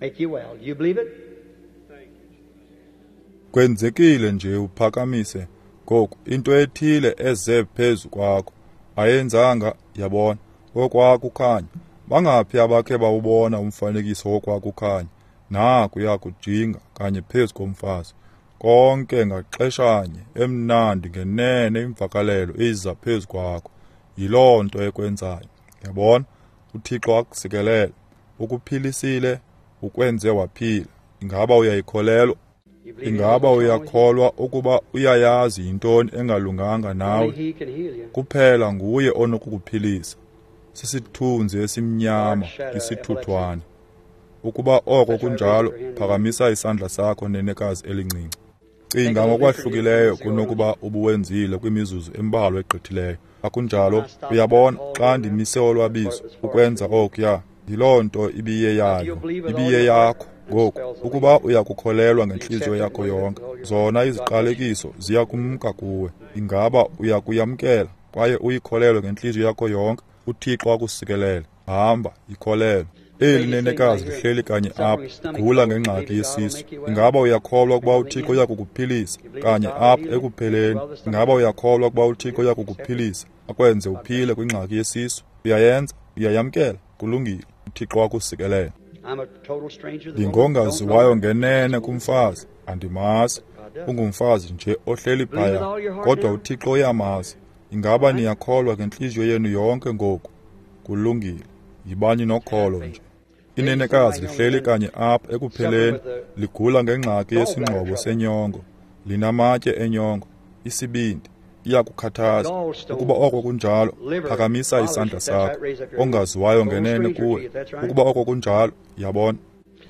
make you well. You believe it? Kwenzekile nje uphakamise ngoku into ethile eze phezu kwakho. Ayenzanga, yabona, okwakukhanya. Bangaphi abakhe bawubona umfanekiso wokwakukhanya? Naku yakujinga kanye phezu komfazi. Konke ngaxeshanye, emnandi ngenene imvakalelo iza phezu kwakho. Yiloo nto ekwenzayo. Yabona? uThixo akusikelele, ukuphilisile, ukwenze waphila. Ingaba uyayikholelwa? Ingaba uyakholwa ukuba uyayazi yintoni engalunganga nawe? Kuphela nguye onokukuphilisa. Sisithunzi esimnyama, isithuthwane. Ukuba oko kunjalo, phakamisa isandla sakho, nenekazi elincinci. Cinga ngokwahlukileyo kunokuba ubuwenzile kwimizuzu embalwa egqithileyo. Akunjalo? Uyabona, xa ndimise olwabizo ukwenza okuya, yiloo nto ibiyeyayo, ibiyeyakho. Ngoku, ukuba uyakukholelwa ngentliziyo yakho yonke, zona iziqalekiso ziyakumka kuwe. Ingaba uyakuyamkela kwaye uyikholelwe ngentliziyo yakho yonke? uThixo akusikelele. Hamba, ikholelwe. Eli nenekazi lihleli kanye apha, gula ngengxaki yesisu. Ingaba uyakholwa ukuba uThixo uyakukuphilisa? Kanye apha ekupheleni. Ingaba uyakholwa ukuba uThixo uyakukuphilisa, akwenze uphile kwingxaki yesisu? Uyayenza? Uyayamkela? Kulungile. uThixo akusikelele. Ndingongaziwayo ngenene kumfazi, andimazi. Ungumfazi nje ohleli phaya, kodwa uThixo uyamazi. Ingaba niyakholwa ngentliziyo yenu yonke ngoku? Kulungile. Yibani nokholo nje. Inenekazi lihleli kanye apha ekupheleni, ligula ngengxaki yesingxobo senyongo, linamatye enyongo, isibindi, iyakukhathaza. Ukuba oko kunjalo, phakamisa isandla sakho. Ongaziwayo ngenene kuwe. Ukuba oko kunjalo, yabona.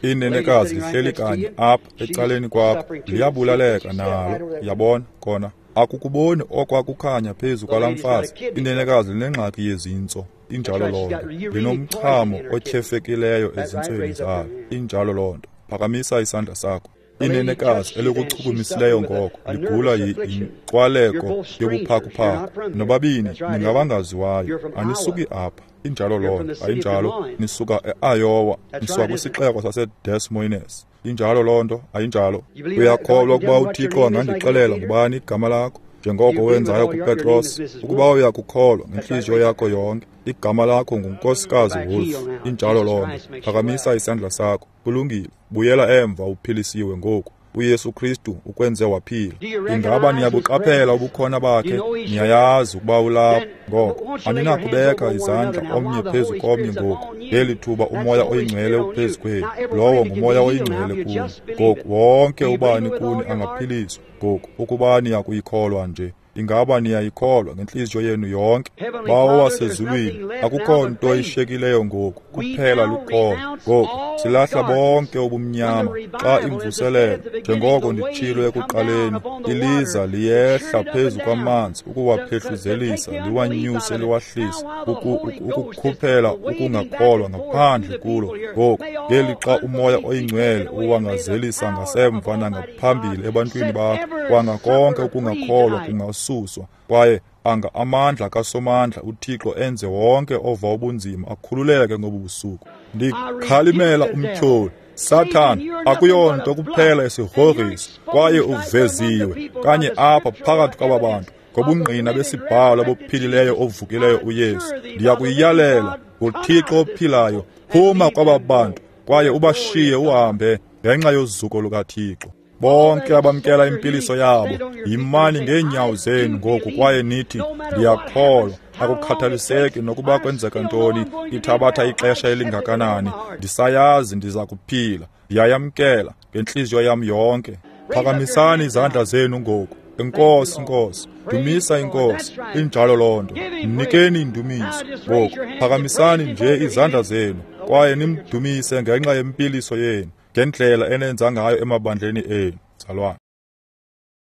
Inenekazi lihleli kanye apha ecaleni kwakho, liyabulaleka nalo. Yabona kona, akukuboni okwakukhanya phezu kwalaa mfazi. Inenekazi linengxaki yezintso. Injalo loo nto. Linomchamo otyhefekileyo ezintsweni zalo. Injalo loo nto. Phakamisa isandla sakho. Inenekazi elikuchukumisileyo ngoko ligula yinkwaleko yobuphakuphaku. Nobabini ningabangaziwayo, anisuki apha. Injalo loo nto, ayinjalo? Nisuka e-Iowa, nisuka kwisixeko saseDes Moines. Injalo loo nto, ayinjalo? Uyakholwa ukuba uThixo angandixelela ngubani igama lakho, njengoko wenzayo kuPetros? Ukuba uyakukholwa ngentliziyo yakho yonke, igama lakho nguNkosikazi Wolf. Injalo loo nto. Phakamisa isandla sakho. Kulungile. Buyela emva uphilisiwe ngoku. uYesu Kristu ukwenze waphila. Ingaba niyabuqaphela ubukhona bakhe? Niyayazi ukuba ulapha. Ngoko aninakubeka izandla omnye phezu komnye ngoku. Ngeli thuba uMoya oyiNgcwele uphezu kwenu. Lowo nguMoya oyiNgcwele kuni. Ngoku wonke ubani kuni angaphiliswa ngoku, ukuba niyakuyikholwa nje. Ingaba niyayikholwa ngentliziyo yenu yonke? Bawo wasezulwini, akukho nto ishekileyo ngoku, kuphela lukholo. Ngoku silahla bonke ubumnyama xa imvuselelo, njengoko nditshilo ekuqaleni, iliza liyehla phezu kwamanzi ukuwaphehluzelisa, liwanyuse, liwahlise, ukukhuphela ukungakholwa ngaphandle kulo. Ngoku ngeli xa uMoya oyiNgcwele uwangazelisa ngasemva nangaphambili ebantwini bakho, kwanga konke ukungakholwa kungasuswa, kwaye anga amandla kaSomandla uThixo enze wonke ova ubunzima akhululeke ngobu busuku. Ndikhalimela umtyholi, Sathana, akuyonto kuphela isigrogriso, kwaye uveziwe kanye apha phakathi kwaba bantu ngobungqina besibhalo obuphilileyo ovukileyo uYesu. Ndiyakuyalela ngoThixo ophilayo, phuma kwaba bantu kwaye ubashiye uhambe ngenxa yozuko lukaThixo. Bonke abamkela impiliso yabo, yimani ngeenyawo zenu ngoku kwaye nithi, ndiyakholwa. Akukhathaliseki nokuba kwenzeka ntoni, ithabatha ixesha elingakanani, ndisayazi ndiza kuphila. Ndiyayamkela ngentliziyo yam yonke. Phakamisani izandla zenu ngoku. Enkosi, Nkosi. Dumisa iNkosi. Injalo loo nto. Mnikeni indumiso ngoku. Phakamisani nje izandla zenu kwaye nimdumise ngenxa yempiliso yenu, ngendlela enenza ngayo emabandleni enu. Zalwane.